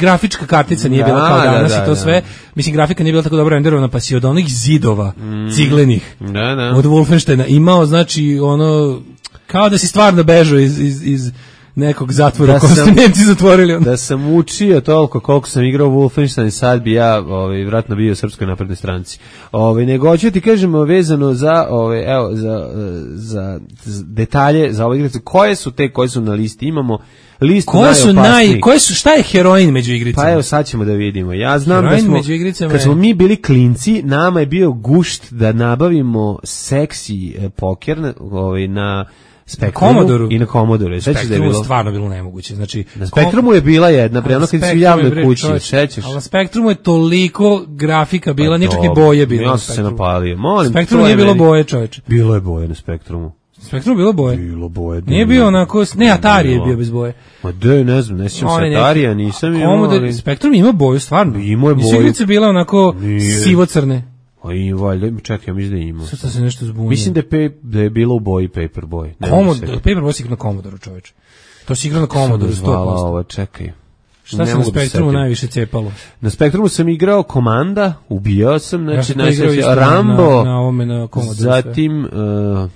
Grafička kartica nije da, bila kao danas da, da, i to sve, da. Mislim, grafika nije bila tako dobro renderovana, pa si od onih zidova mm. ciglenih da, da. od Wolfensteina imao, znači, ono, kao da si stvarno bežao iz, iz, iz nekog zatvora koji su Nemci zatvorili. Onda. Da sam učio toliko koliko sam igrao Wolfenstein i sad bi ja ovaj, vjerojatno bio u Srpskoj naprednoj stranci. Ovaj, nego hoću ti kažemo vezano za, ovaj, evo, za, za, za detalje za ove igrice. Koje su te koje su na listi? Imamo listu koje su najopasnijih. Naj, koje su, šta je heroin među igricama? Pa evo sad ćemo da vidimo. Ja znam heroin da smo, među igricama kad smo je... mi bili klinci, nama je bio gušt da nabavimo seksi poker na, ovaj, na Spektrumu i na Commodore. Spektrumu da je bilo stvarno bilo nemoguće. Znači na Spektrumu je bila jedna, pre ono kad su javne kući, sećaš? Ali na Spektrumu je toliko grafika bila, pa nije čak i boje bilo. Ja sam se napalio. Molim, Spektrum nije bilo boje, čoveče. Bilo je boje na Spektrumu. Spektrum bilo boje. Bilo boje. Nije bio onako, ne, Atari je bio bez boje. Ma de, ne znam, ne sjećam se Atarija, nisam imao. Spektrum ima boju, stvarno. Imao je boju. Nisu igrice bile onako sivo-crne. A i valjda, čekaj, ja mislim da ima. Sad se nešto zbunio. Mislim da je, pe, da je bilo u boji Paperboy. Paperboy si igrao na Commodoru, čoveče. To si igrao na Commodoru, sto posto. Ovo, čekaj. Šta se na Spektrumu najviše cepalo? Na Spektrumu sam igrao Komanda, ubijao sam, znači, ja znači Rambo, na, na ovome na Commodoru. Zatim, uh,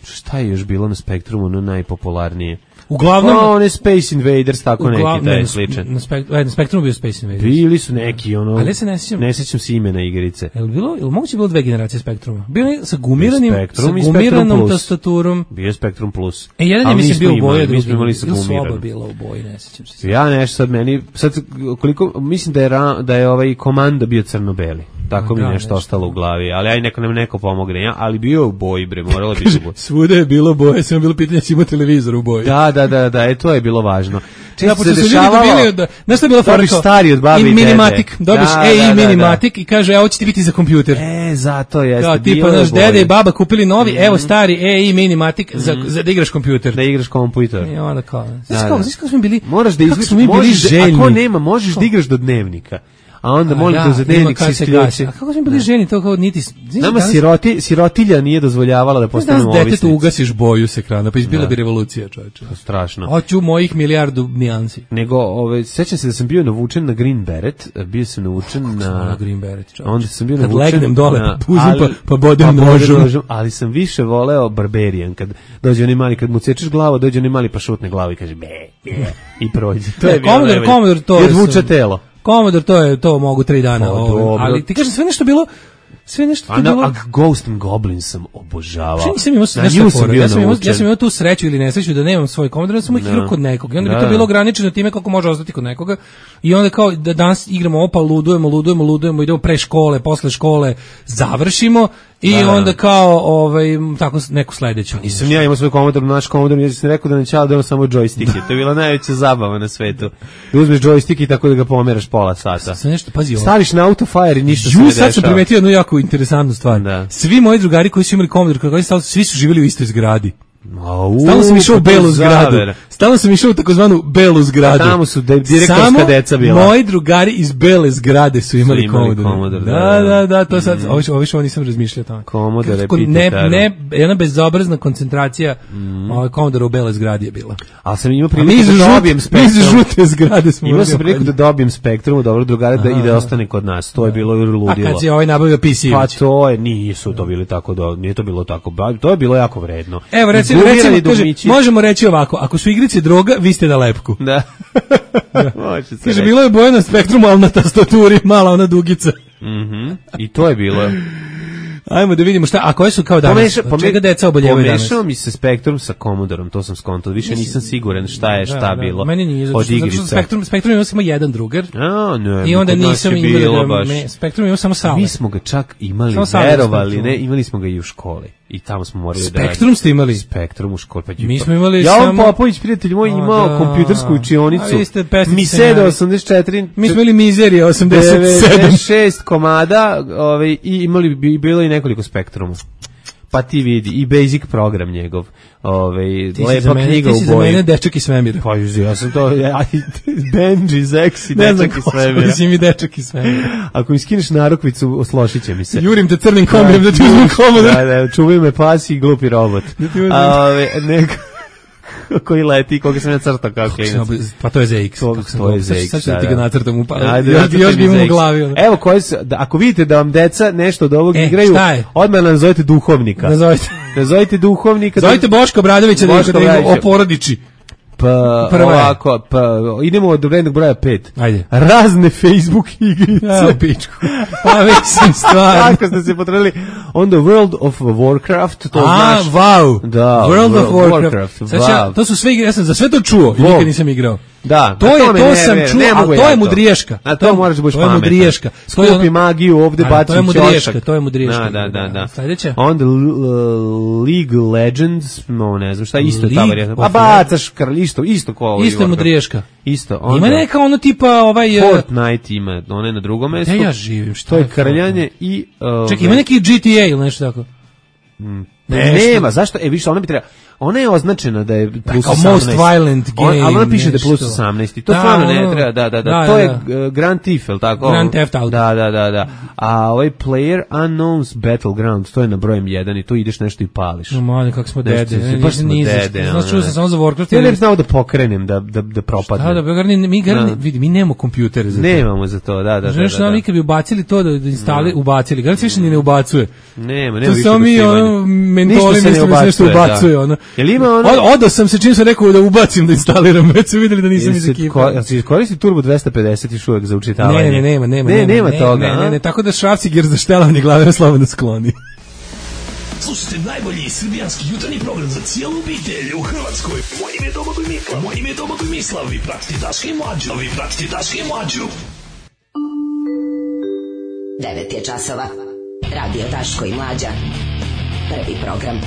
šta je još bilo na Spektrumu, no najpopularnije? Uglavnom, no, one Space Invaders, tako uglavnom, neki, taj je sličan. Na, spektru, na Spektrumu bio Space Invaders. Bili su neki, ono, ali se ne sjećam, ne sjećam se imena igrice. Je li bilo, je li moguće bilo dve generacije Spektruma? Bio je sa gumiranim, Spektrum sa gumiranom tastaturom. Bio je Spektrum Plus. E, jedan je mislim bio u boji, mi smo imali sa gumiranom. Soba bila u boji, ne sjećam se. Ja nešto sad meni, sad koliko, mislim da je, da je ovaj Komanda bio crno-beli. Tako mi nešto ostalo u glavi, ali aj neko nam neko pomogne, ja, ali bio u boji, bre, moralo biti u boji. Svuda je bilo boje, samo bilo pitanje si ima televizor u boji. Da, da, da, da, e, to je bilo važno. Često se dešavalo, da, znaš šta je bilo fora? Stari od babi i dede. Minimatik, dobiš da, E I da, da, Minimatik i kaže, evo će ti biti za kompjuter. E, zato jeste. Da, tipa, naš dede i baba kupili novi, mm. evo stari E I Minimatik mm. za, za da igraš kompjuter. Da igraš kompjuter. I onda kao, znaš kako, znaš kako smo bili, moraš da izliš, možeš, ako nema, možeš da igraš do dnevnika. A onda molim da za dnevnik se isključi. A kako smo bili ženi, to kao niti... Nama siroti, sirotilja nije dozvoljavala da postanemo ovisnici. Danas detetu ugasiš boju s ekrana, pa izbila bi revolucija, čovječe. Strašno. Hoću mojih milijardu nijansi. Nego, ove, sećam se da sam bio navučen na Green Beret, bio sam navučen na... na Green Beret, čovječe. Onda sam bio kad navučen... Kad legnem dole, na, pa puzim, pa, pa bodem pa nožom. nožom. Ali sam više voleo Barbarian, kad dođe onaj mali, kad mu cečeš glavu, dođe onaj mali pa šutne glavu i kaže be, be, i prođe. To je bilo Commodore, Commodore, to je... I odvuče telo. Commodore, to je, to mogu tri dana, ovo, ali ti kažem sve nešto bilo, sve nešto a na, bilo... A Ghost and Goblin sam obožavao. Što nisam imao na nešto sam ja, sam imao, ja sam imao tu sreću ili nesreću da nemam svoj Commodore, da sam ih igrao kod nekog. I onda bi to bilo ograničeno time kako može ostati kod nekoga. I onda kao da danas igramo opa, ludujemo, ludujemo, ludujemo, idemo pre škole, posle škole, završimo i da, onda kao ovaj tako neku sledeću. Nisam ja imao svoj Commodore, naš Commodore, ja sam rekao da nećao da imam samo džojstike. To je bila najveća zabava na svetu. Da uzmeš džojstik i tako da ga pomeraš pola sata. Sve nešto, pazi ovo. Staviš na autofire i ništa se ne dešava. Sad sam primetio jednu jako interesantnu stvar. Da. Svi moji drugari koji su imali Commodore, koji su svi su živjeli u istoj zgradi. Stalno sam išao u belu zgradu. Stalno sam išao u takozvanu belu zgradu. A tamo su de, direktorska deca bila. Samo moji drugari iz bele zgrade su imali, su imali Commodore. Da, da, da, to sad, mm. ovo, ovo što nisam razmišljao tamo. Commodore, ne, ne, jedna bezobrazna koncentracija mm. ovaj Commodore u bele zgradi je bila. Ali sam imao priliku da dobijem Spektrum. Mi iz žute zgrade smo. Imao sam priliku da dobijem Spektrum, dobro drugare, da ide ostane kod nas. To je bilo ludilo. A kad si ovaj nabavio P C? Pa to je, nisu to bili tako, do, nije to bilo tako, to je bilo jako vredno. Evo, recimo, recimo, kaže, možemo reći ovako, ako su igrice droga, vi ste na lepku. Da. da. Kaže, bilo je boje na Spektrumu, ali na tastaturi mala ona dugica. Mhm. I to je bilo. Ajmo da vidimo šta, a koje su kao danas, Pomeša, pome, čega deca oboljevaju danas? Pomešao mi se Spektrum sa Commodorom, to sam skontao, više nisam siguran šta je, šta da, bilo da, meni nije, od igrice. Zato što Spektrum, Spektrum imao samo jedan drugar, a, ne, i onda nisam imao, me, Spektrum imao samo sale. Mi smo ga čak imali, verovali, ne, imali smo ga i u školi. I tamo smo morali Spektrum da Spektrum ste imali? Spektrum u školi. Pa mi smo imali ja, samo... Ja, Popović, prijatelj moj, imao da, kompjutersku učionicu. Miseda osamdeset četiri. Mi smo imali Mizerija osamdeset sedam. devedeset šest komada ovaj, i imali bi bilo i nekoliko Spektruma. Pa ti vidi, i basic program njegov. Ovaj lepa mene, knjiga u boji. Ti si za mene dečak iz svemira. Pa ja sam to, ja, Benji, Zeksi, dečak iz svemira. Ne znam mi dečak iz svemira. Ako mi skineš narukvicu, oslošit će mi se. Jurim te crnim kombijem da ti uzmem Commodore. Da, da, čuvaj me pasi i glupi robot. A ove, neko... koji leti, koga sam ja crtao kao klinac. Pa to je Z X. To, to je Z X. Sad ću da ti ga nacrtam u pa. Ajde, još, još bi imam u glavi. Ono. Evo, koji su, da, ako vidite da vam deca nešto od ovog e, igraju, odmah nazovite duhovnika. Nazovite. Nazovite duhovnika. Zovite Boško Obradovića da ih oporodiči. Pa Prva ovako, pa idemo od rednog broja pet. Ajde. Razne Facebook igrice. Ja, pičku. Pa mislim stvarno. Kako ste se potrudili? Onda World of Warcraft, to A, znaš. wow. Da, World, World of Warcraft. Warcraft Sad ja, wow. to su sve igre, ja sam za sve to čuo i nikad nisam igrao. Da, to je, to ne, sam ne, čuo, ne, ali to je mudriješka. A to, to moraš da budeš pametan. To je mudriješka. Skupi magiju, ovde baci ćošak. To je mudriješka, to je mudriješka. Da, da, da. da. Sledeće? Onda uh, League Legends, no ne znam šta, isto je ta varijanta. A bacaš kralj, isto, isto ko ovo. Isto je mudriješka. Isto. Onda, ima neka ono tipa ovaj... Fortnite ima, ono je na drugom mestu. Gde ja živim, šta to je krljanje i... Uh, čekaj, ima neki G T A ili nešto tako? Mm. Ne, nema, zašto? E, više, ona bi treba... Ona je označena da je plus like osamnaest. Most violent game. On, ali ona piše da je plus osamnaest. I to da, stvarno ne treba, da, da, da. da to da, je da. uh, Grand Theft, ili tako? Grand Theft Auto. Da, da, da, da. A ovaj Player Unknown's Battleground, to je na brojem jedan i tu ideš nešto i pališ. No, mali, kako smo nešto, dede. Baš smo dede. Znaš, čuo sam samo za Warcraft. Ja ne bi znao da pokrenem, da, da, da propadnem. Da, da, garni, mi, garni, vidi, mi nemamo kompjutere za to. Nemamo za to, da, da, da. Znaš, mi kad bi ubacili to, da instali, ubacili, garni se više ni ne ubacuje. Nema, nema više to samo mi, ono, mentoli mislim da se nešto ubacuje, ono. Jel ima ono... Odo sam se čim sam rekao da ubacim, da instaliram, već su vidjeli da nisam iz ekipa. Jel si koristi Turbo dvesta pedeset još uvek za učitavanje? Ne, ne, nema, nema. Ne, nema, nema ne, toga. Ne, ne, ne, tako da šrafciger za štelavanje glave na slobodno skloni. Slušajte najbolji srbijanski jutarnji program za cijelu obitelj u Hrvatskoj. Moje ime je Domagoj Mislav. Moje ime je Domagoj Mislav. Vi pratite Daška i Mlađu. Vi pratite Daška i Mlađu. devet je časova. Radio Daško i Mlađa. Prvi program.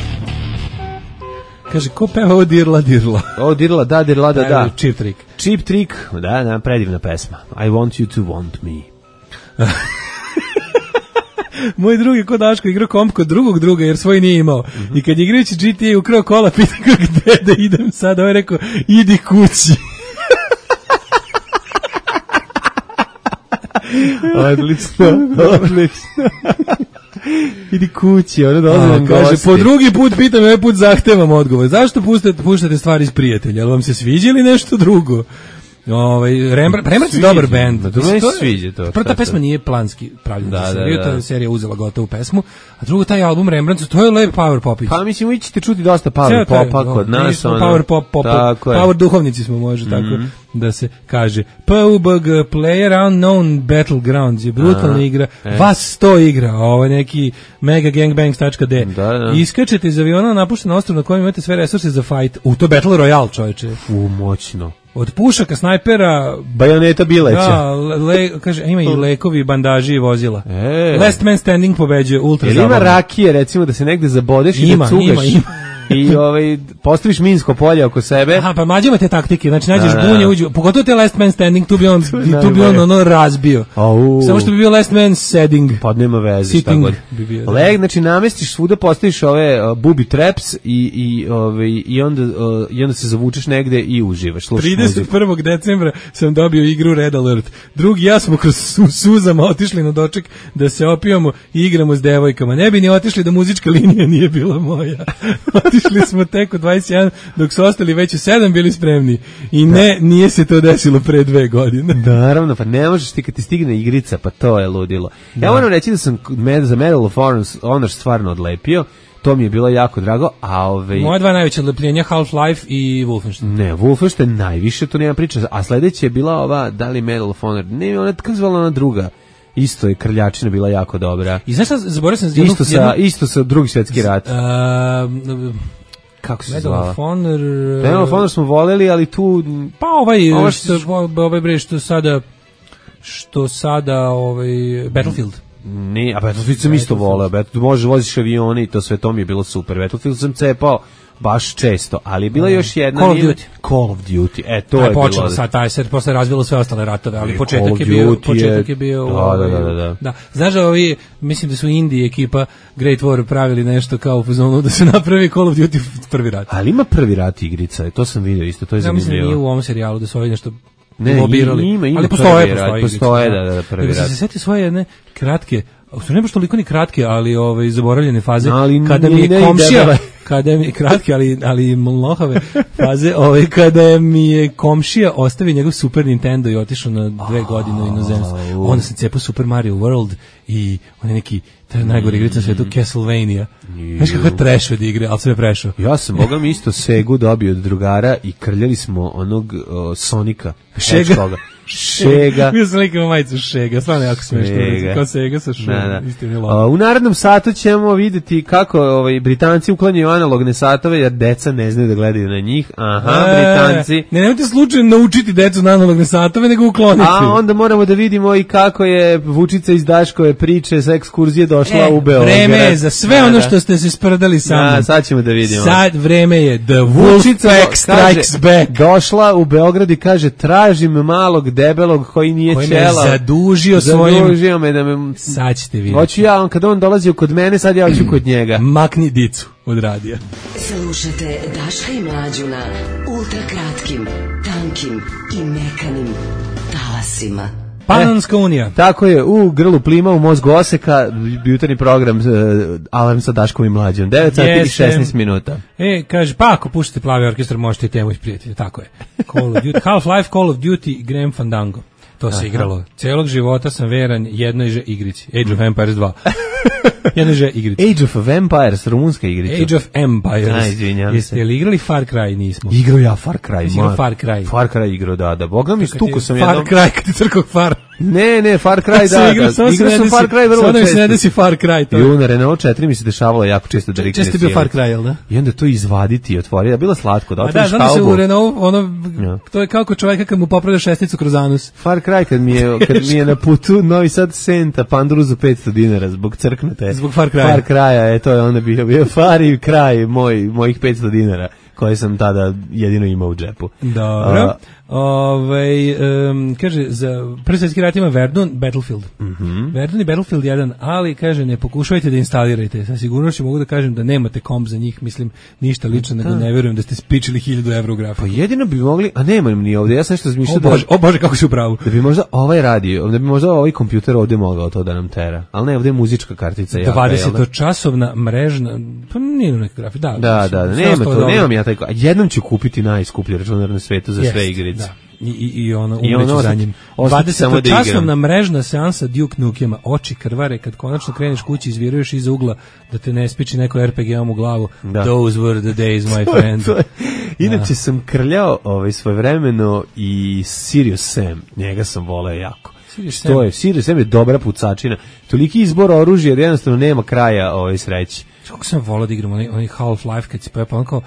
Kaže, ko peva ovo dirla, dirla? Ovo dirla, da, dirla, da, da. Cheap Trick. Cheap Trick, da, da, predivna pesma. I want you to want me. Moj drugi kod Daško igrao komp kod drugog druga jer svoj nije imao. Mm-hmm. I kad je igrajući G T A ukrao kola, pita ga gde da idem sad, ovo je rekao, idi kući. Odlično, odlično. Idi kući, ono dozvoljam kaže, gosti. po drugi put pitam, ovaj put zahtevam odgovor. Zašto puštate, puštate stvari iz prijatelja? Jel vam se sviđa ili nešto drugo? Ovaj Rembrandt, Rembrandt je dobar bend. Da, to se sviđa to. Prva pesma nije planski pravljena da, za seriju, da, to da. je serija uzela gotovu pesmu, a drugo taj album Rembrandt, to je lep power popić. Pa mislim, vi ćete čuti dosta power popa kod nas. Ono, power pop, pop, power duhovnici smo, može tako mm-hmm. da se kaže. P U B G, Player Unknown Battlegrounds je brutalna igra, e. vas sto igra, ovo je neki mega gangbangs.de. Da, da. Iskačete iz aviona na napušteno ostrvo na kojem imate sve resurse za fight. U to Battle Royale, čoveče. U, moćno. Od pušaka, snajpera, bajoneta bileća. Da, le, kaže, ima i lekovi, bandaži i vozila. E. Last Man Standing pobeđuje, ultra zabavno. Jel ima rakije, recimo, da se negde zabodeš i ima, da cugaš? Ima, ima. I ovaj postaviš minsko polje oko sebe. Aha, pa mlađe te taktike, znači nađeš da, bunje, uđu, pogotovo te Last Man Standing, tu bi on, tu bi on ono razbio. Au. Samo što bi bio Last Man Setting. Pa nema veze, šta god. Bi bio, Leg, znači namestiš svuda, postaviš ove uh, booby traps i, i, ove, i, onda, uh, i onda se zavučeš negde i uživaš. trideset prvog decembra sam dobio igru Red Alert. Drugi ja smo kroz su, suzama otišli na doček da se opijamo i igramo s devojkama. Ne bi ni otišli da muzička linija nije bila moja. Otišli smo tek u dvadeset jedan, dok su ostali već u sedam bili spremni. I ne, da. Nije se to desilo pre dve godine. Naravno, pa ne možeš ti kad ti stigne igrica, pa to je ludilo. Da. Ja moram reći da sam za Medal of Honor stvarno odlepio, to mi je bilo jako drago, a ove... Moje dva najveće odlepljenja, Half-Life i Wolfenstein. Ne, Wolfenstein najviše, to nema priča, a sledeće je bila ova, da li Medal of Honor, ne, ona je kako zvala ona druga. Isto je krljačina bila jako dobra. I znaš šta, zaboravio sam... Isto sa, jednu... isto sa drugi svjetski rat. Uh, kako se Medal zvala? Of Honor... Medal of Honor smo voleli, ali tu... Pa ovaj, ovaj što, ovaj bre, što sada... Što sada, ovaj... Battlefield. Ne, a Battlefield sam isto voleo. Battlefield, možeš voziš avione i to sve, to mi je bilo super. Battlefield sam cepao baš često, ali je bila još jedna... Call of Duty. Call of Duty, e, to Aj, je počelo bilo... sad, taj se posle razvilo sve ostale ratove, ali početak je, je bio... Početak je bio... Da, ovaj, da, da, da. da. Znaš da ovi, mislim da su Indiji ekipa Great War pravili nešto kao u fazonu da se napravi Call of Duty prvi rat. Ali ima prvi rat igrica, to sam vidio isto, to je zanimljivo. Ja mislim da nije u ovom serijalu da su ovi nešto... Ne, lobirali. Ima, ima ali postoje, prvi rat, postoje, da, da, prvi rat. Da se seti svoje jedne kratke, su ne baš toliko ni kratke, ali ovaj zaboravljene faze, ali kada mi je komšija, kada mi, kratke, ali, ali mlohave faze, ovaj, kada mi je komšija ostavio njegov Super Nintendo i otišao na dve godine u inozemstvo. Onda se cepao Super Mario World i on je neki to je najgore igrica na svetu, Castlevania. Znaš kako je trash od igre, ali sam je prešao. Ja sam, boga mi isto Segu dobio od drugara i krljali smo onog uh, Sonika. Šega. Šega. Mi sam likao majicu Šega, stvarno jako smiješno. Kao Sega sa Šega. Da, da. U narednom satu ćemo vidjeti kako ovaj, Britanci uklanjaju analogne satove, jer deca ne znaju da gledaju na njih. Aha, e, Britanci. Ne, nemojte slučajno naučiti decu na analogne satove, nego ukloniti. A onda moramo da vidimo i kako je Vučica iz Daškove priče sa ekskurzije došla e, u Beograd. Vreme je za sve da, ono što ste se sprdali sa mnom. Da, sad ćemo da vidimo. Sad vreme je The Wolfpack Strikes Back. Došla u Beograd i kaže, tražim malog debelog koji nije koji čela. Koji me zadužio svojim... Zadužio me da me... Sad ćete vidjeti. Hoću ja, on, kada on dolazio kod mene, sad ja hoću kod njega. Makni dicu od radija. Slušajte Daška i Mlađu na ultrakratkim, tankim i mekanim talasima. Panonska unija. E, tako je, u grlu plima, u mozgu oseka, jutarnji program uh, Alarm sa Daškom i Mlađom. devet sati i šesnaest minuta. E, kaže, pa ako puštate Plavi orkestar, možete i temu isprijeti. Tako je. Call of Duty, Half-Life, Call of Duty, Graham Fandango. To se Aha. igralo. Celog života sam veran jednoj že igrici. Age of Empires dva. Jednoj že igrici. Age of Empires, rumunska igrica. Age of Empires. Aj, izvinjam Jeste li igrali Far Cry? Nismo. Igrao ja Far Cry. Igrao Far Cry. Far Cry igrao, da, da. Boga mi stuko sam Far jednom... Far Cry, kad ti crkao Far. Ne, ne, Far Cry, da, da. Igrao sam Far Cry vrlo često. Sada mi se ne desi Far Cry. To. I u na Renault četiri mi se dešavalo jako često da rikne. Često je bio Far Cry, jel da? I onda to izvaditi i otvoriti. Da, bilo slatko. Da, otvoriš halbu. Da, znam se u Renault, ono, ja. To je kao kod čoveka kad mu popravlja šestnicu kroz anus. Far Cry, kad mi je, kad mi je na putu Novi Sad Senta, Panduru za petsto dinara, zbog crknute. Zbog Far Cry. Far Cry, e, to je onda bio, bio Far i kraj moj, mojih petsto dinara, koje sam tada jedino imao u džepu. Dobro. Ove, um, kaže, za prvi svjetski rat ima Verdun, Battlefield. Mm-hmm. Verdun i Battlefield jedan, ali kaže, ne pokušajte da instalirajte. Sa sigurnošću mogu da kažem da nemate komp za njih, mislim, ništa lično, nego ne verujem da ste spičili hiljadu evra u grafiku. Pa jedino bi mogli, a nemam ni ovdje, ja sam nešto razmišljao da... O Bože, kako si u pravu. Da bi možda ovaj radio, da bi možda ovaj kompjuter ovdje mogao to da nam tera, ali ne, ovdje je muzička kartica. dvadesetočasovna mrežna, pa nije neka grafika, da. Da, da, da, nema to, nemam ja taj, jednom ću kupiti najskuplji računar na svetu za sve igrice. Da. I, i, i ono umreću za njim. dvadesetočasovna mrežna seansa Duke Nukema, oči krvare kad konačno kreneš kući, izviruješ iza ugla da te ne spiči neko er pe ge-om u glavu. Da. Those were the days, my friend. Inače da. sam krljao ovaj, svojevremeno i Sirius Sam, njega sam voleo jako. Sirius to je, Sirius Sam je dobra pucačina. Toliki izbor oružja jer jednostavno nema kraja ovaj, sreći. Kako sam volao da igram onaj, onaj Half-Life kad si pojepao, on kao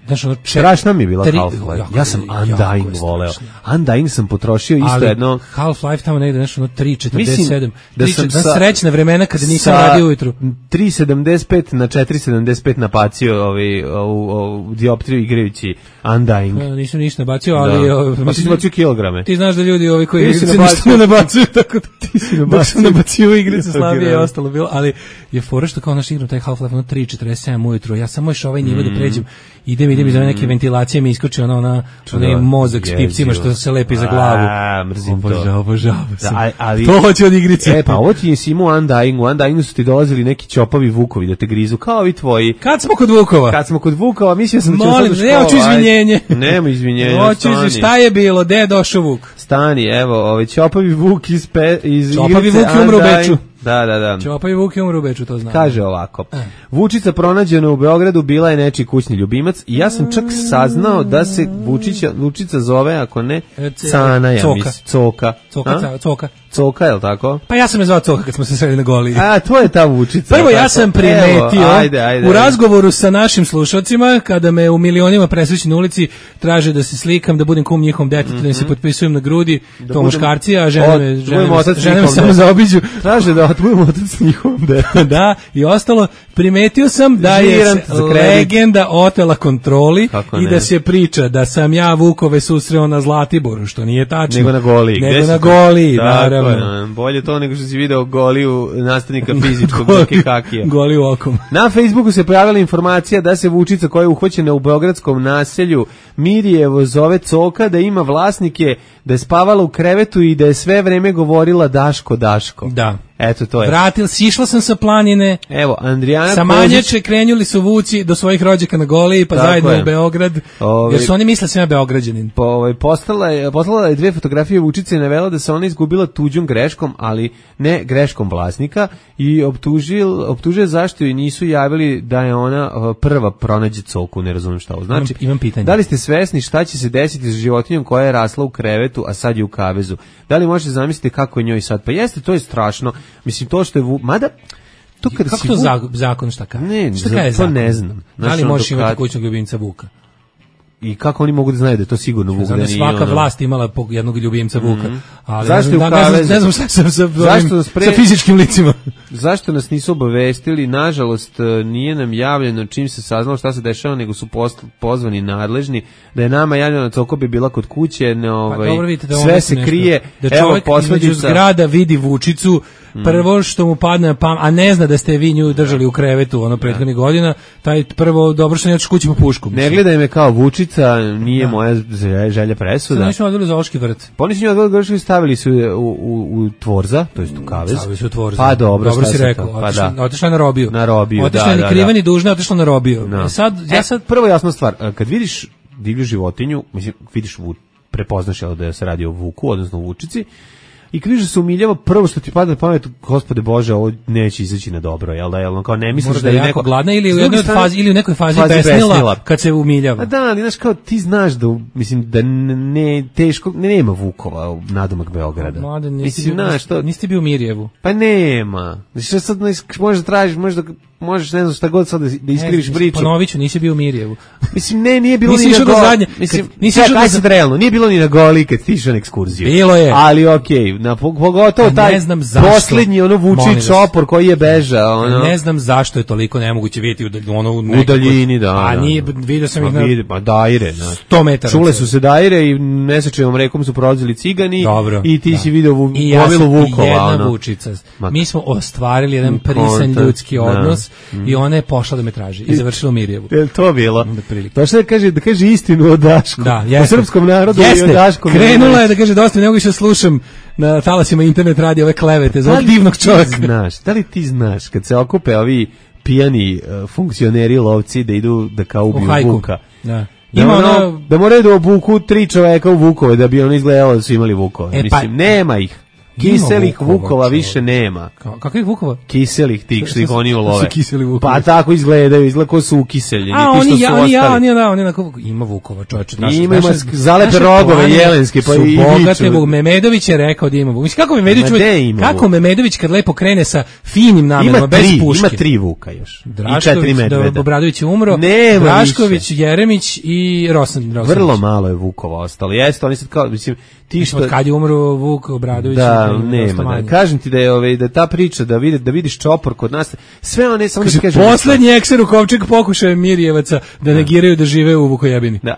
znaš, ono, strašna mi je bila Half-Life. Ja sam Undying voleo. Undying sam potrošio isto ali jedno... Half-Life tamo negde nešto, ono, tri četrdeset sedam. Da sam sa, srećna vremena kada nisam radio ujutru. tri sedamdeset pet na četiri sedamdeset pet napacio ovaj, u dioptriju igrajući Undying. Ja, nisam ništa nabacio, ali... Da. O, pa si nabacio kilograme. Ti znaš da ljudi ovi koji igrice ništa ne nabacuju, tako da ti si nabacio. Dok sam nabacio igrice, slabije je ostalo bilo, ali je fora što kao naš igram taj Half-Life, ono, tri četrdeset sedam ujutru. Ja samo još ovaj nivo da pređem. Idem, idem iz ove neke ventilacije, mi iskoči ona, ona, onaj mozak s pipcima što se lepi za glavu. A, mrzim obožav, to. Obožavam sam. Da, ali, to hoće od igrice. E, pa ovo ti nisi imao Undying, u Undyingu su ti dolazili neki čopavi vukovi da te grizu, kao i tvoji. Kad smo kod vukova? Kad smo kod vukova, mislio sam da ćemo Molim, sad u školu. Ne, hoću izvinjenje. Nema izvinjenja, hoću izvinjenje, šta je bilo, gde je došao vuk? Stani, evo, ovaj čopavi vuk iz, pe, iz čopavi igrice vuk je umro u Beču. Da, da, da. Čopavi vuk je umro u Beču, to znam. Kaže ovako. E. Vučica pronađena u Beogradu bila je nečiji kućni ljubimac i ja sam čak saznao da se Vučića, Vučica zove, ako ne, Cana, ja mislim. Coka. Coka, Coka. Coka, je li tako? Pa ja sam je zvao Coka kad smo se sreli na Goli. A, to je ta Vučica. Prvo ja sam primetio Evo, ajde, ajde, u razgovoru sa našim slušalcima, kada me u milionima presreći na ulici, traže da se slikam, da budem kum njihovom detetu, mm-hmm. da se potpisujem na grudi, da to muškarci, a žene me, žene me, žene me samo zaobiđu. Traže da budem otac njihovom detetu. Da, i ostalo, primetio sam da je legenda otela kontroli i da se priča da sam ja Vukove susreo na Zlatiboru, što nije tačno. Nego na Goli. Nego na Goli, naravno. Bolje to nego što si video Goliju nastavnika fizičkog Doke Kakija. Goliju okom. Na Facebooku se pojavila informacija da se Vučica koja je uhvaćena u beogradskom naselju Mirjevo zove Coka, da ima vlasnike, da je spavala u krevetu i da je sve vreme govorila Daško, Daško. Da. Eto, to je. Vratil, sišla sam sa planine. Evo, Andrijana sa Manjače krenuli su vuci do svojih rođaka na Goliji, pa tako zajedno je. U Beograd. Ove, jer su oni misle sam ja Beograđanin. Po, ovaj, postala je, poslala je dve fotografije Vučice i navela da se ona izgubila tuđom greškom, ali ne greškom vlasnika i optužil, optužuje zašto joj nisu javili da je ona prva pronađe coku, ne razumijem šta ovo znači. Imam, imam pitanje. Da li ste svesni šta će se desiti s životinjom koja je rasla u krevetu, a sad je u kavezu? Da li možete zamisliti kako je njoj sad? Pa jeste, to je strašno. Mislim, to što je... Vu... Mada... To kako to vu... zakon šta kaže? Ne, šta kaže to zakon? Ne znam. Da li možeš imati kućnog ljubimca vuka? I kako oni mogu da znaju da je to sigurno vuk? Znači, svaka ono... vlast imala jednog ljubimca vuka. Mm-hmm. Ali zašto ne znam, da, ne, ne znam šta sam sa, ovim, pre... sa fizičkim licima. Zašto nas nisu obavestili? Nažalost, nije nam javljeno čim se saznalo šta se dešava, nego su post, pozvani nadležni. Da je nama javljeno coko bi bila kod kuće, ne, ovaj, pa, dobro, vidite, da sve se nešto. Krije. Da čovjek između zgrada vidi Vučicu, prvo što mu padne na pamet, a ne zna da ste vi nju držali u krevetu ono prethodnih godina, taj prvo dobro što ne otiš kući po pušku. Ne gledaj me kao Vučica, nije da. Moja želja presuda. Oni su odveli zoološki vrt. Pa oni su nju odveli i stavili su u, u, u Tvorza, to jest u kavez. Stavili su u Tvorza. Pa dobro, dobro si rekao. Pa otišla, da. Otišla na robiju. Na robiju, otišla da, ni da, kriva da. Ni dužna, otišla na robiju. No. Sad, ja sad... E, prvo jasna stvar, kad vidiš divlju životinju, mislim, vidiš, prepoznaš da se radi o vuku, odnosno vučici, i kad vidiš da se umiljava, prvo što ti pada na pamet, Gospode Bože, ovo neće izaći na dobro, jel da, jel, kao ne misliš da je neko gladna ili u jednoj fazi ili u nekoj fazi, fazi besnila, besnila kad se umiljava. A da, ali znaš kao ti znaš da mislim da ne teško ne nema vukova u nadomak Beograda. Mladen, mislim znaš to. Niste bio u Mirjevu. Pa nema. Znači sad možeš tražiš, možeš da možeš ne znam šta god sad da, da iskriviš priču. Ponoviću, nisi bio u Mirjevu. Mislim ne, nije bilo nisi ni na Goli. Mislim, nisi išao kad se realno, nije bilo ni na Goli kad ti išao na ekskurziju. Bilo je. Ali okej, okay, na pogotovo taj poslednji ono vuči čopor koji je bežao, ono. Ne znam zašto je toliko nemoguće vidjeti ono u daljini, da. A nije, vidio sam ih na pa daire, na sto metara. Čule su se daire i nesečevom rekom su prolazili cigani. Dobro, i ti da. Si video gomilu vukova, jedna ono. Vučica. Mi smo ostvarili jedan prisan ljudski odnos da. I ona je pošla da me traži i završila u Mirjevu. Je to bilo? To što da kaže, da kaže istinu o Dašku. Da, o srpskom narodu jeste. I o Dašku. Krenula je da kaže dosta, ne mogu više slušam na talasima internet radi ove klevete za ovog divnog čovjeka. Znaš, da li ti znaš kad se okupe ovi pijani uh, funkcioneri lovci da idu da kao ubiju vuka? Da. Da, ima ono, ono, da moraju da obuku tri čoveka u vukove da bi ono izgledalo da su imali vukove. E, mislim, pa, nema ih. Kiselih vukova, vukova više nema. Ka, kakvih vukova? Kiselih tih što ih oni ulove. Pa tako izgledaju, izgleda ko su ukiseljeni. A oni ja, oni ja, oni ja, oni onako ima vukova, čoveče. Ima ima zalepe rogove jelenske pa i bogate Vuk. Memedović je rekao da ima vuk. Mislim kako Memedović kako Memedović kad lepo krene sa finim namerama bez puške. Ima tri vuka još. I četiri medveda. Obradović je umro. Drašković, Jeremić i Rosan. Vrlo malo je vukova ostalo. Jeste, oni sad kao mislim ti što kad je umro Vuk Obradović da nema da. Kažem ti da je ovaj da ta priča da vidi da vidiš čopor kod nas sve one samo da kažem poslednji ekser u Kovčeg pokušaje Mirjevaca da negiraju da žive u Vukojebini. Da.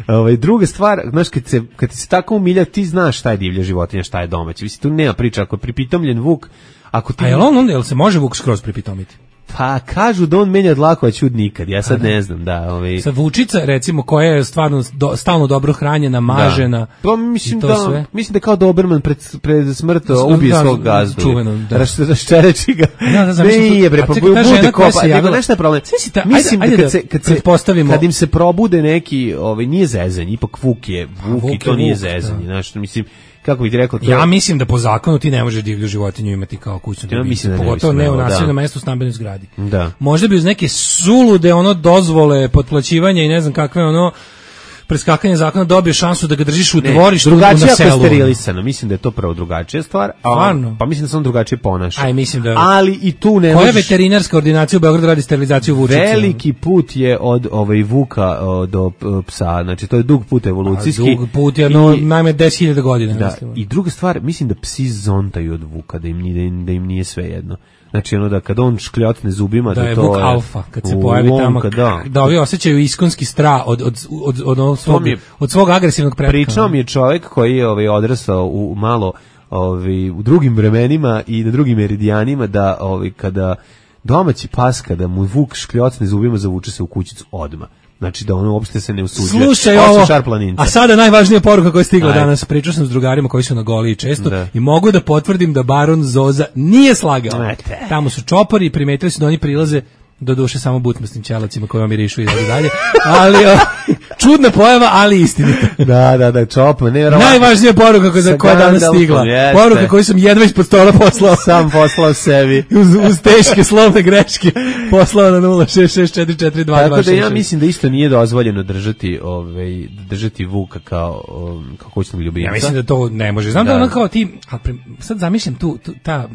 Ovaj druga stvar, znaš kad se kad ti se tako umilja ti znaš šta je divlja životinja, šta je domaća. Mislim tu nema priča ako je pripitomljen vuk, ako ti a jel on onda jel se može vuk skroz pripitomiti? Pa kažu da on menja dlako, a čud nikad. Ja sad ne znam, da, ovaj. Sa vučica recimo koja je stvarno do, stalno dobro hranjena, mažena. Da. Pa mislim da sve. Mislim da kao Doberman pred pred smrt ubije da, svog gazdu. Čuveno, da. Raščereči ga. Da, da, znam, ne, bre, pa bude kopa. Nego nešto je problem. Ta, mislim ajde, da kad se kad se postavimo kad im se probude neki, ovaj nije zezanje, ipak vuk je, vuk i to nije zezanje, znači mislim kako bih ti rekao to. Ja mislim da po zakonu ti ne možeš divlju životinju imati kao kućnu ljubicu, ja pogotovo ne u naseljenom mestu u stambenoj zgradi. Da. Možda bi uz neke sulude ono dozvole, potplaćivanje i ne znam kakve ono preskakanje zakona dobije šansu da ga držiš u dvorištu na selu. Drugačije ako je sterilisano, mislim da je to prvo drugačija stvar. Stvarno? Pa mislim da se on drugačije ponaša. Aj, mislim da. Ali i tu ne koja možeš... veterinarska ordinacija u Beogradu radi sterilizaciju vučića? Veliki put je od ovaj vuka o, do psa, znači to je dug put evolucijski. A, dug put je no, najme deset hiljada godina. Da, i druga stvar, mislim da psi zontaju od vuka, da im, da im, da im nije sve jedno. Znači ono da kad on škljotne zubima da, da je to vuk alfa kad se pojavi tamo da, da ovi osjećaju iskonski strah od od od od, od, svog, je, od svog agresivnog pretka. Pričao mi je čovjek koji je ovaj odrastao u malo ovaj u drugim vremenima i na drugim meridijanima da ovaj kada domaći pas kada mu vuk škljocne zubima zavuče se u kućicu odmah. Znači da ono uopšte se ne usuđuje. Slušaj ovo, a sada najvažnija poruka koja je stigla Aj. danas. Pričao sam s drugarima koji su na Goliji često da. i mogu da potvrdim da baron Zoza nije slagao. Ete. Tamo su čopori i primetili su da oni prilaze do duše samo butmasnim ćelacima koji vam mirišu i dalje. Ali o, čudna pojava, ali istinita. Da, da, da, čopma. Ne, najvažnija poruka koja, koja je danas stigla. Jeste. Poruka koju sam jedva ispod stola poslao. Sam poslao sebi. uz, uz teške slovne greške poslao na nula šest šest četiri četiri dva dva šest. Tako da ja mislim da isto nije dozvoljeno držati, ovaj, držati vuka kao, um, kao kućnog ljubimca. Ja mislim da to ne može. Znam da, da ono kao ti, sad zamišljam tu, tu ta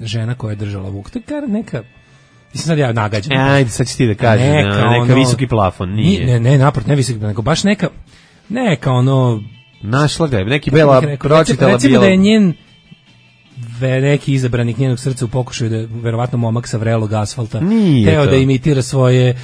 žena koja je držala vuk, to je neka... Mislim sad ja nagađam. E, ajde, sad ćeš ti da kažeš, neka, neka ono, visoki plafon, nije. Ne, ne, naport, ne visoki, nego baš neka, neka ono... Našla ga je, neki bela pročitala. Recimo bijela... da je njen neki izabranik njenog srca u pokušaju da je verovatno momak sa vrelog asfalta teo da imitira svoje,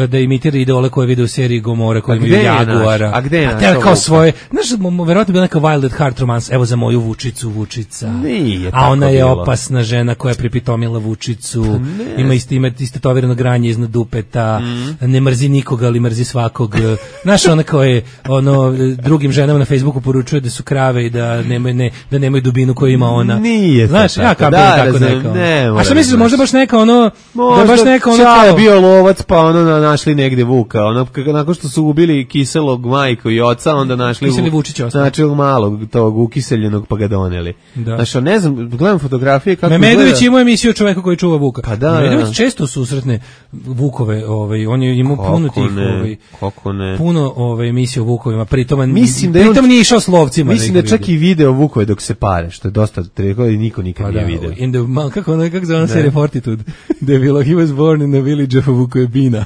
da imitira idole koje vide u seriji Gomora, koje imaju Jaguara. A gde je naš? A teo kao svoje, znaš, verovatno bila neka Wild at Heart romance, evo za moju Vučicu, Vučica. Nije a ona je bilo. Opasna žena koja je pripitomila Vučicu, ima isto ime, istetovirano granje iznad dupeta, mm. ne mrzi nikoga, ali mrzi svakog. Znaš, ona kao je, ono, drugim ženama na Facebooku poručuje da su krave i da nemaju, ne, da nemaju dubinu koju ima ona. Nije znaš, tako, ja kao da, tako razum, neka. Ne, a šta misliš, možda baš neka ono, možda da baš neka ono kao je bio lovac, pa ono našli negde vuka, ono nakon što su ubili kiselog majku i oca, onda našli Kiseli Vučić ostao. Znači malog tog ukiseljenog pa ga doneli. Da. Znači, ne znam, gledam fotografije kako Memedović ima emisiju o čoveku koji čuva vuka. Pa da, Memedović da. često susretne vukove, ovaj, on je imao puno tih, ovaj, kako ne. Puno ovaj emisija o vukovima, pritom mislim da pritom nije išao s lovcima. Mislim da čak i video vukove dok se pare, što je dosta teško i niko nikad pa nije video. In the, kako ono, kako zove serija Fortitude, da je bilo, he was born in the village of Vukojebina.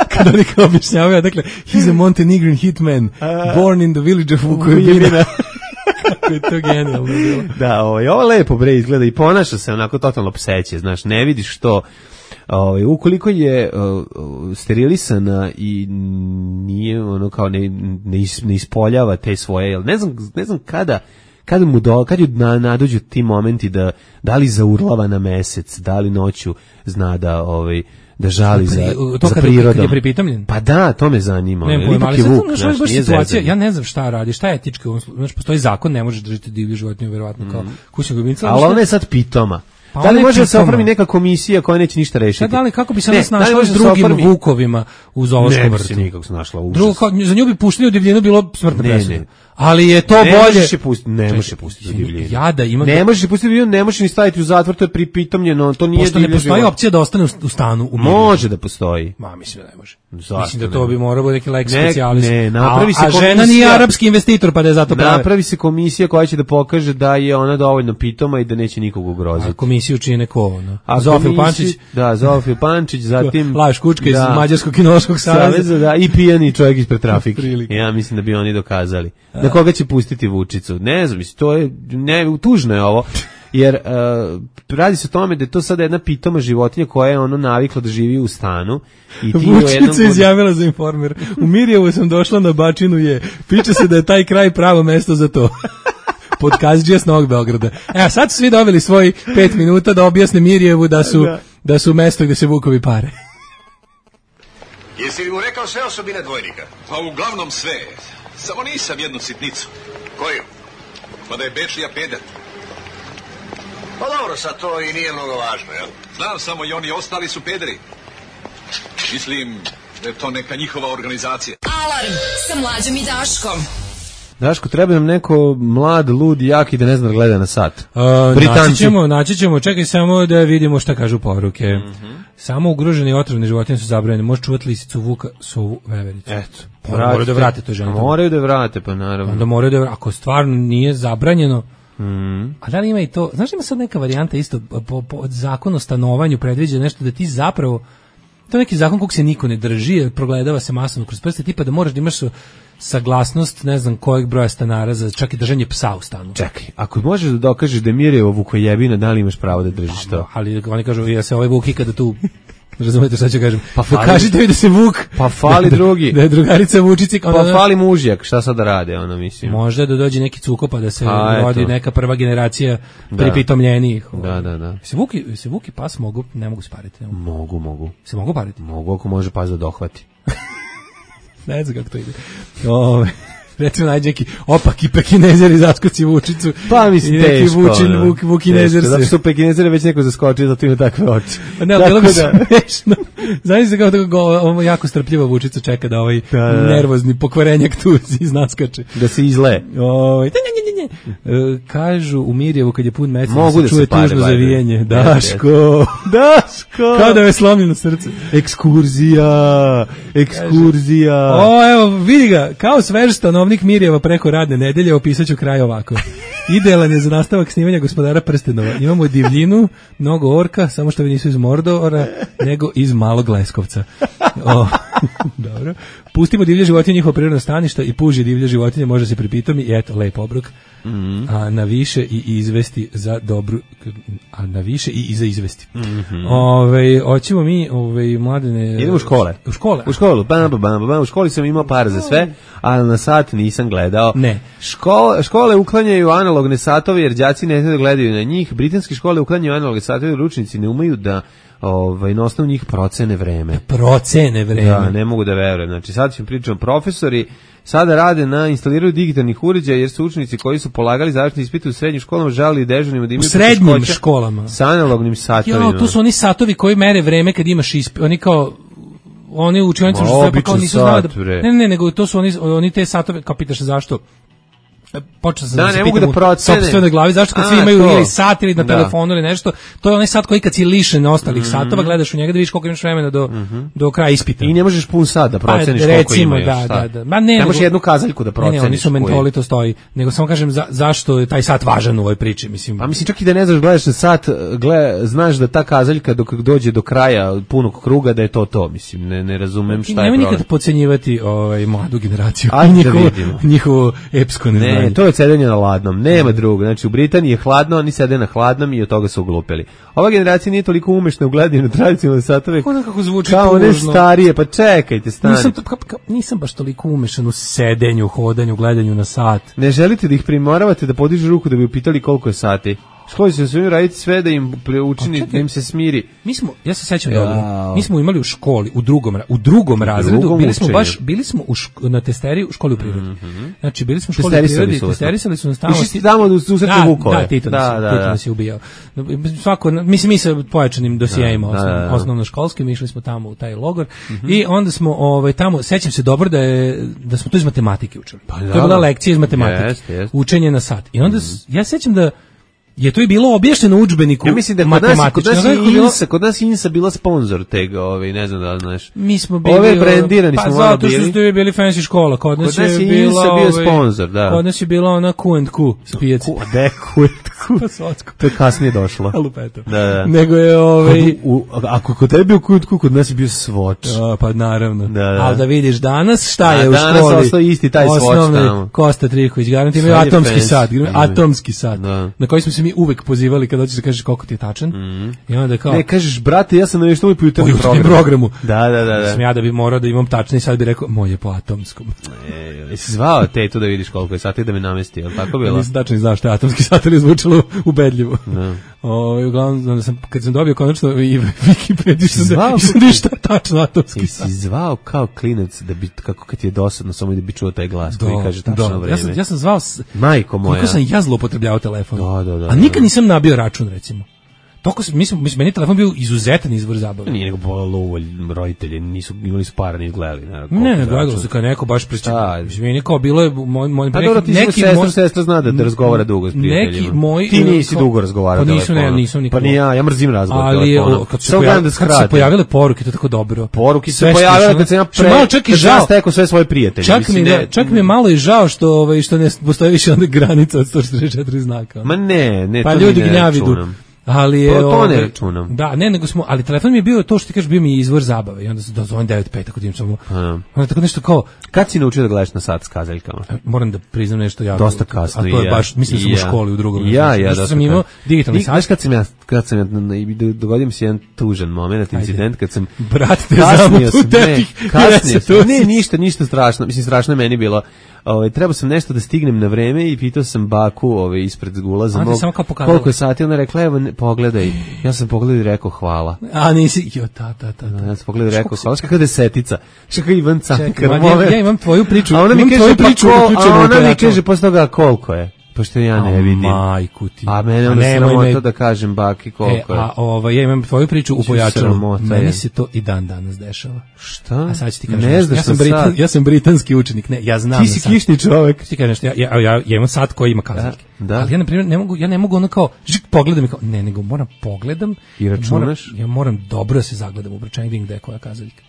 Kada oni kao objašnjavaju, dakle, he's a Montenegrin hitman, born in the village of Vukojebina. Kako je to genijalno bilo. Da, ovo, ovo lepo bre izgleda i ponaša se onako totalno pseće, znaš, ne vidiš što, ovaj, ukoliko je uh, sterilisana i nije ono kao ne, ne, is, ne ispoljava te svoje, jel, ne znam, ne znam kada, kad mu do, kad ju na, nadođu ti momenti da da li zaurlava na mesec, da li noću zna da ovaj da žali za, to za kad, prirodom. Kad je pripitomljen? Pa da, to me zanima. Ne, pojma, ali sad znaš, baš situacija, ja ne znam šta radi, šta je etički, znači postoji zakon, ne možeš držati divlju životinju, verovatno kao mm. kućnog ljubimca. Ali ona je sad pitoma. Pa da li može da se oformi neka komisija koja neće ništa rešiti? Da li, kako bi se ona snašla s drugim oformi... vukovima u zoološkom vrtu? Ne bi se nikako snašla. Drugo, za nju bi puštili u divljinu bilo smrtno presuda. Ali je to ne bolje. Možeš je pustiti, ne možeš je pustiti u divljinu. Ja da imam. Ne možeš je pustiti u divljinu, ne možeš ni staviti u zatvor, to je pripitomljeno, to nije divlje. Pošto ne postoji opcija da ostane u stanu u miru. Može da postoji. Ma, mislim da ne može. Zašto mislim da to bi morao biti neki lex ne, specialis. Ne, napravi se a, a žena nije arapski investitor, pa da je zato prave. Napravi se komisija koja će da pokaže da je ona dovoljno pitoma i da neće nikog ugroziti. A komisiju čine ko ono? Zofil Pančić. Da, Zofil Pančić, zatim Laš Kučka iz Mađarskog kinološkog saveza, da, i pijani čovjek ispred trafike. Ja mislim da bi oni dokazali. Na koga će pustiti Vučicu? Ne znam, mislim, to je, ne, tužno je ovo, jer uh, radi se o tome da je to sada jedna pitoma životinja koja je ono navikla da živi u stanu. I ti Vučica jednom... izjavila za Informer, u Mirjevu sam došla na Bačinu je, piče se da je taj kraj pravo mesto za to. Podkazđija s Novog Beograda. Evo, sad su svi dobili svoj pet minuta da objasne Mirjevu da su, da. da su mesto gde se vukovi pare. Jesi li mu rekao sve osobine dvojnika? Pa uglavnom sve. Samo nisam jednu sitnicu. Koju? Pa da je Bečija peder. Pa dobro, sad to i nije mnogo važno, jel? Znam samo i oni ostali su pederi. Mislim da je to neka njihova organizacija. Alarm sa Mlađom i Daškom. Daško, treba nam neko mlad, lud, jaki da ne zna da gleda na sat. Uh, naći ćemo, naći ćemo, čekaj samo da vidimo šta kažu poruke. Mm-hmm. Samo ugrožene i otrovne životinje su zabranjene. Može čuvati lisicu, vuka, sovu, vevericu. Eto. Pa, moraju da vrate to žene. Moraju da vrate, pa naravno. Onda moraju da vrate. Ako stvarno nije zabranjeno, mm. a da li ima i to, znaš ima sad neka varijanta isto, po, po zakon o stanovanju predviđa nešto da ti zapravo, to je neki zakon kog se niko ne drži, progledava se masovno kroz prste, tipa da moraš da imaš saglasnost, ne znam kojeg broja stanara za čak i držanje psa u stanu. Čekaj, ako možeš da dokažeš da je Mirjevo Vukojebina, da li imaš pravo da držiš to? Ali oni kažu, ja se ovaj Vuk ikada tu Razumete šta ću kažem? Pa fali, kažite mi da se Vuk... Pa fali drugi. Da je drugarica Vučici... Pa da, fali mužjak, šta sad da rade, ono, mislim. Možda da dođe neki cuko pa da se pa, rodi neka prva generacija pripitomljenijih. Da, da, da. Se Vuki, se Vuki pas mogu, ne mogu spariti. Ne mogu. mogu, mogu. Se mogu pariti? Mogu, ako može pas da dohvati. Ne znam kako to ide. Ove... Recimo nađe neki opaki pekinezer i zaskoci Vučicu. Pa mislim teško. Vučin, vuk, vukinezer se. Zato što pekinezer je već neko zaskočio, zato ima takve oči. Ne, ali bilo bi smešno. Znaš se kao tako jako strpljivo Vučicu čeka da ovaj da, da. nervozni pokvarenjak tu iznaskače. Da se izle. Ovaj, e, kažu u Mirjevu kad je pun mesec se čuje da tužno zavijanje. Daško. Daško. Kao da je slomljeno srce. Ekskurzija. Ekskurzija. O, evo, vidi ga, kao svež stanovnik Mirjeva preko radne nedelje opisaću kraj ovako. Idealan je za nastavak snimanja Gospodara prstenova. Imamo divljinu, mnogo orka, samo što vi nisu iz Mordora, nego iz Malog Leskovca. O, dobro. Pustimo divlje životinje, njihovo prirodno staništa i puži divlje životinje, može se pripitomi i eto, lep obrok. Mm-hmm. A na više i izvesti za dobru, a na više i za izvesti. Mm-hmm. Ove, hoćemo mi, ove, mladene... Idemo u škole. U škole. U školu, bam, bam, bam, bam. U školi sam imao par za sve, a na sat nisam gledao. Ne. Škole, škole uklanjaju analogne satove jer đaci ne znaju da gledaju na njih. Britanske škole uklanjaju analogne satove jer učenici ne umeju da ovaj na osnovu njih procene vreme. Procene vreme. Da, ne mogu da verujem. Znači sad ćemo pričati, profesori sada rade na instaliranju digitalnih uređaja jer su učenici koji su polagali završni ispit u srednjim školama žalili dežurnima da imaju u srednjim školama sa analognim satovima. Jo, to su oni satovi koji mere vreme kad imaš ispit. Oni kao oni učionici što pa kao nisu znali da... Ne, ne, nego to su oni oni te satove, kao pitaš zašto. Počeo sam da, da se pitam da u sopstvenoj glavi, zašto kad A, svi imaju to. ili sat ili na da. telefonu ili nešto, to je onaj sat koji kad si lišen ostalih mm-hmm. satova, gledaš u njega da vidiš koliko imaš vremena do, mm-hmm. do kraja ispita. I ne možeš pun sat da proceniš pa, koliko recimo, imaš. Da, da, da. Ma ne, ne možeš jednu kazaljku da proceniš. Ne, ne, oni su mentoli, to stoji. Nego samo kažem za, zašto je taj sat važan u ovoj priči. Mislim. Pa mislim čak i da ne znaš, gledaš na sat, gle, znaš da ta kazaljka dok dođe do kraja punog kruga da je to to. Mislim, ne, ne razumem šta je problem. Nema nikad podcenjivati ovaj, mladu generaciju. Njihovo epsko neznanje. Ne, to je sedenje na ladnom, nema drugo. Znači u Britaniji je hladno, oni sede na hladnom i od toga su uglupeli. Ova generacija nije toliko umešna u gledanju na tradicionalne satove. Kako kako zvuči kao one starije, pa čekajte, stani. Nisam, ka, ka, nisam baš toliko umešan u sedenju, hodanju, gledanju na sat. Ne želite da ih primoravate da podižu ruku da bi upitali koliko je sati? Školi se svojim raditi sve da im učini, da im se smiri. Mi smo, ja se sećam ja. dobro, mi smo imali u školi, u drugom, u drugom razredu, drugom bili smo učenju. baš, bili smo u ško, na testeri u školi u prirodi. Mm-hmm. Znači, bili smo u školi u prirodi, testerisali su nas tamo. Išli tamo da susreće Vukove. Da, Tito nas, da, da, Tito nas je ubijao. Svako, mislim, mi sa pojačanim dosijajima da, osnovno, da, da. osnovno školskim, išli smo tamo u taj logor mm-hmm. i onda smo ovaj, tamo, sećam se dobro da, je, da smo to iz matematike učili. Pa, da, to je bila lekcija iz matematike, jest, jest. učenje na sat. I onda, mm-hmm. ja sećam da je to i bilo objašnjeno u udžbeniku. Ja mislim da kod nas, kod nas, Insa, kod nas Insa bila sponsor tega, ovaj, ne znam da li znaš. Mi smo bili... Ove brandirani pa, smo malo bili. Pa zato što ste bili fancy škola. Kod nas, kod nas je, je bila, Insa bio sponsor, da. Kod nas je bila ona Q and Q s pijaci. De Q and Q. To je kasnije došlo. Alupeto. Da, da. Nego je ovaj... U, ako kod tebe bio Q and Q, kod nas je bio Swatch. A, pa naravno. Da, da. Ali da vidiš danas šta je A, u školi. Danas ostao isti taj Swatch tamo. Kosta Triković, garanti imaju atomski sat. Atomski sat. Na koji smo se mi uvek pozivali kad hoćeš da kažeš koliko ti je tačan. Mm-hmm. I onda kao ne kažeš brate, ja sam nešto po jutarnjem programu. programu. Da, da, da, da. Sam ja da bi morao da imam tačni, sad bi rekao moj je po atomskom. E, jesi zvao tetu da vidiš koliko je sati da me namesti, al tako bilo? Nisam tačno znao šta je atomski sat, ali zvučalo ubedljivo. Da. O, uglavnom sam kad sam dobio konačno i Wikipediju sam da sam ništa tačno atomski sat. Jesi zvao kao klinac da bi kako kad ti je dosadno samo da bi čuo taj glas koji kaže tačno vreme. Ja sam ja sam zvao majko moja. Kako sam ja zloupotrebljavao telefon. Da, da, da. A nikad nisam nabio račun recimo. Toko mi smo mi meni telefon bio izuzetan izvor zabave. Nije nego bolalo roditelji nisu imali su para ni gledali, ne. Ne, ne gledalo se kao neko baš pričao. Mislim meni kao bilo je moj moj pa neki neki moj sestra zna da, da razgovara dugo s prijateljima. Neki moj ti nisi kao, dugo razgovarao. Pa nisu ne, nisam nikad. Pa ni ja, ja mrzim razgovor. Ali kad se pojavile, kad se pojavile poruke, to tako dobro. Poruke se pojavile kad se ja pre. Malo čak i žao stekao sve svoje prijatelje. Čak mi čak mi je malo i žao što ovaj što ne postoji više onda granica od sto šezdeset četiri znaka. Ma ne, ne, pa ljudi gnjavidu. Ali je, to, to ne ovaj, računam. Da, ne, nego smo, ali telefon mi je bio to što ti kažeš, bio mi izvor zabave i onda se dozvonim devet pet ako tim samo. Onda tako nešto kao, kad si naučio da gledaš na sat s kazaljkama? Moram da priznam nešto jako. Dosta kasno. A to je ja. baš, mislim da sam ja. u školi u drugom. Ja, ja, da sam imao digitalni sat. Znaš kad sam ja, kad sam ja, dogodio mi se jedan tužan moment, incident, kad sam... Brat te zamutu u tepih. Kasnije, ne, ništa, ništa strašno, mislim, strašno je meni bilo. Ovaj trebao sam nešto da stignem na vreme i pitao sam baku, ovaj ispred ulaza mog koliko je sati, ona rekla evo ne, pogledaj. Ja sam pogledao i rekao hvala. A nisi jo ta ta ta. Ja sam pogledao i rekao hvala, kakva desetica. Čekaj Ivan Cankar. Ja, ja imam tvoju priču. A ona mi kaže priču, a ona mi kaže posle toga koliko je. Pošto ja ne vidim. Majku ti. A mene onda sramota da kažem baki koliko je. E, a ovaj, ja imam tvoju priču u pojačalu. Meni se to i dan danas dešava. Šta? A sad ću ti kažem. Ne znaš ja sam britan, ja sam britanski učenik. Ne, ja znam. Ti si kišni čovjek. Ti kažeš, ja, ja, ja, ja imam sat koji ima kazaljke. Da, da. Ali ja, na primjer, ne mogu, ja ne mogu ono kao, žik, pogledam i kao, ne, nego moram pogledam. I računaš? Moram, ja moram dobro da se zagledam u brojčanik gde je koja kazaljka.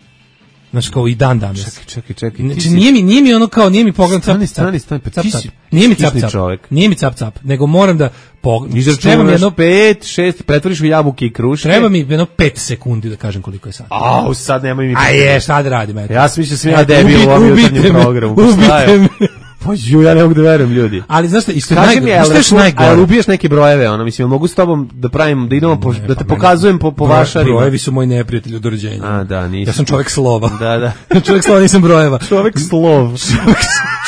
Znači kao i dan danas. Čekaj, čekaj, čekaj. Znači nije mi, nije mi ono kao, nije mi pogled cap, stani, stani, stani, pa ti si nije mi cap, cap, nije mi cap, cap, nego moram da pogledam. Izračunaš jedno pet, šest, pretvoriš u jabuke i kruške. Treba mi jedno pet sekundi da kažem koliko je sad. Au, sad nemoj mi... A je, šta da radim, eto. Ja sam mislio sam ja debil u ovom jutarnjem programu. Ubite me. Pa ju, ja ne mogu da verujem, ljudi. Ali znaš šta, isto najgore. Kaži mi, najgore. a ubiješ neke brojeve, ono, mislim, mogu s tobom da pravim, da idemo, po, da te pa pokazujem po, po vašarima. Brojevi su moji neprijatelji od rođenja. A, da, nisam. Ja sam čovjek slova. Da, da. Čovjek slova, nisam brojeva. Čovjek slov.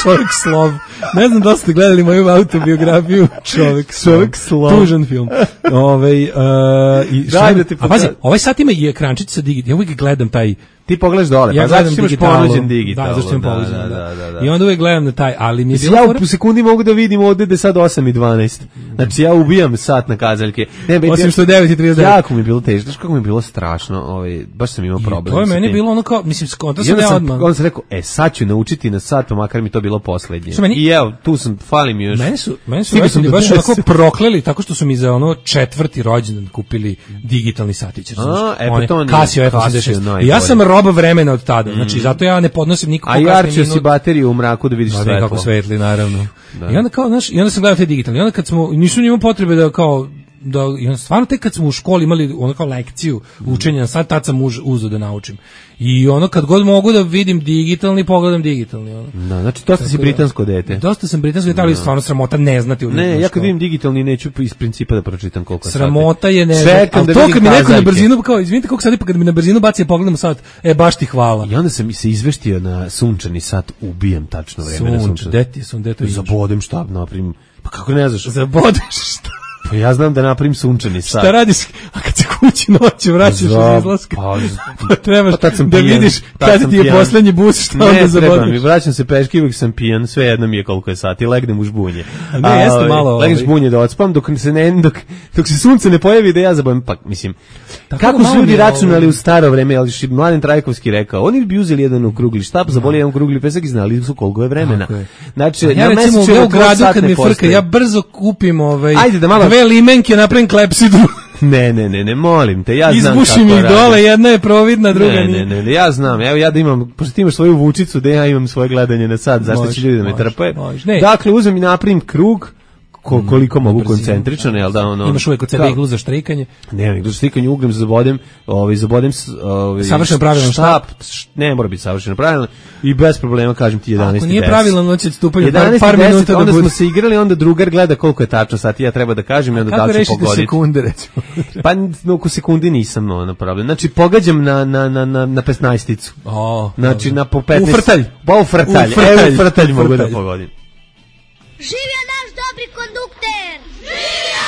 Čovjek slov. Ne znam da li ste gledali moju autobiografiju. Čovjek slov. Čovjek slov. Tužan film. Ovaj, uh, i Daj da ti a pazi, ovaj sat ima i ekrančić sa digitalnim. Ja uvijek gledam taj. Ti pogledaš dole, ja pa zato što imaš ponuđen digital. Da, zašto imam ponuđen, da, da, da, da. I onda uvijek gledam na taj, ali mi je bilo... Ja u sekundi mogu da vidim ovdje da je sad osam i dvanaest. Znači ja ubijam sat na kazaljke. Ne, osim što je devet i trideset devet. Jako mi je bilo teško, znaš kako mi je bilo strašno, ovaj, baš sam imao problem. To je meni bilo ono kao, mislim, skonto sam ja odmah. Onda sam rekao, e, sad ću naučiti na sat, pa makar mi to bilo poslednje. I evo, tu sam, fali mi još. Meni su, meni su roditelji baš onako prokleli, tako što su mi za ono četvrti rođendan kupili digitalni satić. A, e, pa to nije. Casio F osamdeset šest. I ja sam rob vremena od tada, mm. znači zato ja ne podnosim nikakvu kasnije. A jarčio si bateriju u mraku da vidiš svetlo. Kako svetli, naravno. Da. I onda kao, znaš, i onda sam gledao te digitalne. I onda kad smo, nisu njima potrebe da kao, da, i onda stvarno tek kad smo u školi imali ono kao lekciju učenja, sad tad sam uz, uzeo da naučim. I ono kad god mogu da vidim digitalni, pogledam digitalni. Ono. Da, znači dosta si britansko dete. Dosta sam britansko dete, ali stvarno sramota ne znati. Ne, ja kad vidim digitalni neću iz principa da pročitam koliko sati. Sramota je ne znati. Ali da to kad mi neko na brzinu, kao izvinite koliko sati, pa kad mi na brzinu baci ja pogledam sat, e baš ti hvala. I onda sam se izveštio na sunčani sat, ubijem tačno vreme na sunčani. Deti sam, deto zabodem štab, naprim. Pa kako ne znaš? Zabodeš šta? Pa ja znam da napravim sunčani sat. Šta radiš? A kad se kući noću vraćaš iz izlaska, pa, pa trebaš pa da pijan, vidiš kada ti je poslednji bus, šta onda zabodiš. Ne, treba mi, vraćam se peški, uvijek sam pijan, sve jedno mi je koliko je sati, legnem u žbunje. A ne, a, jeste malo... Legnem u žbunje da odspam, dok se, ne, dok, dok se sunce ne pojavi da ja zabavim, pa mislim, tako kako su ljudi računali u staro vreme, ali što Mladen Trajkovski rekao, oni bi uzeli jedan okrugli štap, zaboli jedan okrugli pesak i znali su koliko je vremena. Znači, ja recimo u Beogradu kad mi frka, ja brzo kupim dve limenke, napravim klepsidru. Ne, ne, ne, ne, molim te, ja znam kako izbušim ih dole, jedna je providna, druga ne, nije. Ne, ne, ne, ja znam, evo ja da imam, pošto ti imaš svoju vučicu, da ja imam svoje gledanje na sat, zašto će ljudi da me trpaju. Dakle, uzmem i napravim krug, ko, koliko mogu brzinu, koncentrično, jel da ono... Imaš uvijek od sebe iglu za štrikanje? Ne, iglu za štrikanje, ugrem, zabodem, ovaj, zabodem... Ovaj, savršeno pravilan štap? Ne, mora biti savršeno pravilan i bez problema kažem ti jedanaest i deset. Ako nije pravilan, on će stupati par, par minuta da onda bude. Smo se igrali, onda drugar gleda koliko je tačno sati, ja treba da kažem i onda da li ću pogoditi. Kako rešite sekunde, recimo? Pa no, oko sekundi nisam no, napravljen. Znači, pogađam na, na, na, na, na petnaesticu. Oh, znači, na po petnaest... U frtalj. Pa u frtalj. U frtalj. Evo u frtalj mogu da pogodim. Živio naš dobri kondukter! Živio!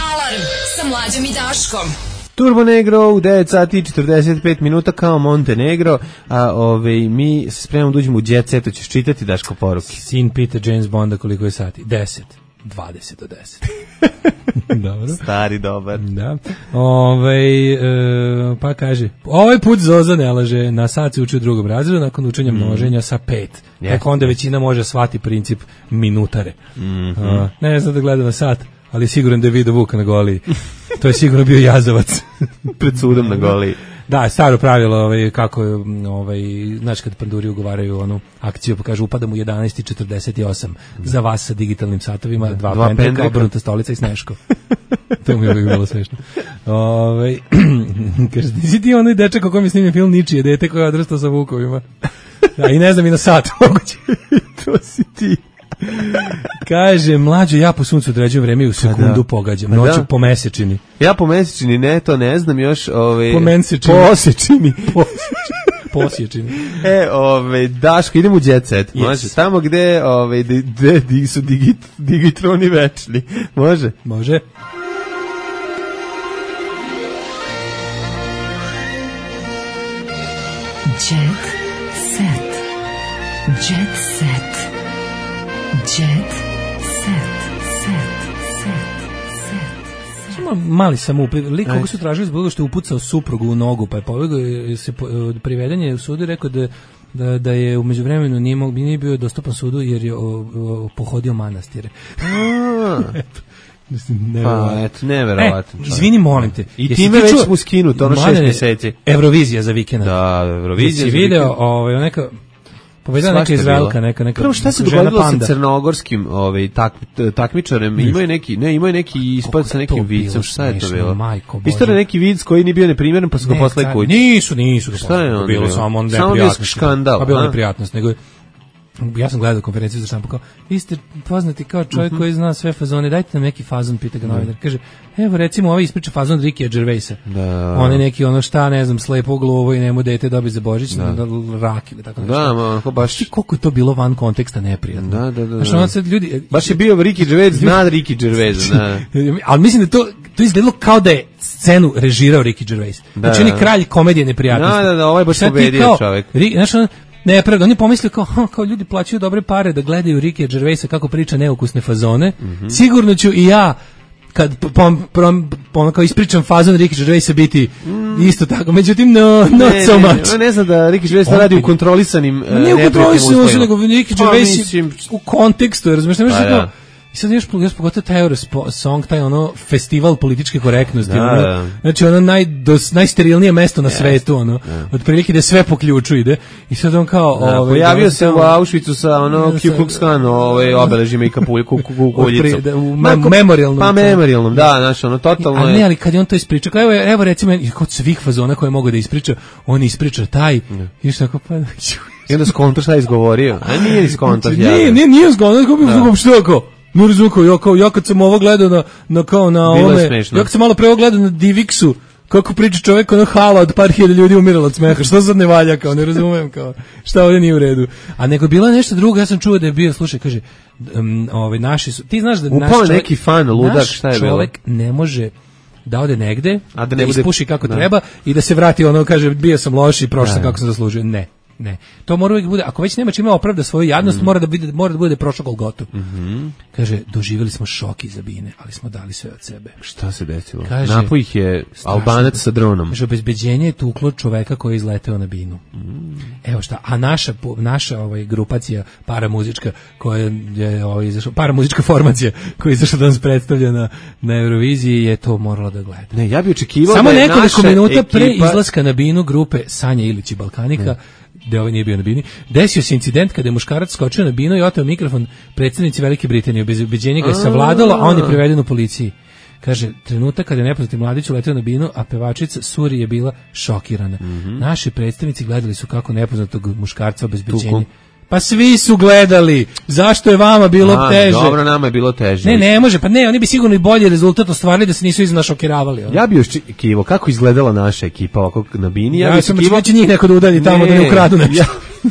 Alarm sa Mlađom i Daškom. Turbo Negro u devet sati i četrdeset pet minuta kao Montenegro, a ove, mi se spremamo da uđemo u Jet Set, ćeš čitati Daško poruke. Sin pita James Bonda koliko je sati. deset. dvadeset do deset. Dobro. Stari dobar. Da. Ove, e, pa kaže, ovaj put Zoza ne laže, na sat se uči u drugom razredu, nakon učenja množenja sa pet. Yes. Tako onda većina može shvati princip minutare. Mm-hmm. A, ne znam da gleda na sat, ali siguran da je vidio Vuka na Goliji. To je sigurno bio jazavac. Pred sudom na Goliji. Da, staro pravilo, ovaj, kako je, ovaj, znaš kad panduri ugovaraju onu akciju, pa kažu upadam u jedanaest i četrdeset osam za vas sa digitalnim satovima, dva, dva pendreka, obrnuta stolica i Sneško. To mi je uvijek bilo smešno. Ove, kaže, nisi ti onaj dečak o kojem je snimljen film Ničije dete koje je odrastao sa vukovima. A i ne znam i na sat moguće. To si ti. Kaže, mlađo, ja po suncu određujem vreme i u sekundu da. pogađam. Noću da. po mesečini. Ja po mesečini, ne, to ne znam još. Ove, po mesečini. Po osečini. Posječini. E, ove, Daško, idemo u Jet Set. Yes. Može, tamo gde, ove, gde, gde su digit, digitroni večni. Može? Može. Jet Set. Jet Set. Jet Set. Set. Set. Samo mali samoupliv. Lik koga su tražili zbog što je upucao suprugu u nogu, pa je pobegao se priveden je u sudu i rekao da da da je u međuvremenu nije mogu nije bio dostupan sudu jer je o, o, pohodio manastire. Ne, pa, eto, neverovatno. E, izvini, molim te. I time već mu skinuto, ono šest mjeseci. Eurovizija za vikend. Da, Eurovizija za vikend. Video, ovaj, neka... Pobedila neka Izraelka, neka, neka Prvo šta se dogodilo sa crnogorskim ovaj, tak, takmičarem? Imaju neki, ne, imaju neki ispad sa nekim vicom. Šta je to bilo? Istorija neki vic koji nije bio neprimjeren, pa su ga posle kući. Nisu, nisu. Šta je on? Bilo samo on neprijatnost. Skandal. Pa bilo neprijatnost, nego ja sam gledao konferenciju za štampu kao, vi ste poznati kao čovjek uh-huh. koji zna sve fazone, dajte nam neki fazon, pita ga novinar. Kaže, evo recimo ovaj ispriča fazon Rikija Gervaisa. Da. On je neki ono šta, ne znam, slepo glovo i nemu dete dobi za Božić, da. Da, rak ili tako nešto. Da, ma, ko baš... Ti koliko je to bilo van konteksta neprijatno. Da, da, da. Znaš, ono sad ljudi... Baš je bio Riki Gervais, zna Riki Gervais, da. Ali mislim da to, to izgledalo kao da je scenu režirao Riki Gervais. Znači, on je kralj komedije neprijatnosti. Da, da, da, ovaj baš pobedio čovjek. Znaš, ono, nepravda, oni pomislili kao, ha, kao ljudi plaćaju dobre pare da gledaju Rikija Gervaisa kako priča neukusne fazone, mm-hmm. sigurno ću i ja kad pom, pom, pom, kao ispričam fazon Rikija Gervaisa biti mm. isto tako, međutim no, not ne, so ne, much. Ne, ne znam da Riki Gervais radi u kontrolisanim uh, ne u kontrolisanim uslovima, nego Riki Gervais u kontekstu, razumiješ, ne možeš kao i sad još, još pogotovo taj Eurosong, taj ono festival političke korektnosti, da, ono, da. Znači ono naj, dos, najsterilnije mesto na yes. svetu, ono, yeah. otprilike da sve po ključu ide i sad on kao... Da, ove, pojavio da, se tamo, u Auschwitzu sa ono Ku Klux Klan ove, obeležima i kapuljicom. U memorialnom. Pa memorialnom, da, znači ono totalno... Ali ne, ali kad je on to ispriča, kao evo, evo recimo, kod svih fazona koje mogu da ispriča, on ispriča taj, yeah. i što tako pa... I onda skonto šta je izgovorio, a nije ni skonto. Nije, nije, nije skonto, kako što je kao... No razumko, ja, kao, ja kad sam ovo gledao na, na kao na ome, ja kad sam malo pre ovo gledao na Divixu, kako priča čovjek, ono hala od par hiljada ljudi umiralo od smeha, što sad ne valja, kao, ne razumem, kao, šta ovdje nije u redu. A nego bila nešto drugo, ja sam čuo da je bio, slušaj, kaže, um, ovaj, naši su, ti znaš da naš čovjek, neki fan, ludak, šta je bilo? Čovjek ne može da ode negde, a da, ne da ispuši kako da. treba i da se vrati, ono, kaže, bio sam loš i prošao sam kako sam zaslužio. Ne. Ne, to mora uvijek bude, ako već nema čime opravda svoju jadnost, mm. mora da bude, mora da bude prošao Golgotu. Mm-hmm. Kaže, doživjeli smo šok iza bine, ali smo dali sve od sebe. Šta se desilo? Kaže, napao ih je Albanac sa dronom. Kaže, obezbeđenje je tuklo čoveka koji je izleteo na binu. Mm. Evo šta, a naša, naša ovaj, grupacija paramuzička, koja je ovaj, izašla, paramuzička formacija koja je izašla da nas predstavlja na, na Euroviziji, je to morala da gleda. Ne, ja bih očekivao samo da je nekoliko minuta ekipa... pre izlaska na binu grupe Sanja Ilić i Balkanika, mm. gde ovaj nije bio na bini, desio se incident kada je muškarac skočio na binu i oteo mikrofon predsjednici Velike Britanije. Bez ubeđenja ga je savladalo, a on je priveden u policiji. Kaže, trenutak kada je nepoznati mladić uleteo na binu, a pevačica Suri je bila šokirana. Mm-hmm. Naši predstavnici gledali su kako nepoznatog muškarca obezbeđenja. Pa svi su gledali. Zašto je vama bilo a, teže? Dobro, nama je bilo teže. Ne, ne može. Pa ne, oni bi sigurno i bolji rezultat ostvarili da se nisu iznašokiravali. Ja bi još kivo, kako izgledala naša ekipa ovako na bini? Ja, ja sam kivo... će njih neko da udalji tamo ne, da ne ukradu nešto. Ja,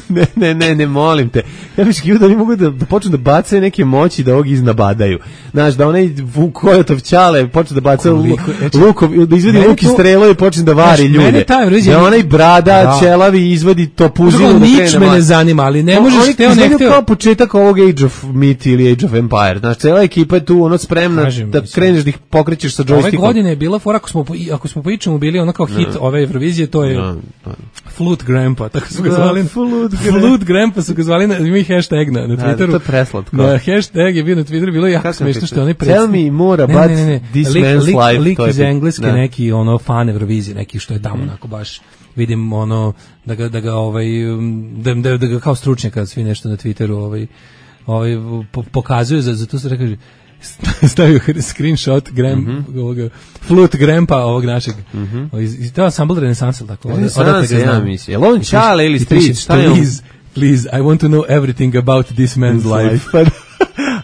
ne, ne, ne, ne, molim te. Ja bih kivo da oni mogu da, da počnu da bacaju neke moći da ovog iznabadaju. Znaš, da onaj Vukojotov ćale počne da baca lukom, da izvedi luk i strelo i počne da vari ljude. Mene taj rođen... Da onaj brada, ćelavi izvodi topuzinu da krene. Nič me ne zanima, ali ne možeš hteo ne hteo. Kao početak ovog Age of Myth ili Age of Empire. Znaš, cela ekipa je tu ono spremna kažem, da kreneš da ih pokrećeš sa džojstikom. Ove godine je bila fora, ako smo, ako smo po ičemu bili ono kao hit no. ove Eurovizije, to je no, no. Flute Grandpa, tako su ga zvali. No, Flute, Flute Grandpa su ga zvali, na, ima i hashtag na, na Twitteru. Da, to je preslatko. Da, hashtag je bio na Twitteru, bilo je jako smiješno što oni predstavljaju. Tell me more about ne, ne, ne. this lik, man's lik, life. Lik iz Engleske, ne. neki ono fan Eurovizije, neki što je tamo mm. onako baš vidim ono da ga da ga ovaj da, da, da ga kao stručnjaka svi nešto na Twitteru ovaj ovaj po, pokazuju za za to se kaže stavio screenshot gram, mm -hmm. ovoga, flute grandpa ovog našeg. Mm -hmm. iz, to je ansambl Renesansa, tako. Renesansa, ja mislim. Je li on Čale ili Stric? Šta je on? Please, please, I want to know everything about this man's life.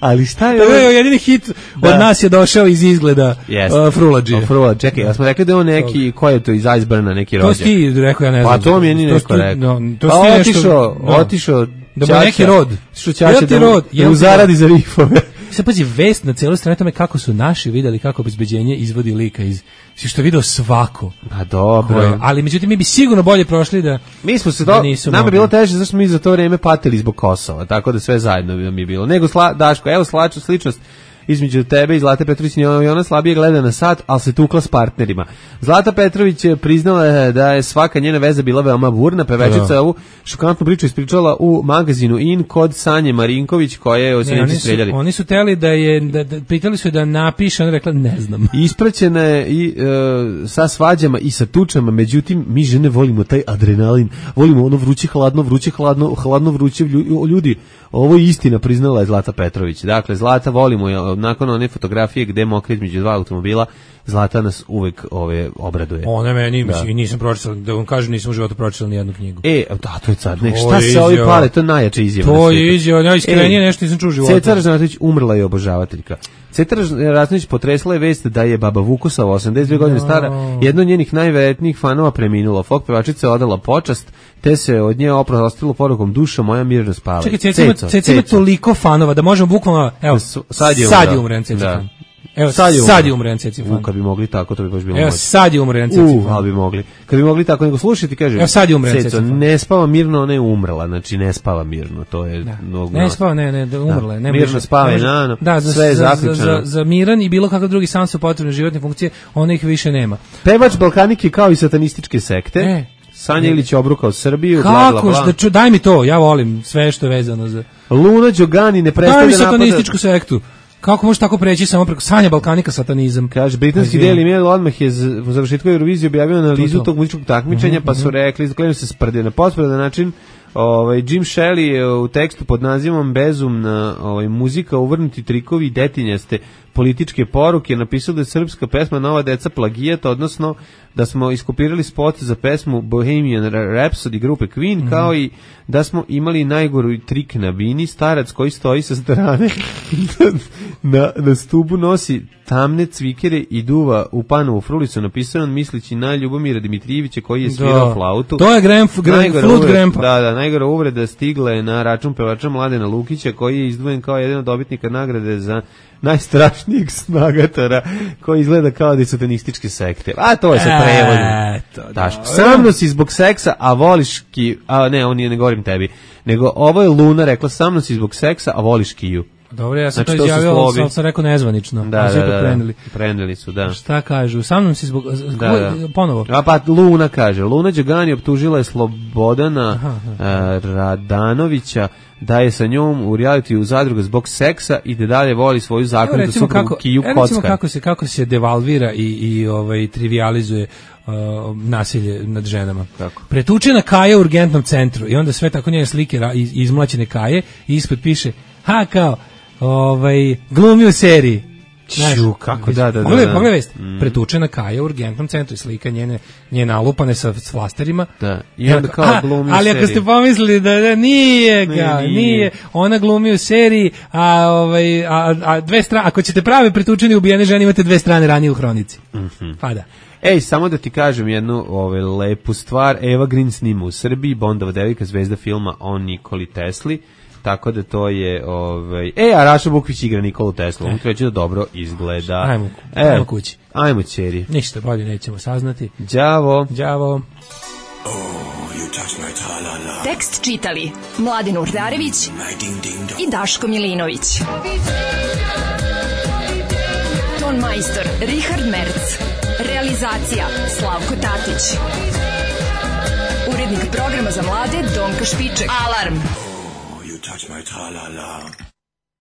Ali šta je... To je jedini hit da. Od nas je došao iz izgleda yes. uh, Frulađija. Oh, Frula, čekaj, ja smo rekli da je on neki, ko je to iz Iceburna, neki rođak? To si ti rekao, ja ne znam. Pa to mi je ni neko rekao. No, to pa otišao, no. otišao da mu neki rod. Što Čača da, rod, da mu zaradi za rifove. Sad pazi, vest na cijeloj strani tome kako su naši videli kako obezbeđenje izvodi lika iz... Što je video svako. Pa dobro. Koje, ali međutim mi bi sigurno bolje prošli da... Mi smo se do... Nama je bilo teže zašto smo mi za to vreme patili zbog Kosova, tako da sve zajedno mi je bilo. Nego sla, Daško, evo slaču sličnost između tebe i Zlate Petrović, i ona slabije gleda na sat, ali se tukla s partnerima. Zlata Petrović je priznala da je svaka njena veza bila veoma burna, pevačica ovu šokantnu priču ispričala u magazinu In kod Sanje Marinković, koje je osjenici streljali. Oni su teli da je, da, da, pitali su je da napiše, ona rekla ne znam. Ispraćena je i e, sa svađama i sa tučama, međutim, mi žene volimo taj adrenalin, volimo ono vruće, hladno, vruće, hladno, hladno, vruće ljudi. Ovo je istina, priznala je Zlata Petrović. Dakle, Zlata volimo je, nakon one fotografije gde mokre između dva automobila, Zlata nas uvek ove obraduje. Ona meni, da. Mislim, nisam pročitala, da vam kažem, nisam u životu pročitala ni jednu knjigu. E, da, to je car, nek, šta se ovi pale, to je najjača izjava. To je izjava, najiskrenije e, nešto nisam čuo u životu. Ceca Ražnatović umrla je obožavateljka. Ceca Ražnatović potresla je vest da je baba Vukusava, osamdeset dve godine stara, jedna od njenih najveretnijih fanova preminula. Folk pevačica je odala počast, te se od nje oprostilo porukom duša moja mirno spava. Čekaj, Ceca, Ceca ima toliko fanova da možemo bukvalno, evo, sad je umren Ceca fan. Evo, sad je, sad je umren Ceci fan. Kad bi mogli tako, to bi baš bilo Evo, moći. sad je umren Ceci fan. Ali bi mogli. Kad bi mogli tako, nego slušajte, kaže, evo, sad je umren Ceci fan. Ne spava mirno, ona je umrla, znači ne spava mirno, to je... Da. Ne spava, ne, ne, da umrla. Da. Ne mirno spava je na, da, za, sve je za, zaključeno. Za, za, za miran i bilo kakav drugi sam su potrebne životne funkcije, ona ih više nema. Pevač Balkanike kao i satanističke sekte. E. Sanja Ilić obrukao Srbiju, bla, bla, bla. Da ču, daj mi to, ja volim sve što je vezano za... Luna Đogani ne prestaje da napada... satanističku sektu. Kako može tako preći samo preko Sanja Balkanika satanizam? Kaže, britanski Daily Mail odmah je u završetku Eurovizije objavio analizu to, to. tog muzičkog takmičenja, mm-hmm, pa su rekli, zaklenu se sprde na pospredan način. Ovaj Jim Shelley je u tekstu pod nazivom Bezumna ovaj muzika, uvrnuti trikovi i detinjaste političke poruke napisao da je srpska pesma Nova deca plagijat, odnosno da smo iskopirali spot za pesmu Bohemian Rhapsody grupe Queen, mm-hmm, kao i da smo imali najgoru trik na bini, starac koji stoji sa strane na, na stubu nosi tamne cvikere i duva u panovu frulicu, napisano mislići na Ljubomira Dimitrijevića koji je svirao da. flautu. To je Graham, Graham, Flute Grandpa. Da, da, najgora uvreda stigla je na račun pevača Mladena Lukića koji je izdvojen kao jedan od dobitnika nagrade za najstrašnijeg snagatora koji izgleda kao da je satanističke sekte. A to je sa prevodom. Daš, sramno si zbog seksa, a voliš ki... A ne, on nije, ne govorim tebi. Nego ovo je Luna rekla, sramno si zbog seksa, a voliš kiju. Dobro, ja sam znači, to izjavio, ali sam, sam rekao nezvanično. Da, da, da, preneli. preneli su, da. Šta kažu? Sa mnom si zbog... Da, da. Ponovo. A pa Luna kaže, Luna Đogani optužila je Slobodana aha, aha. Uh, Radanovića da je sa njom u realitiju u zadruga zbog seksa i da dalje voli svoju zakonitu suprugu Kiju Kockar. Recimo kako se, kako se devalvira i, i ovaj, trivializuje uh, nasilje nad ženama. Kako? Pretučena Kaja u urgentnom centru i onda sve tako njene slike iz, izmlaćene Kaje i ispod piše, ha kao, ovaj, glumi u seriji. Ču, kako da, da, da. Pogledaj, pogledaj vest. Mm. Pretučena Kaja u urgentnom centru i slika njene, njene alupane sa flasterima. Da. I onda kao a, glumi u ali seriji. Ali ako ste pomislili da, da nije, ga, nije, nije, ona glumi u seriji, a, ovaj, a, a dve strane, ako ćete prave pretučeni ubijene žene, imate dve strane ranije u hronici. Mm-hmm. Pa da. Ej, samo da ti kažem jednu ovaj, lepu stvar. Eva Green snima u Srbiji, Bondova devojka, zvezda filma o Nikoli Tesli. Tako da to je, ovaj, e, a Raša Bukvić igra Nikolu Teslu, on kreće da dobro izgleda. Ajmo, e, ajmo kući. Ajmo, ćeri. Ništa bolje nećemo saznati. Đavo. Đavo. Oh, you touch my tra-la-la. Tekst čitali Mladin Urdarević i Daško Milinović. Ton majstor Richard Merc. Realizacija Slavko Tatić. Urednik programa za mlade Donka Špiček. Alarm! Touch my tra-la-la.